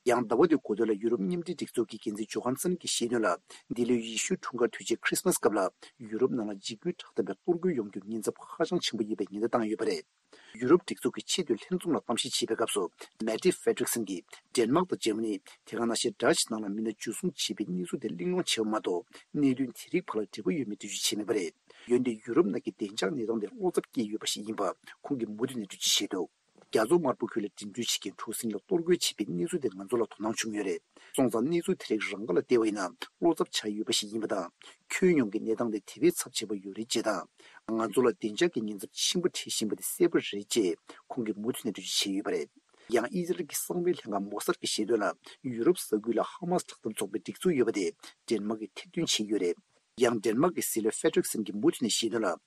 ཡང་ཟླ་བ་འདིའི་འགོ་སྟོད་ལ་ཡུ་རོབ་མཉམ་འབྲེལ་སྒྲིག་འཛུགས་ཀྱི་འགན་འཛིན་ཇོ་ཧན་སན་གྱིས་བཤད་དོན་ལ། འདི་ལོའི་ཡེ་ཤུའི་འཁྲུངས་སྐར་དུས་ཆེན་ཁྲིས་མས་སྐབས་ལ་ཡུ་རོབ་ནང་ལ་འཇིགས་སྐུལ་དྲག་འཐབ་པའི་གཏོར་རྒོལ་ཡོང་རྒྱུར་ཉེན་ཚབས་ཧ་ཅང་ཆེན་པོ་ཡོད་པའི་ཉེན་བརྡ་བཏང་ཡོད་པ་རེད། ཡུ་རོབ་སྒྲིག་འཛུགས་ཀྱི་ཆེས་མཐོའི་ལྷན་ཚོགས་ནང་གཏམ་བཤད་བྱེད་པའི་སྐབས་སུ། མེ་ཏི་ཧྥེ་ཏྲིག་སན་གྱིས་ཌེན་མཱག་དང་འཇར་མ་ནི། དེ་ག་ནང་བཞིན་ཌ་ཅི་ནང་ལ་མི་སྣ་འཇུ་བཟུང་བྱས་པའི་གནས་ཚུལ་དེ་གླེང་སློང་བྱས་པ་མ་གཏོགས། གནད་དོན་དེ་རིགས་བར་ལ་འབྲེལ་བ་ཡོད་མེད་འགྲེལ་བརྗོད་བྱས་མེད་པ་རེད། འོན་ཏེ་ཡུ་རོབ་ནང་གི་བདེ་འཇགས་གནས་སྟངས་དེ་བློ་འཚབ་སྐྱེས་ཡོད་པ་ཞིག་ཡིན་པ་ཁོང་གིས་མུ་མཐུད་ནས་འགྲེལ་བརྗོད་བྱས་འདུག་རྒྱ་མཚོ་དམར་པོ་ཁུལ་ལ་འགྲིམ་འགྲུལ་བྱེད་མཁན་གྲུ་གཟིངས་ལ་གཏོར་རྒོལ་བྱས་པའི་གནས་ཚུལ་དེ་ང་ཚོ་ལ་དོ་སྣང་བྱུང་ཡོད་རེད། སོང་ཙང་གནས་ཚུལ་དེ་རིགས་རང་དགར་ལ་བལྟས་པ་ཡིན་ན་བློ་འཚབ་ཆགས་ཡོད་པ་ཞིག་ཡིན་པ་དང་། ཁྱོན་ཡོངས་ཀྱི་གནས་སྟངས་དེ་དེ་བས་ཚབས་ཆེ་བ་ཡོད་རེད་ཅེས་དང་། ང་ཚོ་ལ་བདེ་འཇགས་ཀྱི་ཉེན་ཚབས་ཆེན་པོ་འཕྲད་བཞིན་པ་དེ་གསལ་པོ་རེད་ཅེས་ཁོང་གིས་མུ་མཐུད་ནས་འགྲེལ་བརྗོད་བྱས་ཡོད་པ་རེད། ཡང་ཨི་ཟི་རལ་གྱི་གསང་བའི་ལྷན་ཁང་མོ་སཱད་ཀྱིས་བཤད་དོན་ལ། ཡུ་རོབ་ས་ཁུལ་ལ་ཧ་མ་སི་དྲག་འཐབ་ཚོགས་པའི་སྒྲིག་འཛུགས་ཡོད་པ་དེ་ཌེན་མཱག་གིས་ཐེར་འདོན་བྱས་ཡོད་རེད། ཡང་ཌེན་མཱག་གི་སྲིད་བློན་ཧྥེ་ཏྲིག་སན་གྱིས་མུ་མཐུད་ནས་བཤད་དོན་ལ།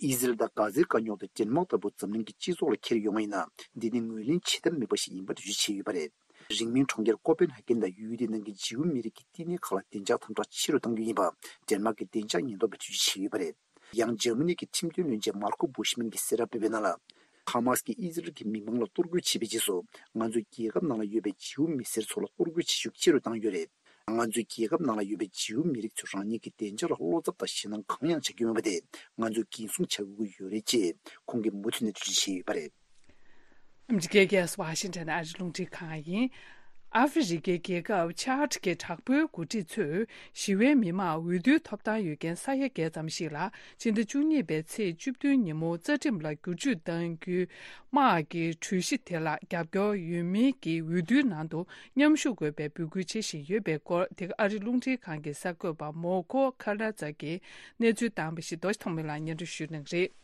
ཨི་ཟི་རལ་དང་གྷ་ཛའི་དཀའ་རྙོག་དེ་ཌེན་མཱག་ལྟ་བུ་འཛམ་གླིང་གི་སྤྱི་ཚོགས་ལ་འཁྱེར་ཡོང་བ་ཡིན་ན། འདི་ནི་ངོས་ལེན་བྱེད་ཐབས་མེད་པ་ཞིག་ཡིན་པ་འགྲེལ་བརྗོད་བྱས་ཡོད་པ་རེད། རིང་མིན་གྲོང་ཁྱེར་ཀོ་པན་ཧ་གན་དང་ཡུལ་དེའི་ནང་གི་འཇིའུ་མི་རིགས་ཀྱི་བསྟི་གནས་ཁག་ལ་བདེ་འཇགས་དམ་དྲག་ཆེ་རུ་གཏང་རྒྱུ་ཡིན་པ། ཌེན་མཱག་གི་བདེ་འཇགས་ཉེན་རྟོག་པས་འགྲེལ་བརྗོད་བྱས་ཡོད་པ་རེད། ཡང་འཇར་མ་ནི་གི་ཁྲིམས་དོན་བློན་ཆེན་མར་ཁོ་བུ་ཤི་མན་གྱིས་གསལ་བསྒྲགས་སྤེལ་བའི་ནང་ལ། ཧ་མ་སི་གིས་ཨི་ཟི་རལ་གྱི་མི་མང་ལ་གཏོར་རྒོལ་བྱས་པའི་རྗེས་སུ། ང་ཚོའི་རྒྱལ་ཁབ་ནང་ལ་ཡོད་པའི་འཇིའུ་མི་སེར་ཚོ་ལ་གཏོར་རྒོལ་བྱེད་ཤུགས་ཆེ་རུ་བཏང་ཡོད་རེད། ང་ཚོའི་རྒྱལ་ཁབ་ནང་ལ་ཡོད་པའི་འཇིའུ་མི་རིགས་ཚོས་རང་ཉིད་ཀྱི་བདེ་འཇགས་ལ་བློ་འཚབ་དང་ཞེད་སྣང་གང་ཡང་བྱ་རྒྱུ་མེད་པ་དེ་ང་ཚོས་འགན་སྲུང་བྱ་དགོས་ཀྱི་ཡོད་རེད་ཅེས་ཁོང་གིས་མུ་མཐུད་ནས་འགྲེལ་བརྗོད་བྱས་ཡོད་པ་རེད། ཨ་མི་རི་ཀའི་རྒྱལ་ས་ཝ་ཤིང་ཊོན་ནས་ཨ་རིའི་རླུང་འཕྲིན་ཁང་ཡིན། ཨ་ཧྥེ་རི་ཁའི་རྒྱལ་ཁབ་ཆཱཌ་ཀྱི་དྲག་པོའི་འགོ་ཁྲིད་ཚོས་ཞི་བའི་མི་མང་འོས་བསྡུའི་ཐོབ་ཐང་ཡོད་མཁན་ས་ཡ་བརྒྱད་ཙམ་ཞིག་ལ་ཕྱི་ཟླ་བཅུ་གཉིས་པའི་ཚེས་བཅུ་བདུན་ཉིན་མོ་རྩ་ཁྲིམས་ལ་བསྒྱུར་བཅོས་གཏང་རྒྱུའི་དམག་གི་གྲོས་གཞི་དེ་ལ་རྒྱབ་སྐྱོར་ཡོད་མིན་གྱི་འོས་བསྡུའི་ནང་དུ་མཉམ་ཞུགས་དགོས་པའི་འབོད་སྐུལ་བྱེད་བཞིན་ཡོད་པའི་སྐོར། དེ་ག་ཨ་རིའི་རླུང་འཕྲིན་ཁང་གི་གསར་འགོད་པ་མོ་ཁོ་ཁ་ལ་ཙ་གིས་གནས་ཚུལ་བཏང་བ་ཞིག་རྡོ་རྗེ་ཐོགས་མེད་ལགས་སྙན་སྒྲོན་ཞུ་གནང་གི་རེད།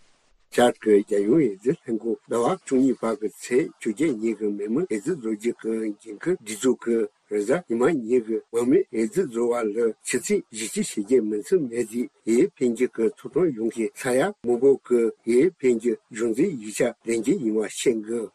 ཆཱཌ་ཀྱི་རྒྱལ་ཡོངས་ཨེ་ཙི་ལྷན་ཁང་ཟླ་བ་བཅུ་གཉིས་པ་གི་ཚེས་བཅོ་བརྒྱད་ཉིན་གྱི་མི་མང་ཨེ་ཙི་བཟོ་བཅོས་ཀྱི་འགན་འཁུར་སྒྲིག་འཛུགས་ཀྱི་རེས་གཟའ་ཉི་མ་ཉིན་གྱི་མང་མོས་ཨེ་ཙི་བཟོ་བ་ལ་ཕྱི་ཚེས་བཞི་བཅུ་ཞེ་བརྒྱད་མི་ཚེ་མེད་དེ་ཡའི་འཕེན་རྒྱུ་གི་ཐོབ་ཐང་ཡོང་མཁན་ས་ཡ་མང་པོ་གི་ཡའི་འཕེན་རྒྱུ་གཞུང་འཛིན་ཡིག་ཆ་ལེན་རྒྱུ་ཡིན་པ་ཤེས་དགོས།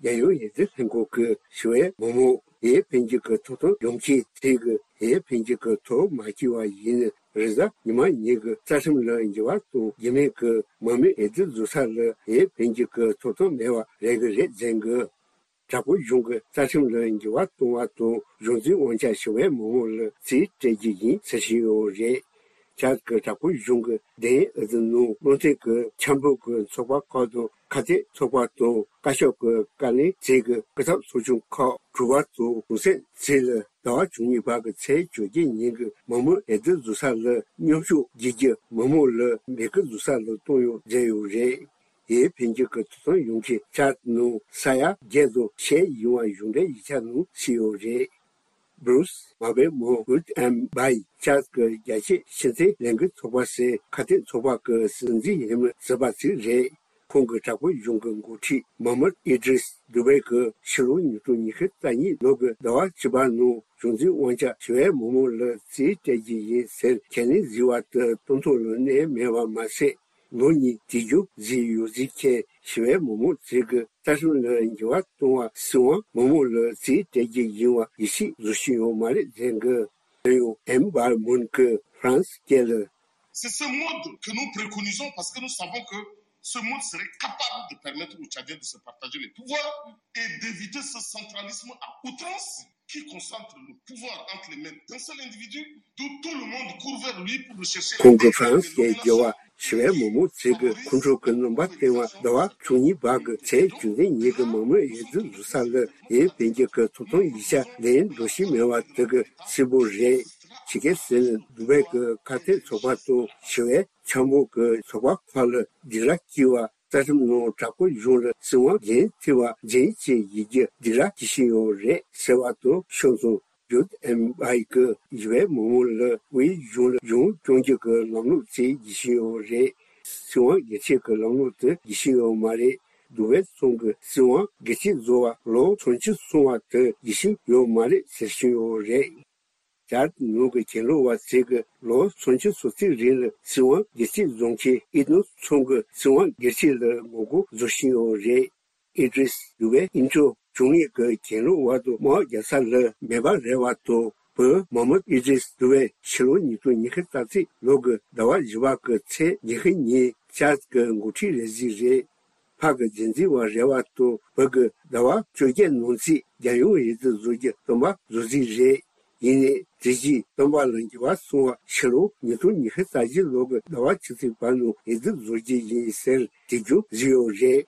རྒྱལ་ཡོངས་ཨེ་ཙི་ལྷན་ཁང་གི་ཞི་བའི་མི་མང་ཡའི་འཕེན་རྒྱུ་གི་ཐོབ་ཐང་ཡོང་མཁན་དེ་གི་ཡའི་འཕེན་རྒྱུ་གི་ཐོབ་མ་བྱས་པ་ཡིན་ན་རེས་གཟའ་ཉི་མ་ཉིན་གྱི་རྩ་ཁྲིམས་ལ་འགྱུར་བ་གཏོང་རྒྱུ་མེད་གི་མང་མོས་ཨེ་ཙི་བཟོ་ས་ལ་ཡའི་འཕེན་རྒྱུ་གི་ཐོབ་ཐང་མེད་པ་རེད་གི་རེད་ཟེར་གི། དྲག་པོའི་གཞུང་གི་རྩ་ཁྲིམས་ལ་འགྱུར་བ་གཏོང་བ་དང་གཞུང་འཛིན་དབང་ཆ་ཞི་བའི་མི་མང་ལ་རྩིས་སྤྲད་རྒྱུ་ཡིན་ཟེར་བཞིན་ཡོད་རེད། ཆཱཌ་ཀྱི་དྲག་པོའི་གཞུང་གི་བདེན་ཨེ་ཙི་ནང་བློ་མཐུན་གྱི་འཆམ་ཕོད་ཀྱི་ཚོགས་པ་ཁག་དང་ཁ་གཏད་ཚོགས་པ་དང་བཀའ་ཤག་གི་བཀའ་བློན་རྩིས་ཀྱི་སྐུ་ཚབ་ཚོགས་ཆུང་ཁག་དྲུག་པ་དང་གྲོང་གསེབ་རྩིས་ལ་ཟླ་བ་བཅུ་གཉིས་པ་གི་ཚེས་བཅོ་བརྒྱད་ཉིན་གྱི་མང་མོས་ཨེ་ཙི་བཟོ་ས་ལ་མཉམ་ཞུགས་བགྱིད་རྒྱུ་མི་མང་ལ་འབོད་སྐུལ་བཟོ་ས་ལ་བཏང་ཡོད་ཟེར་ཡོད་རེད། ཡའི་འཕེན་རྒྱུ་གི་ཐོབ་ཐང་ཡོང་མཁན་ཆཱཌ་ནང་ས་ཡ་བརྒྱད་དང་ཞེ་ཡིན་པ་གཞུང་འབྲེལ་ཡིག་ཆ་ནང་བྲིས་ཡོད་རེད། Bruce Mabemo Wood and Bai ཆཱཌ་ཀྱི་རྒྱལ་སྤྱིའི་ཕྱི་འཐེན་ལས་འགུལ་ཚོགས་པ་ཟེར་ཁ་གཏད་ཚོགས་པ་གི་སྲིད་འཛིན་ཡིན་མིན་ཟུར་པ་ཞིག་རེད། ཁོང་གི་དྲག་པོའི་གཞུང་གི་འགོ་ཁྲིད་མ་མུད་ཨི་དྲིས་དུ་བྷེ་གི་ཕྱི་ལོ་ཉིས་སྟོང་ཉི་ཤུ་རྩ་གཉིས་ལོ་གི་ཟླ་བ་བཅུ་པ་ནང་གཞུང་འཛིན་དབང་ཆ་ཞི་བའི་མི་མང་ལ་རྩིས་སྤྲད་རྒྱུ་ཡིན་ཟེར་ཁས་ལེན་བཟོས་པ་དེ་སྟོང་ཐུན་ལ་གནས་མེད་པ་མ་ཟད། ལོ་གཉིས་དུས་རྒྱུན་བཟོས་ཡོད་ཟེར་མཁན་ཞི་བའི་མི་མང་ཚོས་ཀྱི་རྩ་ཁྲིམས་ལ་འགྱུར་བ་གཏོང་བ་སྲིད་དབང་མི་མང་ལ་རྩིས་སྤྲད་རྒྱུ་ཡིན་པ་ཡིད་ཆེས་བཟོ་བཞིན་ཡོད་མ་རེད་ཟེར་གི། དེ་ཡང་ཨེམ་བར་མུན་གྱི་ཧྥ་རན་སི་སྐད་ལ། C'est ce mode que nous préconisons parce que nous savons que ce mode serait capable de permettre aux Tchadiens de se partager les pouvoirs et d'éviter ce centralisme à outrance qui concentre le pouvoir entre les mains d'un seul individu, d'où tout le monde court vers lui pour le chercher. ཁོང་གི་ཧྥ་རན་སི་སྐད་སྦྱོར་བ་ ཞི་བའི་མི་མང་ཚོས་ཀྱི་ཁོང་ཁྲོ་གི་རྣམ་པ་བསྟན་པ། ཟླ་བ་བཅུ་གཉིས་པ་གི་ཚེས་བཅུ་བདུན་ཉིན་གྱི་མང་མོས་འོས་བསྡུ་བཟོ་ས་ལ་ཡུན་བོད་བརྒྱུད་ཀྱི་ཐོབ་ཐང་ཡིག་ཆ་ལེན་འགྲོ་བཞིན་མེད་པ་དེ་གི་གསལ་པོ་རེད། ཇི་སྐད་ཟེར་ན། འདུག་པའི་གི་ཁ་གཏད་ཚོགས་པ་དང་ཞི་བའི་འཆར་འབུལ་གྱི་ཚོགས་པ་ཁག་ལ་སྡིགས་ར་སྐྱེལ་བ། རྩ་ཁྲིམས་ནང་དྲག་པོའི་གཞུང་ལ་སྲིད་དབང་འགན་འཁྱེར་བ་འཛིན་བྱེད་ཡིག་རྒྱུགས་སྡིགས་ར་སྐྱེལ་བཞིན་ཡོད་རེད་ཟེར་བ་དང་། ཕྱོགས་མཚུངས་ཡུ་ཨེན་ཨའི་གི་ཞི་བའི་མི་མང་ལ་དབུས་གཞུང་ལ་གཞུང་སྐྱོང་རྒྱུ་གི་ལམ་ལུགས་བཙལ་བཞིན་ཡོད་རེད། སྲིད་དབང་སྒེར་གཅོད་ཀྱི་ལམ་ལུགས་དེ་རྒྱུས་ཤིང་ཡོད་མ་རེད། འདུག་པའི་ཚང་གི་སྲིད་དབང་སྒེར་གཅོད་བཟོ་བ་ལོ་ཚོན་ཆུ་སོང་བ་དེ་རྒྱུས་ཤིང་ཡོད་མ་རེད་ཟེར་བཞིན་ཡོད་རེད། ཇཱར་ནང་གི་གྱེན་ལོག་པ་ཚོས་ཀྱི་ལོ་ཚོན་ཆུ་སོ་གཅིག་རིང་ལ་སྲིད་དབང་སྒེར་གཅོད་བཟོ་མཁན་ཨི་ནོ་ཚང་གི་སྲིད་དབང་སྒེར་གཅོད་ལ་ངོ་རྒོལ་བཟོ་བཞིན་ཡོད་རེད། ཨི་ཏྲིས་དུ་བའི་ཨིན་ཅོ་བྱུང་ཡིག་གི་གྱེན་ལོག་པ་དང་དམག་རྒྱག་ས་ལ་མེད་པ་རེད་བ་དང་། བུ་མོ་ཧམ་མད་ཨི་ཏྲིས་དུ་བའི་ཕྱི་ལོ་ཉིས་སྟོང་ཉི་ཤུ་རྩ་གཅིག་ལོ་གི་ཟླ་བ་བཞི་པ་གི་ཚེས་ཉི་ཤུ་ཉིན་ཇཱར་གི་འགོ་ཁྲིད་རེད་ཟིག་རེད། ཕ་གི་རྒྱུན་འཛིན་པ་རེད་བ་དང་། བུ་གི་ཟླ་བ་བཅོ་བརྒྱད་ནང་ཚུད་རྒྱལ་ཡོངས་འོས་བསྡུ་བཟོ་རྒྱུ་སྟོན་པ་བཟོ་རྩིས་རེད། ཡིན་ནའི་དེ་རྗེས་སྟོན་པ་ལ་འགྱུར་བ་སོང་བ། ཕྱི་ལོ་ཉིས་སྟོང་ཉི་ཤུ་རྩ་བཞི་ལོ་གི་ཟླ་བ་ཆུ་ཚོད་བར་ནང་འོས་བསྡུ་བཟོ་རྒྱུ་ཡིན་ཟེར་དེ་རྒྱུན་བཟོས་ཡོད་རེད།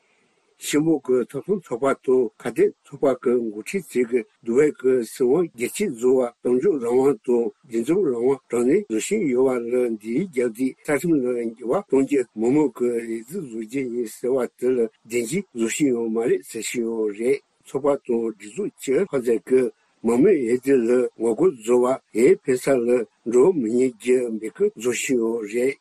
ཕྱི་མོ་གི་ཐོབ་ཐང་ཚོགས་པ་དང་ཁ་གཏད་ཚོགས་པ་གི་འགོ་ཁྲིད་ཚོས་ཀྱི་འདུག་པའི་གི་སྲིད་དབང་སྒེར་གཅོད་བཟོ་བ་གཏམ་བརྗོད་རང་དབང་དང་འདུ་འཛོམས་རང་དབང་དྲང་གནས་བཟོ་བཞིན་ཡོད་པ་ལ་འདིའི་རྒྱབ་དེ་རྩ་ཁྲིམས་ལ་འགྱུར་བ་གཏོང་རྒྱུ་མི་མང་གི་འོས་བསྡུ་བཟོ་རྒྱུ་ཡིན་ཟེར་བ་དེ་ལ་བདེན་འཛིན་བཟོ་བཞིན་ཡོད་མ་རེད་ཟེར་བཞིན་ཡོད་རེད། ཚོགས་པ་དང་སྒྲིག་འཛུགས་སྤྱི་ཁོག་ཚད་ཀྱི་མང་མོས་འོས་བསྡུ་ལ་ངོ་རྒོལ་བཟོ་བ་འོས་འཕེན་ས་ལ་འགྲོ་མི་ཉན་རྒྱུ་འབོད་སྐུལ་བཟོ་བཞིན་ཡོད་རེད།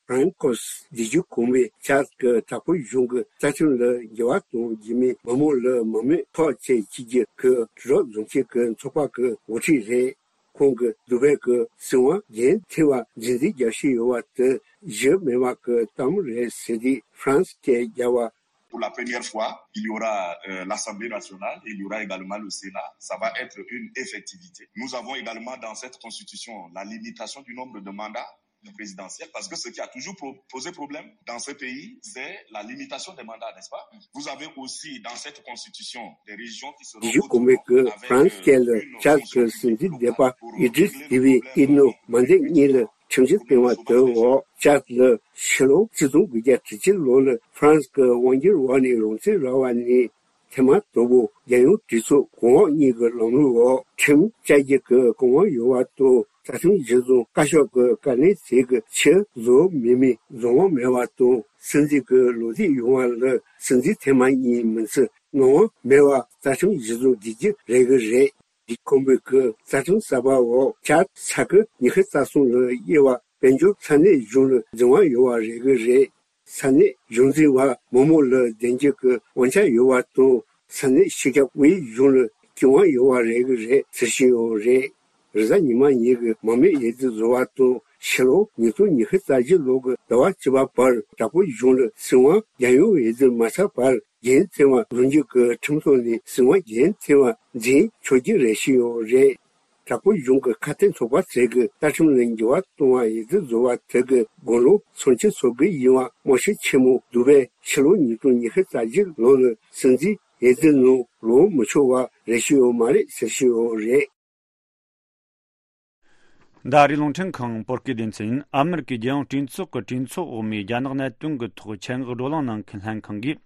ཕ་རན་ཀོས་བདེ་སྐྱིད་གོང་མའི་ཇཱར་གྱི་དྲག་པོའི་གཞུང་གི་རྩ་ཁྲིམས་ལ་འགྱུར་བ་གཏོང་རྒྱུ་མིན་མི་མང་ལ་མང་མོས་ཐོག་བཅས་བྱེད་རྒྱུ་གི་དྲིལ་སྒྲོག་བཟོ་མཁན་གྱི་ཚོགས་པ་གི་འགོ་ཁྲིད་རེད། ཁོང་གིས་འདུག་པའི་གི་སྲིད་དབང་འགན་འཁྱེར་བ་འཛིན་འཛིན་རྒྱག་བཞིན་ཡོད་པ་དེ་གཞི་མེད་པ་གི་གཏམ་རེད་ཟེར་ཏེ་ཧྥ་རན་སི་སྐད་རྒྱག་པ། Pour la première fois, il y aura euh, l'Assemblée nationale et il y aura également le Sénat. Ça va être une effectivité. Nous avons également dans cette constitution la limitation du nombre de mandats présidentiels, parce que ce qui a toujours pro- posé problème dans ce pays, c'est la limitation des mandats, n'est-ce pas? Vous avez aussi dans cette constitution des régions qui seront autonomes avec euh, une fonction publique locale pour régler le problème des mandats. ཇཱར་གྱི་སྲིད་འཛིན་སྡེ་པ་ཨི་ཏྲིས་དེ་བི་ཨི་ནོ་མན་དེ་གཉིས་ལ་ཁྲིམས་གཞི་བཏིང་བ་དེའི་འོག་ཇཱར་ལ་ཕྱི་ལོ་ཆིག་སྟོང་དགུ་བརྒྱ་དྲུག་ཅུ་ལོ་ལ་ཧྥ་རན་སི་གི་དབང་སྒྱུར་འོག་ནས་རང་བཙན་རག་པ་ནས་ཐེངས་མ་དང་པོ་རྒྱལ་ཡོངས་གྲོས་ཚོགས་གོང་འོག་གཉིས་ཀྱི་ལམ་ལུགས་འོག་ཁྲིམས་བཅའ་རྒྱུ་གི་གོ་སྐབས་ཡོད་པ་དང་། རྩ་ཁྲིམས་གཞི་བཟུང་བཀའ་ཤོག་གི་བཀའ་ལན་ཚིག་གི་ཕྱིར་བཟོ་མེད་མིན་བཟོ་དབང་མེད་པ་དང་། སྲིད་འཛིན་གྱི་ལོ་དུས་ཡོང་བ་ལ་སྲིད་འཛིན་ཐེངས་མ་གཉིས་མིན་ཚེ་གནང་དབང་མེད་པ་རྩ་ཁྲིམས་གཞི་བཟུང་བགྱིད་རྒྱུ་རེད་གི་རེད། འདི་ཁོང་པོའི་གི་རྩ་ཁྲིམས་གསར་པ་འོག་ཇཱར་ས་ཁུལ་ཉི་ཤུ་རྩ་གསུམ་ལ་དབྱེ་བ་དཔལ་འབྱོར་ས་གནས་གཞུང་ལ་འཛིན་དབང་ཡོད་པ་རེད་གི་རེད། ས་གནས་གཞུང་འཛིན་པ་མི་མང་ལ་བདེན་འཇགས་ཀྱི་དབང་ཆ་ཡོད་པ་དང་། ས་གནས་སྤྱི་ཁྱབ་དབུས་གཞུང་ལ་སྐྱོང་དབང་ཡོད་པ་རེད་གི་རེད་ཟེར་བཞིན་ཡོད་རེད། རེས་གཟའ་ཉི་མ་ཉིན་གྱི་མང་མོས་འོས་བསྡུ་བཟོ་བ་དང་ཕྱི་ལོ་ཉིས་སྟོང་ཉི་ཤུ་རྩ་བཞི་ལོ་གི་ཟླ་བ་བཅུ་པ་བར་དྲག་པོའི་གཞུང་ལ་སྲིད་དབང་རྒྱལ་ཡོངས་འོས་བསྡུ་མ་ཚར་བར་འགན་འཁྱེར་བ་བཟུང་རྒྱུ་གི་ཁྲིམས་ཐོག་ནས་སྲིད་དབང་འགན་འཁྱེར་བ་འཛིན་ཆོག་རྒྱུ་རེད་བཞིན་ཡོད་རེད། དྲག་པོའི་གཞུང་གི་ཁ་གཏད་ཚོགས་པ་ཚོས་ཀྱི་རྩ་ཁྲིམས་ལ་འགྱུར་བ་གཏོང་བ་འོས་བསྡུ་བཟོ་བ་དེ་གི་དགུང་ལོ་ཚོན་ཆུ་སོ་དགུ་ཡིན་པ་དམར་ཤོག་ཆེན་མོ་འདུག་པས་ཕྱི་ལོ་ཉིས་སྟོང་ཉི་ཤུ་རྩ་བཞི་ལོ་ལ་སྲིད་འཛིན་འོས་བསྡུ་ནང་ལངས་མི་ཆོག་པ་རེ་ཞུ་ཡོད་མ་རེད་ཟེར་བཞིན་ཡོད་རེད། འདི་ཨ་རིའི་རླུང་འཕྲིན་ཁང་བོད་སྐད་སྡེ་ཚན་ཡིན། ཨ་མེ་རི་ཀའི་རྒྱལ་ཡོངས་གྲོས་ཚོགས་ཀྱི་གྲོས་ཚོགས་འོག་མའི་རྒྱ་ནག་གནད་དོན་གྱི་ཐོག་ཆེད་མངགས་བགྲོ་གླེང་གནང་མཁན་ལྷན་ཁང་གིས་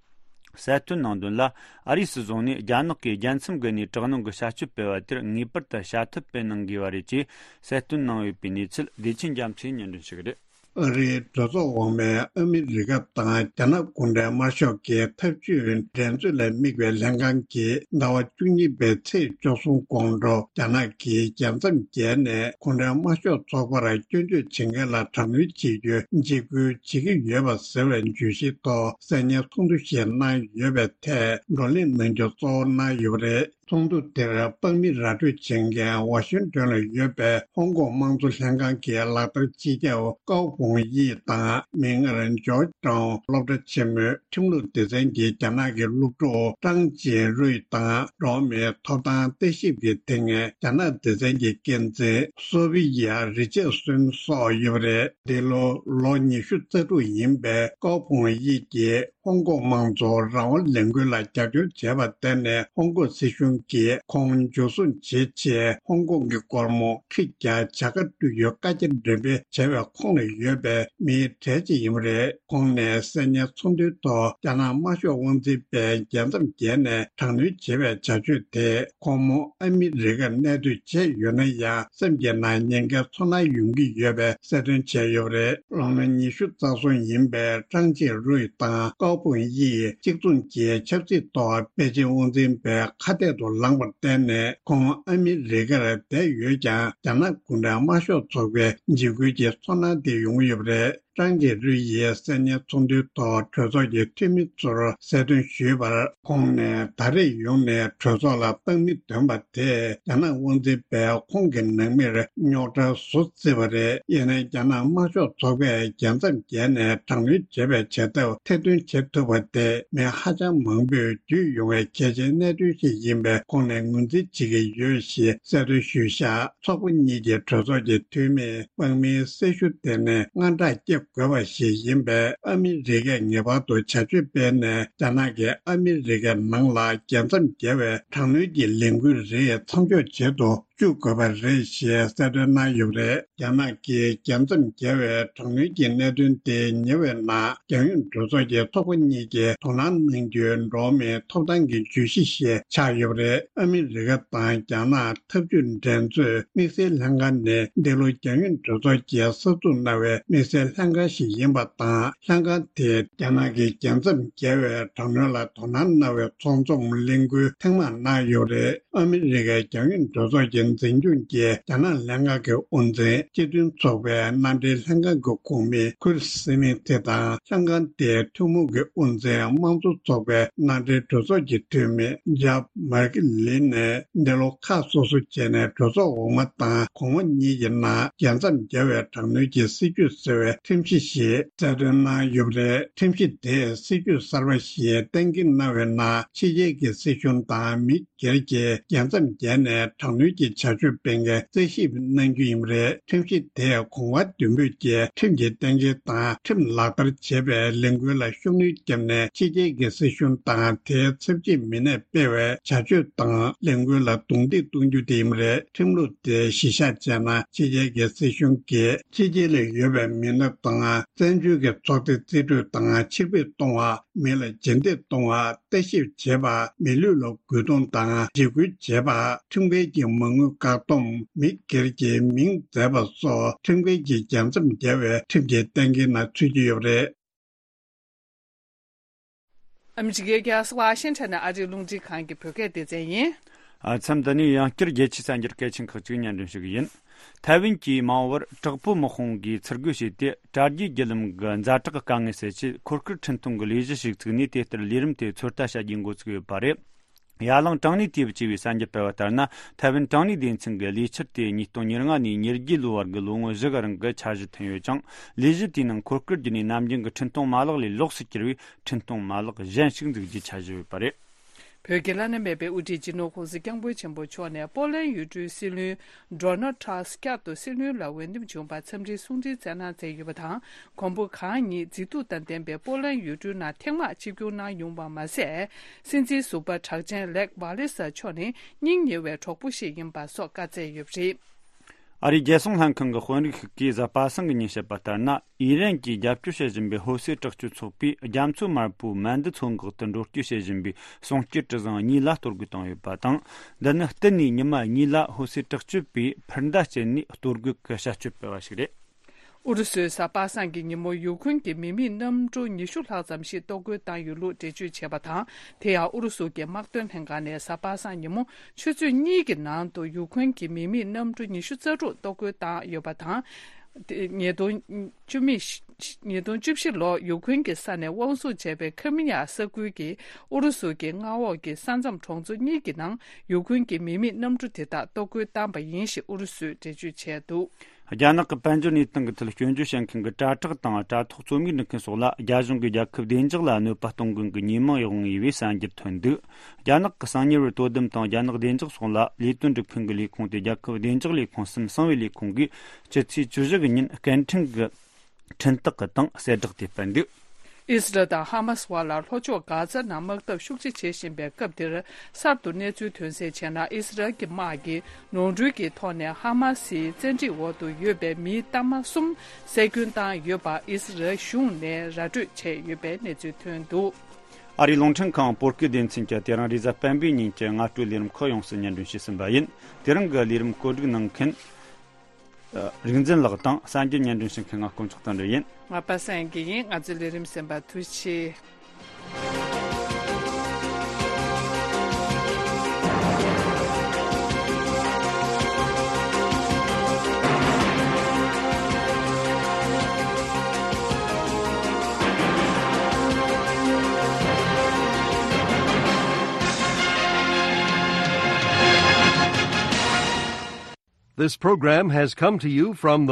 གསལ་སྟོན་གནང་དོན་ལ། ཨ་རིའི་སྲིད་གཞུང་ནས་རྒྱ་ནག་གིས་རྒྱལ་མཚམས་བརྒལ་ནས་དྲག་གནོན་གྱི་བྱ་སྤྱོད་སྤེལ་བ་དེར་ངེས་པར་དུ་བྱ་ཐབས་སྤེལ་གནང་དགོས་པ་རེད་ཅེས་གསལ་སྟོན་གནང་ཡོད་པའི་གནས་ཚུལ་བདེ་ཆེན་རྒྱ་མཚོས་སྙན་སྒྲོན་ཞུ་གི་རེད། ཨ་རིའི་གྲོས་ཚོགས་འོག་མའི་ཨ་མི་རི་ཀ་དང་རྒྱ་ནག་གུང་ཁྲན་དམར་ཤོག་གི་འཐབ་ཇུས་འགྲན་རྩོད་ལ་དམིགས་པའི་ལྷན་ཁང་གིས་ཟླ་བ་བཅུ་གཉིས་པའི་ཚེས་བཅུ་གསུམ་དགོང་དྲོ་རྒྱ་ནག་གིས་རྒྱལ་མཚམས་བརྒལ་ནས་གུང་ཁྲན་དམར་ཤོག་ཚོགས་པར་སྐྱོན་བརྗོད་བྱེད་མཁན་ལ་དྲག་གནོན་བྱེད་རྒྱུ་འཇིགས་སྐུལ་བྱེད་ཀྱི་ཡོད་པ་ཟེར་བའི་བརྗོད་གཞིའི་ཐོག་གསན་ཉན་ཚོགས་འདུ་ཞིག་གནང་ཡོད་པའི་ཐད་བགྲོ་གླེང་གནང་རྒྱུ་གཙོ་བོ་གནང་ཡོད་པ་རེད། ཚོགས་འདུ་དེར་དཔང་མི་ར་སྤྲོད་བྱེད་མཁན་ཝ་ཤིང་ཏོན་ལ་ཡོད་པའི་ཧོང་ཀོང་དམངས་གཙོ་ལྷན་ཁང་གི་ལག་བསྟར་སྤྱི་ཁྱབ་ཀའོ་ཧྥུང་དབྱི་དང་མིག་སྔར་ཇོརྗ་ཊའོན་སློབ་གྲྭ་ཆེན་མོའི་ཁྲིམས་ལུགས་སྡེ་ཚན་གྱི་རྒྱ་ནག་གི་སློབ་ཕྲུག་ཀྲང་ཅིན་རུས་དང་འགྲོ་བ་མིའི་ཐོབ་ཐང་ལྟ་ཞིབ་ཀྱི་དེ་སྔའི་རྒྱ་ནག་སྡེ་ཚན་གྱི་འགན་འཛིན་སོ་ཕི་ཡ་རི་ཆར་སོན་སོགས་ཡོད་པ་རེད། འདི་ལོ་ལོ་ཉི་ཤུ་རྩ་དྲུག་ཡིན་པའི་ཀའོ་ཧྥུང་དབྱི་གིས། ཧོང་ཀོང་དམངས་གཙོ་རང་དབང་ལས་འགུལ་ལ་རྒྱབ་སྐྱོར་བྱས་པར་བརྟེན་ནས། ཧོང་ཀོང་སྲིད་གཞུང་གིས་ཁོང་འཇུ་བཟུང་བྱེད་ཆེད། ཧོང་ཀོང་གི་སྒོར་མོ་ཁྲི་བརྒྱ་བྱ་དགའ་སྤྲོད་རྒྱུའི་བཀའ་རྒྱ་འགྲེམས་སྤེལ་བྱས་པའི་ཁོངས་ལ་ཡོད་པའི་མིའི་གྲས་ཅིག་ཡིན་པ་རེད། ཁོང་ནས་གསར་རྙིང་ཚོགས་འདུའི་ཐོག་རྒྱ་ནག་དམར་ཤོག་དབང་འཛིན་པས་རྒྱལ་མཚམས་བརྒལ་ནས་དྲག་གནོན་བྱེད་པའི་བྱ་སྤྱོད་དེ། ཁོང་མོ་ཨ་མི་རི་ཀར་གནས་སྡོད་བྱས་ཡོད་ན་ཡང་། སེམས་ཀྱི་ནང་ཉེན་ཁའི་ཚོར་སྣང་ཡོང་གི་ཡོད་པའི་གསལ་སྟོན་བྱས་ཡོད་པ་རེད། ལོ་ངོ་ཉི་ཤུ་རྩ་གསུམ་ཡིན་པའི་ཀྲང་ཅིན་རུའི་དང་ཀའོ་པུང་དབྱི་ཡིས་གཅིག་མཚུངས་ཀྱི་ཆབ་སྲིད་ཐོག་པེ་ཅིང་དབང་འཛིན་པའི་ཁ་གཏད་དུ་ལངས་པར་བརྟེན་ནས། ཁོང་ཨ་མི་རི་ཀར་བསྡད་ཡོད་ཀྱང་། རྒྱ་ནག་གུང་ཁྲན་དམར་ཤོག་ཚོགས་པའི་འཇིགས་སྐུལ་གྱི་ཚོར་སྣང་དེ་ཡོང་གི་ཡོད་པ་རེད། ཀྲང་ཅིན་རུའི་ཡིས་གསར་རྙིང་ཚོགས་འདུའི་ཐོག་གྲོས་ཚོགས་ཀྱི་འཐུས་མི་ཚོར་གསལ་སྟོན་ཞུས་པར། ཁོང་ནས་ད་རེས་ཡོང་ནས་གྲོས་ཚོགས་ལ་སྟངས་མི་འདོན་པ་དེས། རྒྱ་ནག་དབང་འཛིན་པས་ཁོང་གི་ནང་མིར་རྙོག་དྲ་བཟོ་སྲིད་པ་རེད། ཡིན་ནའི་རྒྱ་ནག་དམར་ཤོག་ཚོགས་པས་རྒྱལ་མཚམས་བརྒལ་ནས་དྲག་གནོན་བྱེད་པའི་བྱེད་ཐབས་ཐེར་འདོན་བྱེད་ཐུབ་པ་དེ། མི་ཧ་ཅང་མང་པོས་བརྒྱུད་ཡོང་བའི་གལ་ཆེའི་གནད་དོན་ཞིག་ཡིན་པས། ཁོང་ནས་ངོས་འཛིན་བྱེད་ཀྱི་ཡོད་ཞེས་གསལ་སྟོན་ཞུས་བཞག་ཚོགས་པ་གཉིས་ཀྱི་གྲོས་ཚོགས་ཀྱི་འཐུས་མིས་དམག་མིའི་སྲི་ཞུ་དེ་ནི་དངངས་སྐྲག་སྐྱེ་དགོས་པ་ཞིག་ཡིན་པས། ཨ་མི་རི་ཀས་ངེས་པར་དུ་བྱ་སྤྱོད་སྤེལ་ནས། རྒྱ་ནག་གིས་ཨ་མི་རི་ཀའི་ནང་ལ་རྒྱལ་མཚམས་བརྒལ་བའི་དྲག་གནོན་གྱི་ལས་འགུལ་རིགས་མཚམས་འཇོག་བྱེད་དུ་བཅུག་དགོས་པ་རེད་ཞེས་གསལ་སྟོན་གནང་ཡོད་པ་རེད། རྒྱ་ནག་གིས་རྒྱལ་མཚམས་བརྒལ་བའི་དྲག་གནོན་གྱི་གནད་དོན་དེ་ཉེ་བའི་ནང་། རྒྱལ་ཡོངས་གྲོས་ཚོགས་ཀྱི་ཚོགས་པ་གཉིས་ཀྱིས་དོ་སྣང་གནང་རྒྱུའི་འགྲོ་བ་མིའི་ཐོབ་ཐང་གི་བརྗོད་གཞི་ཞིག་ཆགས་ཡོད་པ་རེད། ཨ་མི་རི་ཀ་དང་རྒྱ་ནག་འཐབ་ཇུས་འགྲན་རྩོད་དམིགས་བསལ་ལྷན་ཁང་ནས། འདི་ལོ་རྒྱལ་ཡོངས་གྲོས་ཚོགས་ཀྱིས་གསར་འཛུགས་གནང་བའི་དམིགས་བསལ་ལྷན་ཁང་ཞིག་ཡིན་པ་དང་། ལྷན་ཁང་དེས་རྒྱ་ནག་གིས་རྒྱལ་མཚམས་བརྒལ་བའི་དྲག་གནོན་ལ་དོ་སྣང་གནང་བའི་ཚོགས་འཛོམས་གླེང་སྐུལ་ཐེངས་མང་གནང་ཡོད་རེད། ཨ་མི་རི་ཀའི་རྒྱལ་ཡོངས་གྲོས་ཚོགས་ཀྱི་འཛིན་སྐྱོང་གིས་རྒྱ་ནག་ལྷན་ཁང་གི་དབུ་འཛིན། སྤྱི་མཐུན་ཚོགས་པའི་མནའ་འབྲེལ་ལྷན་ཁང་གི་ཁོངས་མི་ཁུར་སི་མིང་ཐི་དང་། ལྷན་ཁང་དེའི་ཐུན་མོང་གི་དབུ་འཛིན། དམངས་གཙོ་ཚོགས་པའི་མནའ་འབྲེལ་གྲོས་ཚོགས་ཀྱི་འཐུས་མི་ཇབ་མར་ཀི་ལིན་ནས། འདི་ལོ་ཁག་སོ་སོ་བྱས་ནས་གྲོས་ཚོགས་འོག་མ་དང་གོང་མ་གཉིས་ཀྱི་ནང་རྒྱལ་མཚམས་བརྒལ་བའི་དྲག་གནོན་གྱི་སྲིད་ཇུས་ཟེར་བའི་ཁྲིམས་གཞི་ཞིག་གསལ་སྟོན་གནང་ཡོད་པ་རེད། ཁྲིམས་གཞི་དེས་སྲིད་ཇུས་གསར་པ་ཞིག་གཏན་འཁེལ་གནང་བའི་ནང་། ཕྱི་རྒྱལ་གྱི་སྲིད་གཞུང་དང་མི་སྒེར་གྱིས་རྒྱལ་མཚམས་བརྒལ་ནས་དྲག་གནོན་གྱི་བྱ་སྤྱོད་སྤེལ་མཁན་རྩད་ཞིབ་གནང་རྒྱུ་ཡིན་པ་རེད། ཁྲིམས་གཞི་དེས་གོང་བ་བདུན་པོས་ཀྱིས་ཁྲིམས་ཀྱི་གཏན་འཁེལ་དང་ཁྲིམས་ལག་བསྟར་བྱེད་པའི་ལས་འགུལ་ལ་ཤུགས་སྣོན་བརྒྱབ་ནས། ཕྱི་རྒྱལ་གྱི་སྲིད་གཞུང་དང་དེའི་ཚབ་བྱེད་མི་སྣས་སྤེལ་བའི་བྱ་སྤྱོད་དང་ལས་འགུལ་ལ་རྡུང་རྡེག་གཏོང་རྒྱུ་དེ་ཡིན་པ་རེད། ཁྲིམས་ལུགས་དེ་གཞི་བཞག་བྱས་ན། ཕྱི་རྒྱལ་གྱི་སྲིད་གཞུང་གིས་ཕྱི་རྒྱལ་ལ་ཡོད་པའི་མི་སྣ་དང་། བཙན་བྱོལ་གྱི་ཚོགས་སྡེ་རྩིས་སྤྲོད་དང་ཕྱིར་འབུད་གཏོང་བ། མི་ལ་རྗེས་འདེད་གཏོང་བ། ལྟ་ཞིབ་བྱེད་པ། མི་ལུས་ལ་རྒོལ་རྡུང་དང་འཇིགས་སྐུལ་བྱེད་པ། ཁྲིམས་འགལ་གྱི་མ་དངུལ་བཀག་སྡོམ། མི་སྒེར་གྱི་མིང་འཛད་པ་སོགས་ཁྲིམས་འགལ་གྱི་རྒྱལ་མཚམས་བརྒལ་བའི་ཁྲིམས་ཀྱི་གཏན་འཁེལ་ནང་ཚུད་ཀྱི་ཡོད་པ་རེད། ཨ་མི་རི་ཀའི་རྒྱལ་ས་ཝ་ཤིང་ཊོན་ནས་ཨ་རིའི་རླུང་འཕྲིན་ཁང་གི་བོད་སྐད་སྡེ་ཚན་ཡིན། ཨ། མཚམས་འདི་ནས་ཡང་བསྐྱར་རྒྱལ་སྤྱིའི་གསར་འགྱུར་གལ་ཆེན་ཁག་ཅིག་སྙན་སྒྲོན་ཞུ་གི་ཡིན། ཐའེ་ཝན་གྱིས་མ་འོངས་པར་དྲག་པོའི་དམག་དཔུང་གིས་ཚུར་རྒོལ་བྱས་ཏེ། དྲ་རྒྱའི་བརྒྱུད་ལམ་གྱི་ཛ་དྲག་གི་དཀའ་ངལ་སེལ་ཆེད། འཁོར་སྐར་འཕྲིན་གཏོང་གི་ལས་གཞི་ཞིག་བཙུགས་ནས། དེ་ལྟར་ལས་རིམ་དེ་ཚོད་ལྟ་བྱ་རྒྱུའི་འགོ་ཚུགས་ཡོད་པ་རེད། ཡ་ལང་ཀྲང་ནི་ཏེ་བ་ཅེས་པའི་གསར་འགྱུར་སྤེལ་བ་ལྟར་ན། ཐའེ་ཝན་ཀྲང་ནི་སྡེ་ཚན་གྱི་ལས་འཆར་དེ་ཉིས་སྟོང་ཉེར་ལྔ་ནས་ཉེར་བརྒྱད་ལོ་བར་གྱི་ལོ་ངོ་བཞི་གི་རིང་གི་འཆར་གཞི་ཐོན་ཡོད་ཅིང་། ལས་གཞི་དེའི་ནང་འཁོར་སྐར་བརྒྱུད་ནས་ནམ་རྒྱུན་གྱི་འཕྲིན་གཏོང་མ་ལག་ལས་ལོགས་སུ་གྱུར་བའི་འཕྲིན་གཏོང་མ་ལག་གཞན་ཞིག་འཛུགས་རྒྱུའི་འཆར་གཞི་ཡོད་པ་རེད། བོད་ཀྱི་བླ་ན་མེད་པའི་དབུ་ཁྲིད་སྤྱི་ནོར་༸གོང་ས་༸སྐྱབས་མགོན་ཆེན་པོ་མཆོག་ནས་པོ་ལན་ཡུལ་གྲུའི་སྲིད་བློན་ཌོ་ནལ་ཊྲམ་བསྐྱར་དུ་སྲིད་བློན་ལ་འོས་འདེམས་བྱུང་བར་འཚམས་འདྲིའི་གསུང་འཕྲིན་བསྩལ་གནང་མཛད་ཡོད་པ་དང་། གོང་བུ་གང་ཉིད་མཛེས་སྡུག་དང་ལྡན་པའི་པོ་ལན་ཡུལ་གྲུའི་ནང་ཐེངས་མང་ཆིབས་བསྒྱུར་གནང་ཡོང་བ་མ་ཟད། སྲིད་འཛིན་ཟུར་པ་གྲགས་ཅན་ལེག་ཝ་ལེ་ས་མཆོག་ནི་སྙིང་ཉེ་བའི་གྲོགས་པོ་ཞིག་ཡིན་པ་སོགས་བཀའ་སྩལ་ཡོད་པ་རེད། ཨ་རིའི་རྒྱལ་སྲུང་ལྷན་ཁང་གི་དཔོན་རིགས་ཤིག་གིས་གཟའ་པ་སངས་ཀྱི་ཉིན་བཤད་པ་ལྟར་ན། ཨི་རན་གྱིས་རྒྱབ་སྐྱོར་བྱེད་བཞིན་པའི་ཧོ་སི་དྲག་སྤྱོད་ཚོགས་པས་རྒྱ་མཚོ་དམར་པོའི་མན་དི་མཚོ་འགག་ཏུ་འགྲོ་སྐྱོད་བྱེད་བཞིན་པའི་གསུང་སྐྱེལ་གྲུ་གཟིངས་གཉིས་ལ་གཏོར་རྒོལ་བཏང་ཡོད་པ་དང་། འདི་ནི་གཏན་ནས་ཉི་མ་གཉིས་ལ་ཧོ་སི་དྲག་སྤྱོད་པས་འཕུར་མདའ་སྤྱད་ནས་གཏོར་རྒོལ་གྱི་བྱ་སྤྱོད་སྤེལ་བ་ཞིག་རེད། ཨུ་རུ་སུས་གཟའ་པ་སངས་ཀྱི་ཉིན་མོ་ཡུ་ཁུན་གྱི་མི་མེད་གནམ་གྲུ་ཉི་ཤུ་ལྷག་ཙམ་ཞིག་གཏོར་རྒོལ་བཏང་ཡོད་ལུགས་འགྲེལ་བརྗོད་བྱས་པ་དང་། དེ་ཡང་ཨུ་རུ་སུ་གྱི་དམག་དོན་ལྷན་ཁང་ནས་གཟའ་པ་སངས་ཉིན་མོ་ཆུ་ཚོད་གཉིས་ཀྱི་ནང་དུ་ཡུ་ཁུན་གྱི་མི་མེད་གནམ་གྲུ་ཉི་ཤུ་རྩ་དྲུག་གཏོར་རྒོལ་བཏང་ཡོད་པ་དང་། ཉིས་སྟོང་བཅུ་བཞི་ཉིས་སྟོང་བཅུ་བཞི་ལོར་ཡུ་ཁུན་གྱི་ས་ནས་དབང་བཟུང་བྱས་པའི་ཁི་མི་ཡ་ས་ཁུལ་གྱི་ཨུ་རུ་སུ་གྱི་མངའ་འོག་གི་ས་མཚམས་གྲོང་ཚོ་གཉིས་ཀྱི་ནང་ཡུ་ཁུན་གྱི་མི་མེད་གནམ་གྲུ་དེ་དག་གཏོར་རྒོལ་བཏང་པ་ཡིན་ཞེས་ཨུ་རུ་སུས་འགྲེལ་བརྗོད་བྱས་འདུག་རྒྱ་ནག་གི་དཔལ་འབྱོར་གནས་སྟངས་ཀྱི་ཐད་སྐྱོན་བརྗོད་བྱེད་མཁན་གྱི་དྲ་གྲགས་དང་དྲ་ཐོག་རྩོམ་ཡིག་འབྲི་མཁན་སོགས་ལ། རྒྱ་གཞུང་གིས་རྒྱལ་ཁབ་བདེ་འཇགས་ལ་གནོད་པ་གཏོང་མཁན་གྱི་ཉེས་མིང་འོག་ངེས་པའི་གསར་འགྱུར་ཐོན་འདུག་རྒྱ་ནག་གི་གསང་ཉུལ་བར་དོ་དམ་དང་། རྒྱ་ནག་བདེ་འཇགས་སོགས་ལ་ལས་དོན་སྒྲུབ་མཁན་གྱི་ལས་ཁུངས་ཏེ། རྒྱལ་ཁབ་བདེ་འཇགས་ལས་ཁུངས་སམ་གསང་བའི་ལས་ཁུངས་ཀྱིས་ཕྱི་ཚེས་བཅུ་བཞི་གི་ཉིན་སྐད་འཕྲིན་གྱི་འཕྲིན་སྟེགས་ཀྱི་སྟེང་གསལ་བསྒྲགས་དེ་སྤེལ་འདུག་ཨི་སི་རལ་དང་ཧ་མ་སི་བར་ལ་ལྷོ་ཕྱོགས་གྷ་ཛ་ནང་དམག་འཐབ་ཤུགས་ཆེ་བྱེད་བཞིན་པའི་སྐབས་འདིར། གསར་དུ་གནས་ཚུལ་ཐོན་གསལ་བྱས་ན། ཨི་སི་རལ་གྱི་དམག་གིས་ནོར་འཁྲུལ་གྱི་ཐོག་ནས་ཧ་མ་སིའི་བཙན་ཁྲིད་འོག་ཏུ་ཡོད་པའི་མིའི་གཏའ་མ་གསུམ་བསད་སྐྱོན་བཏང་ཡོད་པ་ཨི་སི་རལ་གཞུང་ནས་ར་སྤྲོད་བྱས་ཡོད་པའི་གནས་ཚུལ་ཐོན་འདུག། ཨ་རིའི་རླུང་འཕྲིན་ཁང་བོད་སྐད་སྡེ་ཚན་གྱིས་དེ་རིང་རེས་གཟའ་སྤེན་པའི་ཉིན་གྱི་སྔ་དྲོའི་ལས་རིམ་ཁག་ཡོངས་སུ་སྙན་སྒྲོན་ཞུས་ཟིན་པ་ཡིན། དེ་རིང་གི་ལས་རིམ་བཀོད་སྒྲིག་གནང་མཁན། ཨ། རིག་འཛིན་ལགས་དང་གསར་འགྱུར་སྙན་སྒྲོན་ཞུ་མཁན་ང་དཀོན་མཆོག་དོན་གྲུབ་ཡིན། ང་པ་སངས་སྐྱིད་ཡིན། ང་ཚོའི་ལས་རིམ་གསན་པར་ཐུགས་རྗེ་ཆེ། This program has come to you from the